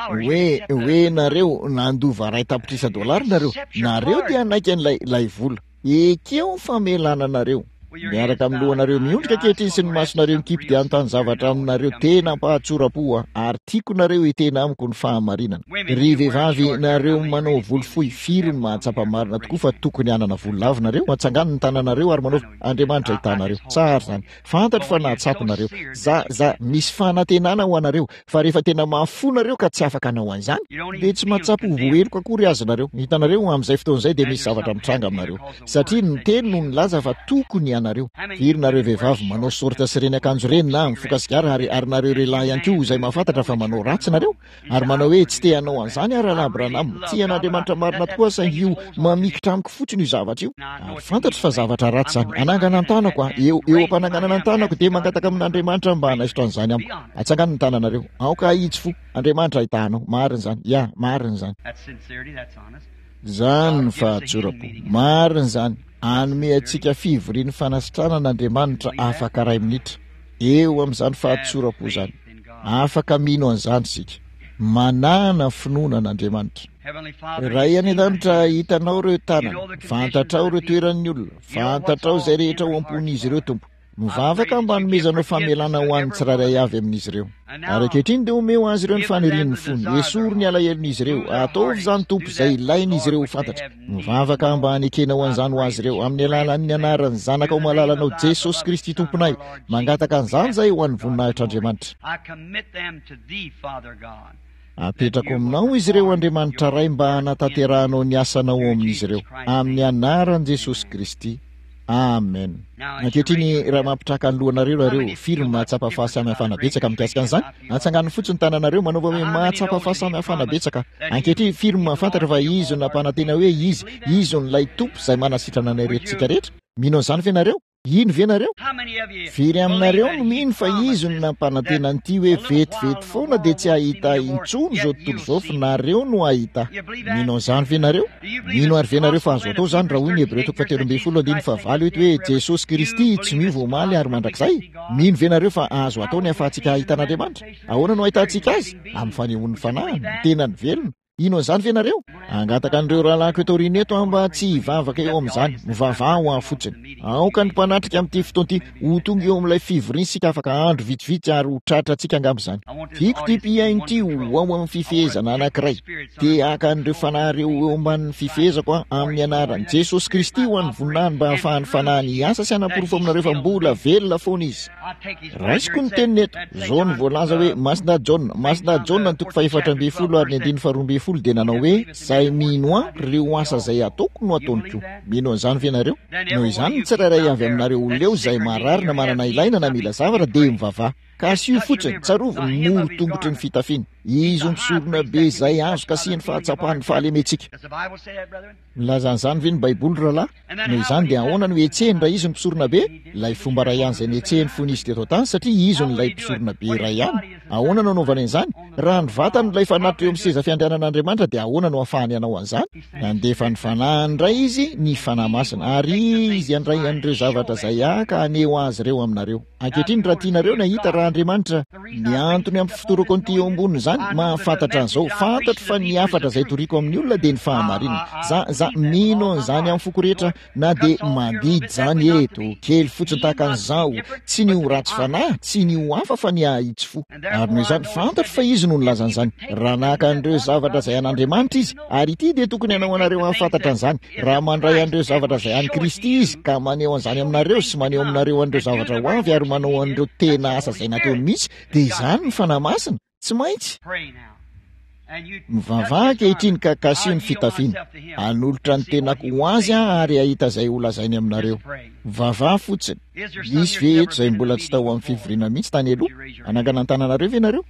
Hoe, hoe nareo, nandova iray tapitrisa dolara nareo, nareo dia hanaiky an'ilay, ilay vola. Ekeo ny famelana anareo. Miaraka amin'ny lohanareo miondrika ankehitriny sy ny masonareo mikipy dia hanontany zavatra aminareo tena am-pahatsoram-po aho, ary tiako nareo hiteny amiko ny fahamarinana. Ry vehivavy, nareo manao volo fohy, firy no mahatsapa marina tokoa fa tokony hanana volo lava nareo? Atsangano ny tananareo ary manaova, Andriamanitra hitaha anareo. Tsara izany. Fantatro fa nahatsapa nareo. Za, za, misy fanantenana ho anareo, fa rehefa tena mafy fo nareo ka tsy afaka hanao an'izany, dia tsy mahatsapa ho voaheloka akory aza nareo. Hitanareo, amin'izay fotoana izay dia misy zavatra mitranga aminareo. Satria ny teny no nilaza fa tokony ianareo. Firy nareo vehivavy manao sorta sy ireny akanjo ireny na mifoka sigara ary, ary nareo lehilahy ihany koa izay mahafantatra fa manao ratsy nareo? Ary manao hoe, Tsy te hanao an'izany aho, Rahalahy Branham. Tia an'Andriamanitra marina tokoa aho, saingy io mamikitra amiko fotsiny io zavatra io. Ary fantatro fa zavatra ratsy izany. Hanangana ny tanako aho. Eo, eo am-pananganana ny tanako, dia mangataka amin'Andriamanitra aho mba hanaisotra an'izany amiko. Atsangano ny tananareo. Aoka hahitsy fo. Andriamanitra hitaha anao. Marina izany. Ya, marina izany. Izany ny fahatsoram-po. Marina izany. Hanome antsika fivorian'ny fanasitranana Andriamanitra afaka iray minitra. Eo amin'izany fahatsoram-po izany. Afaka mino an'izany isika. Manàna finoana an'Andriamanitra. Ray any An-danitra, hitanao ireo tanana. Fantatrao ireo toeran'ny olona. Fantatrao izay rehetra ao am-pon'izy ireo, Tompo. Mivavaka mba hanomezanao famelana ho an'ny tsirairay avy amin'izy ireo. Ary ankehitriny dia omeo azy ireo ny fanirian'ny fony. Esory ny alahelon'izy ireo. Ataovy izany, Tompo, izay ilain'izy ireo ho fantatra. Mivavaka mba hanekenao an'izany ho azy ireo, amin'ny alalan'ny anaran'ny Zanakao malalanao, Jesosy Kristy Tomponay. Mangataka an'izany izahay ho an'ny voninahitr'Andriamanitra. Apetrako aminao izy ireo, Andriamanitra Ray, mba hanatanterahanao ny asanao ao amin'izy ireo. Amin'ny anaran'i Jesosy Kristy. Amen. Ankehitriny, raha mampitraka ny lohanareo nareo, firy no mahatsapa fahasamihafana betsaka mikasika an'izany? Atsangano fotsiny ny tananareo, manaova hoe mahatsapa fahasamihafana betsaka. Ankehitriny, firy no mahafantatra fa Izy no nampanantena hoe Izy, Izy no ilay Tompo izay manasitrana anay rehetra rehetra? Mino an'izany ve nareo? Hino ve nareo? Firy aminareo no mino fa Izy no nampanantena an'ity hoe vetivety foana dia tsy hahita ahy intsony izao tontolo izao fa nareo no hahita ahy? Mino an'izany ve nareo? Mino àry ve nareo fa azo atao izany raha hoy ny Hebreo toko fahatelo ambin'ny folo andininy fahavalo eto hoe Jesosy Kristy tsy miova omaly ary mandrakizay? Mino ve nareo fa azo atao ny ahafahantsika hahita an'Andriamanitra? Ahoana no ahitantsika Azy? Amin'ny fanehoan'ny Fanahiny, ny tenany velona. Hino an'izany ve ianareo? Hangataka an'ireo rahalahiko eto aoriana eto aho mba tsy hivavaka eo amin'izany. Mivavaha ho ahy fotsiny. Aoka ny mpanatrika amin'ity fotoana ity ho tonga eo amin'ilay fivoriana isika afaka andro vitsivitsy ary ho tratrantsika angamba izany. Tiako ity mpihaino ity ho ao amin'ny fifehezana anankiray. Te haka an'ireo fanahy ireo ho eo ambanin'ny fifehezako aho amin'ny anaran'i Jesosy Kristy ho an'ny voninahiny mba hahafahan'ny fanahiny hiasa sy hanaporofo aminareo fa mbola velona foana Izy. Raisiko ny teniny eto. Izao no voalaza hoe, Masina Jaona, Masina Jaona ny toko faha-14 ary ny andininy faha-12 dia nanao hoe, Izay mino Ahy, ireo asa izay ataoko no ataony koa. Mino an'izany ve ianareo? Noho izany, ny tsirairay avy aminareo olona eo izay marary na manana ilaina na mila zavatra dia mivavaha. Ka asio fotsiny, tsarovy ny moro-tongotry ny fitafiany. Izy ho mpisorona be izay azo kasihin'ny fahatsapan'ny fahalementsika. Milaza an'izany ve ny Baiboly, rahalahy? Noho izany dia ahoana no hetsehiny raha izy no mpisoronabe? Ilay fomba iray ihany izay nihetsehiny fony izy teto an-tany, satria izy no ilay mpisoronabe iray ihany. Ahoana no anaovany an'izany? Raha ny vatany no ilay fanatitra eo amin'ny seza fiandrianan'Andriamanitra, dia ahoana no ahafahany hanao an'izany? Nandefa ny Fanahiny indray Izy, ny Fanahy Masina, ary Izy handray an'ireo zavatra izay Ahy ka haneho azy ireo aminareo. Ankehitriny, raha tianareo ny hahita raha Andriamanitra, ny antony ampifotorako an'ity eo ambonin'izany, mahafantatra an'izao, fantatro fa ny hafatra izay toriko amin'ny olona dia ny fahamarinana. Za, za, mino an'izany amin'ny foko rehetra, na dia mandidy izany eto, kely fotsiny tahaka an'izao, tsy ny ho ratsy fanahy, tsy ny ho hafa fa ny hahitsy fo. Ary noho izany, fantatro fa Izy no nilaza an'izany. Raha naka an'ireo zavatra izay an'Andriamanitra Izy, ary ity dia tokony hanao anareo hahafantatra an'izany, Raha mandray an'ireo zavatra izay an'i Kristy Izy, ka maneho an'izany aminareo, sy maneho aminareo an'ireo zavatra ho avy, ary manao an'ireo tena asa izay nataony mihitsy, dia izany ny Fanahy Masina. Tsy maintsy. Mivavaha ankehitriny ka kasiho ny fitafiana. Hanolotra ny tenako ho Azy aho ary hahita izay holazainy aminareo. Mivavaha fotsiny. Misy ve eto izay mbola tsy tao amin'ny fivoriana mihitsy tany aloha? Hanangana ny tananareo ve ianareo?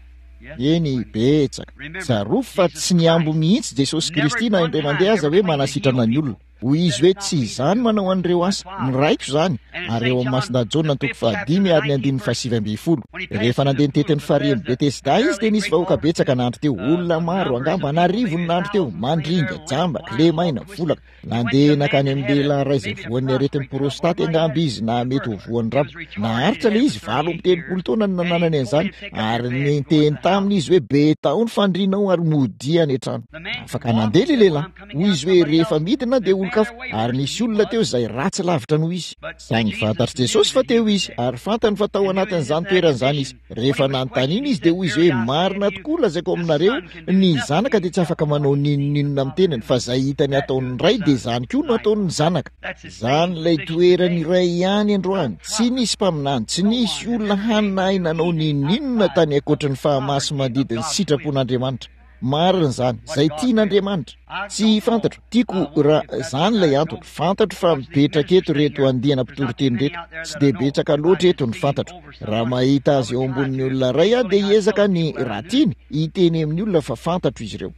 Eny, betsaka. Tsarovy fa tsy nihambo mihitsy Jesosy Kristy na indray mandeha aza hoe manasitrana ny olona. Hoy Izy hoe, Tsy Izaho no manao an'ireo asa, ny Raiko izany. Ary eo amin'ny Masindahy Jaona toko fahadimy ary ny andininy fahasivy ambin'ny folo. Rehefa nandeha nitety ny farihin'i Betesda Izy dia nisy vahoaka betsaka nandry teo, olona maro, angamba an'arivony nandry teo, mandringa, jamba, kilemaina, volaka. Nandeha nankany amin'ny lehilahy iray izay voan'ny aretin'ny prostaty angamba izy na mety ho voan'ny rabo. Naharitra ilay izy, 38 taona no nananany an'izany, ary niteny taminy izy hoe, Betao ny fandrianao ary modia any an-trano. Afaka nandeha ilay lehilahy. Hoy izy hoe, Rehefa midina aho dia olon-kafa. Ary nisy olona teo izay ratsy lavitra noho izy. Saingy fantatr'i Jesosy fa teo izy, ary fantany fa tao anatin'izany toerana izany izy. Rehefa nanontaniana izy dia hoy izy hoe, Marina tokoa lazaiko aminareo, ny Zanaka dia tsy afaka manao n'inon'inona amin'ny tenany, fa izay hitany ataon'ny Ray dia izany koa no ataon'ny Zanaka. Izany ilay toerany iray ihany androany. Tsy nisy mpaminany, tsy nisy olona hany nahay nanao n'inon'inona tany ankoatry ny fahamasi-mandidin'ny sitrapon'Andriamanitra. Marina izany, izay tian'Andriamanitra. Tsy fantatro, tiako raha izany ilay antony. Fantatro fa mipetraka eto ireto andiana mpitoriteny ireto. Tsy dia betsaka loatra eto ny fantatro. Raha mahita azy eo ambonin'ny olona iray aho dia hiezaka ny, raha tiany, hiteny amin'ny olona fa fantatro izy ireo.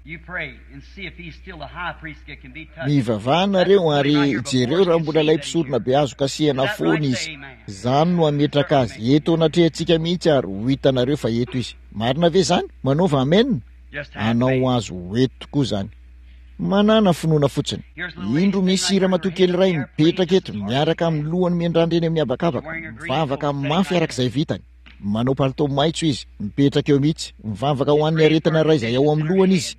Mivavaha nareo ary jereo raha mbola ilay mpisorona be azo kasihana foana izy. Izany no hametraka azy eto anatrehantsika mihitsy ary ho hitanareo fa eto izy. Marina ve izany? Manaova amen. Hanao azy ho eto tokoa izany. Manàna finoana fotsiny. Indro misy ramatoa kely iray mipetraka eto miaraka amin'ny lohany miandrandra eny amin'ny habakabaka, mivavaka mafy araka izay vitany. Manao palitao maitso izy, mipetraka eo mihitsy. Mivavaka ho an'ny aretina iray izay ao amin'ny lohany izy.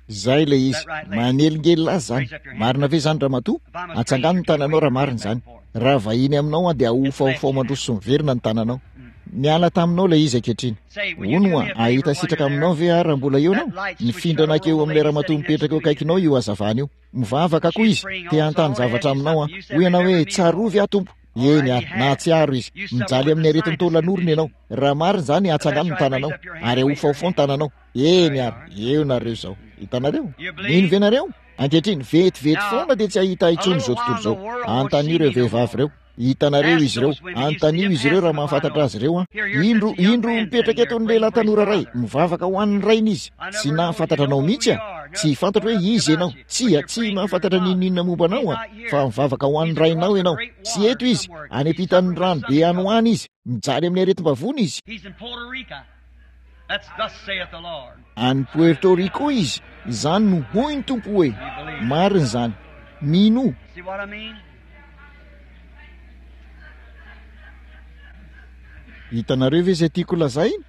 Izay ilay izy. Manelingelina azy izany. Marina ve izany, ramatoa? Atsangano ny tananao raha marina izany. Raha vahiny aminao aho dia ahofaofao mandroso sy miverina ny tananao. Niala taminao ilay izy ankehitriny. Hono hoa, hahita sitraka aminao ve aho raha mbola eo ianao? Nifindra nankeo amin'ilay ramatoa mipetraka eo akaikinao io hazavana io. Mivavaka koa izy. Te hanontany zavatra aminao aho. Hoy ianao hoe, Tsarovy aho, Tompo. Eny ary, nahatsiaro izy. Mijaly amin'ny aretin'ny taolan'orona ianao. Raha marina izany, atsangano ny tananao. Ary ahofaofao ny tananao. Eny ary, eo nareo izao. Hitanareo? Mino ve nareo? Ankehitriny, vetivety foana dia tsy hahita ahy intsony izao tontolo izao. Anontanio ireo vehivavy ireo. Hitanareo izy ireo. Anontanio izy ireo raha mahafantatra azy ireo aho. Indro, indro mipetraka eto ny lehilahy tanora iray. Mivavaka ho an'ny rainy izy. Tsy nahafantatra anao mihitsy aho. Tsy fantatro hoe iza ianao. Tsia, tsy mahafantatra n'inon'inona momba anao aho. Fa mivavaka ho an'ny rainao ianao. Tsy eto izy. Any ampitan'ny rano be any ho any izy. Mijaly amin'ny aretim-bavony izy. Any Puerto Rico izy. Izany no hoy ny Tompo hoe. Marina izany. Minoa. Hitanareo ve izay tiako lazaina?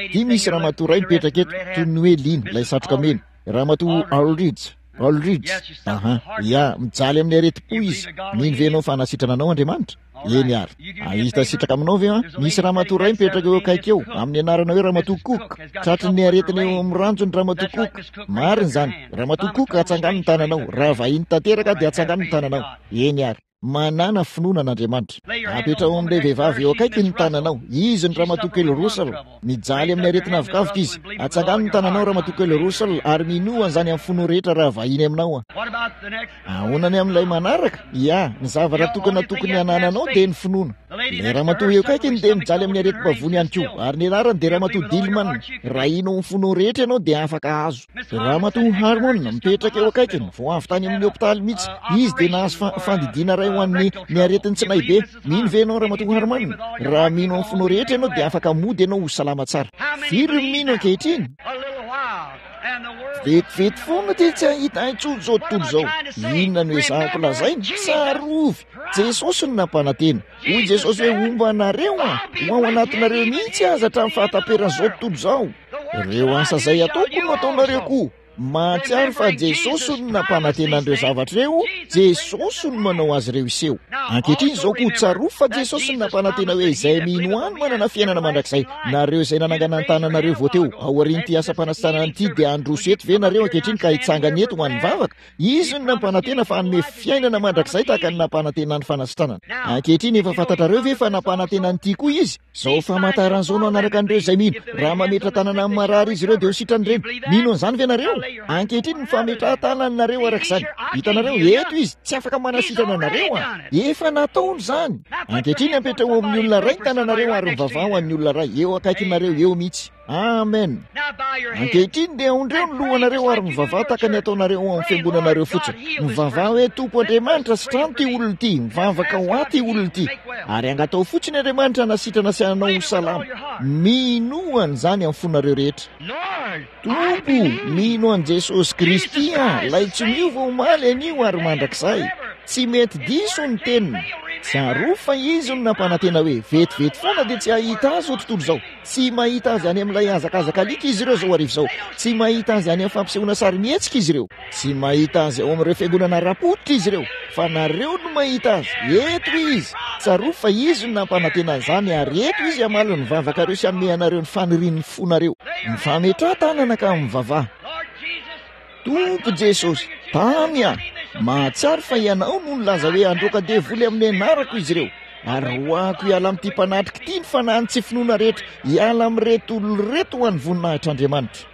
Ity misy ramatoa iray mipetraka eto, toy ny hoe liana, ilay satroka mena. Ramatoa Aldridge. Aldridge. Aha. Ya, mijaly amin'ny aretim-po izy. Mino ve ianao fa hanasitrana anao Andriamanitra? Eny ary. Hahita sitraka aminao ve an? Misy ramatoa iray mipetraka eo akaiky eo, amin'ny anarana hoe Ramatoa Cook. Tratry ny aretina eo amin'ny ranjony Ramatoa Cook. Marina izany. Ramatoa Cook, atsangano ny tananao. Raha vahiny tanteraka dia atsangano ny tananao. Eny ary. Manàna finoana an'Andriamanitra. Apetraho amin'ilay vehivavy eo akaiky ny tananao. Izy ny Ramatoa Kely Russell. Mijaly amin'ny aretina avokavoka izy. Atsangano ny tananao, Ramatoa Kely Russell, ary minoa an'izany amin'ny fonao rehetra raha vahiny aminao aho. Ahoana ny amin'ilay manaraka? Ia, ny zavatra tokana tokony hanananao dia ny finoana. Ilay ramatoa eo akaikiny dia mijaly amin'ny aretim-bavony ihany koa, ary ny anarany dia Ramatoa Dillman. Raha hino amin'ny fonao rehetra ianao dia afaka hahazo. Ramatoa Harmon, mipetraka eo akaikiny, vao avy tany amin'ny hopitaly mihitsy. Izy dia nahazo fa, fandidiana iray ho an'ny, ny aretin'ny tsinay be. Mino ve ianao, Ramatoa Harmon? Raha mino amin'ny fonao rehetra ianao dia afaka mody ianao ho salama tsara. Firy no mino ankehitriny? Vetivety foana dia tsy hahita intsony izao tontolo izao. Inona no ezahako lazaina? Tsarovy, Jesosy no nampanantena. Hoy Jesosy hoe, Homba anareo aho, ho ao anatinareo mihitsy aza hatramin'ny fahataperan'izao tontolo izao. Ireo asa izay ataoko no ataonareo koa. Mahatsiaro fa Jesosy no nampanantena an'ireo zavatra ireo, Jesosy no manao azy ireo hiseho. Ankehitriny izao koa, tsarovy fa Jesosy no nampanantena hoe izay mino ahy no manana fiainana mandrakizay. Nareo izay nanangana ny tananareo vao teo, aorian'ity asam-panasitranana ity dia handroso eto ve nareo ankehitriny ka hitsangana eto ho an'ny vavaka? Izy no nampanantena fa hanome fiainana mandrakizay tahaka ny nampanantenany fanasitranana. Ankehitriny efa fantatrareo ve fa nampanantena an'ity koa Izy? Izao famantarana izao no hanaraka an'ireo izay mino. Raha mametra-tanana amin'ny marary izy ireo dia ho sitrany ireny. Mino an'izany ve nareo? Ankehitriny ny fametrahan-tananareo araka izany. Hitanareo, eto Izy, tsy afaka manasitrana anareo an. Efa nataony izany. Ankehitriny apetraho amin'ny olona iray ny tananareo ary mivavaha ho an'ny olona iray eo akaikinareo eo mihitsy. Amen. Ankehitriny dia aondreo ny lohanareo ary mivavaha tahaka ny ataonareo ao amin'ny fiangonanareo fotsiny. Mivavaha hoe, Tompo Andriamanitra, sitrano ity olona ity. Mivavaka ho ahy ity olona ity. Ary angatao fotsiny Andriamanitra hanasitrana sy hanao ho salama. Minoa an'izany amin'ny fonareo rehetra. Tompo, mino an'i Jesosy Kristy aho, ilay tsy miova omaly, anio ary mandrakizay. Tsy mety diso ny teniny. Tsarovy fa Izy no nampanantena hoe, Vetivety foana dia tsy hahita Azy izao tontolo izao. Tsy mahita azy any amin'ilay hazakazaka alika izy ireo izao hariva izao. Tsy mahita azy any amin'ny fampisehoana sarimihetsika izy ireo. Tsy mahita azy ao amin'ireo fiangonana ara-pototra izy ireo. Fa nareo no mahita azy. Eto izy. Tsarovy fa izy no nampanantena an'izany ary eto izy hamaly ny vavakareo sy hanome anareo ny fanirian'ny fonareo. Mifametraha tanana ka mivavaha. Tompo Jesosy, tamy aho. Mahatsiaro fa Ianao no nilaza hoe handroaka devoly amin'ny anarako izy ireo. Ary roahako hiala amin'ity mpanatrika ity ny fanahin'ny tsy finoana rehetra, hiala amin'ireto olona ireto ho an'ny voninahitr'Andriamanitra.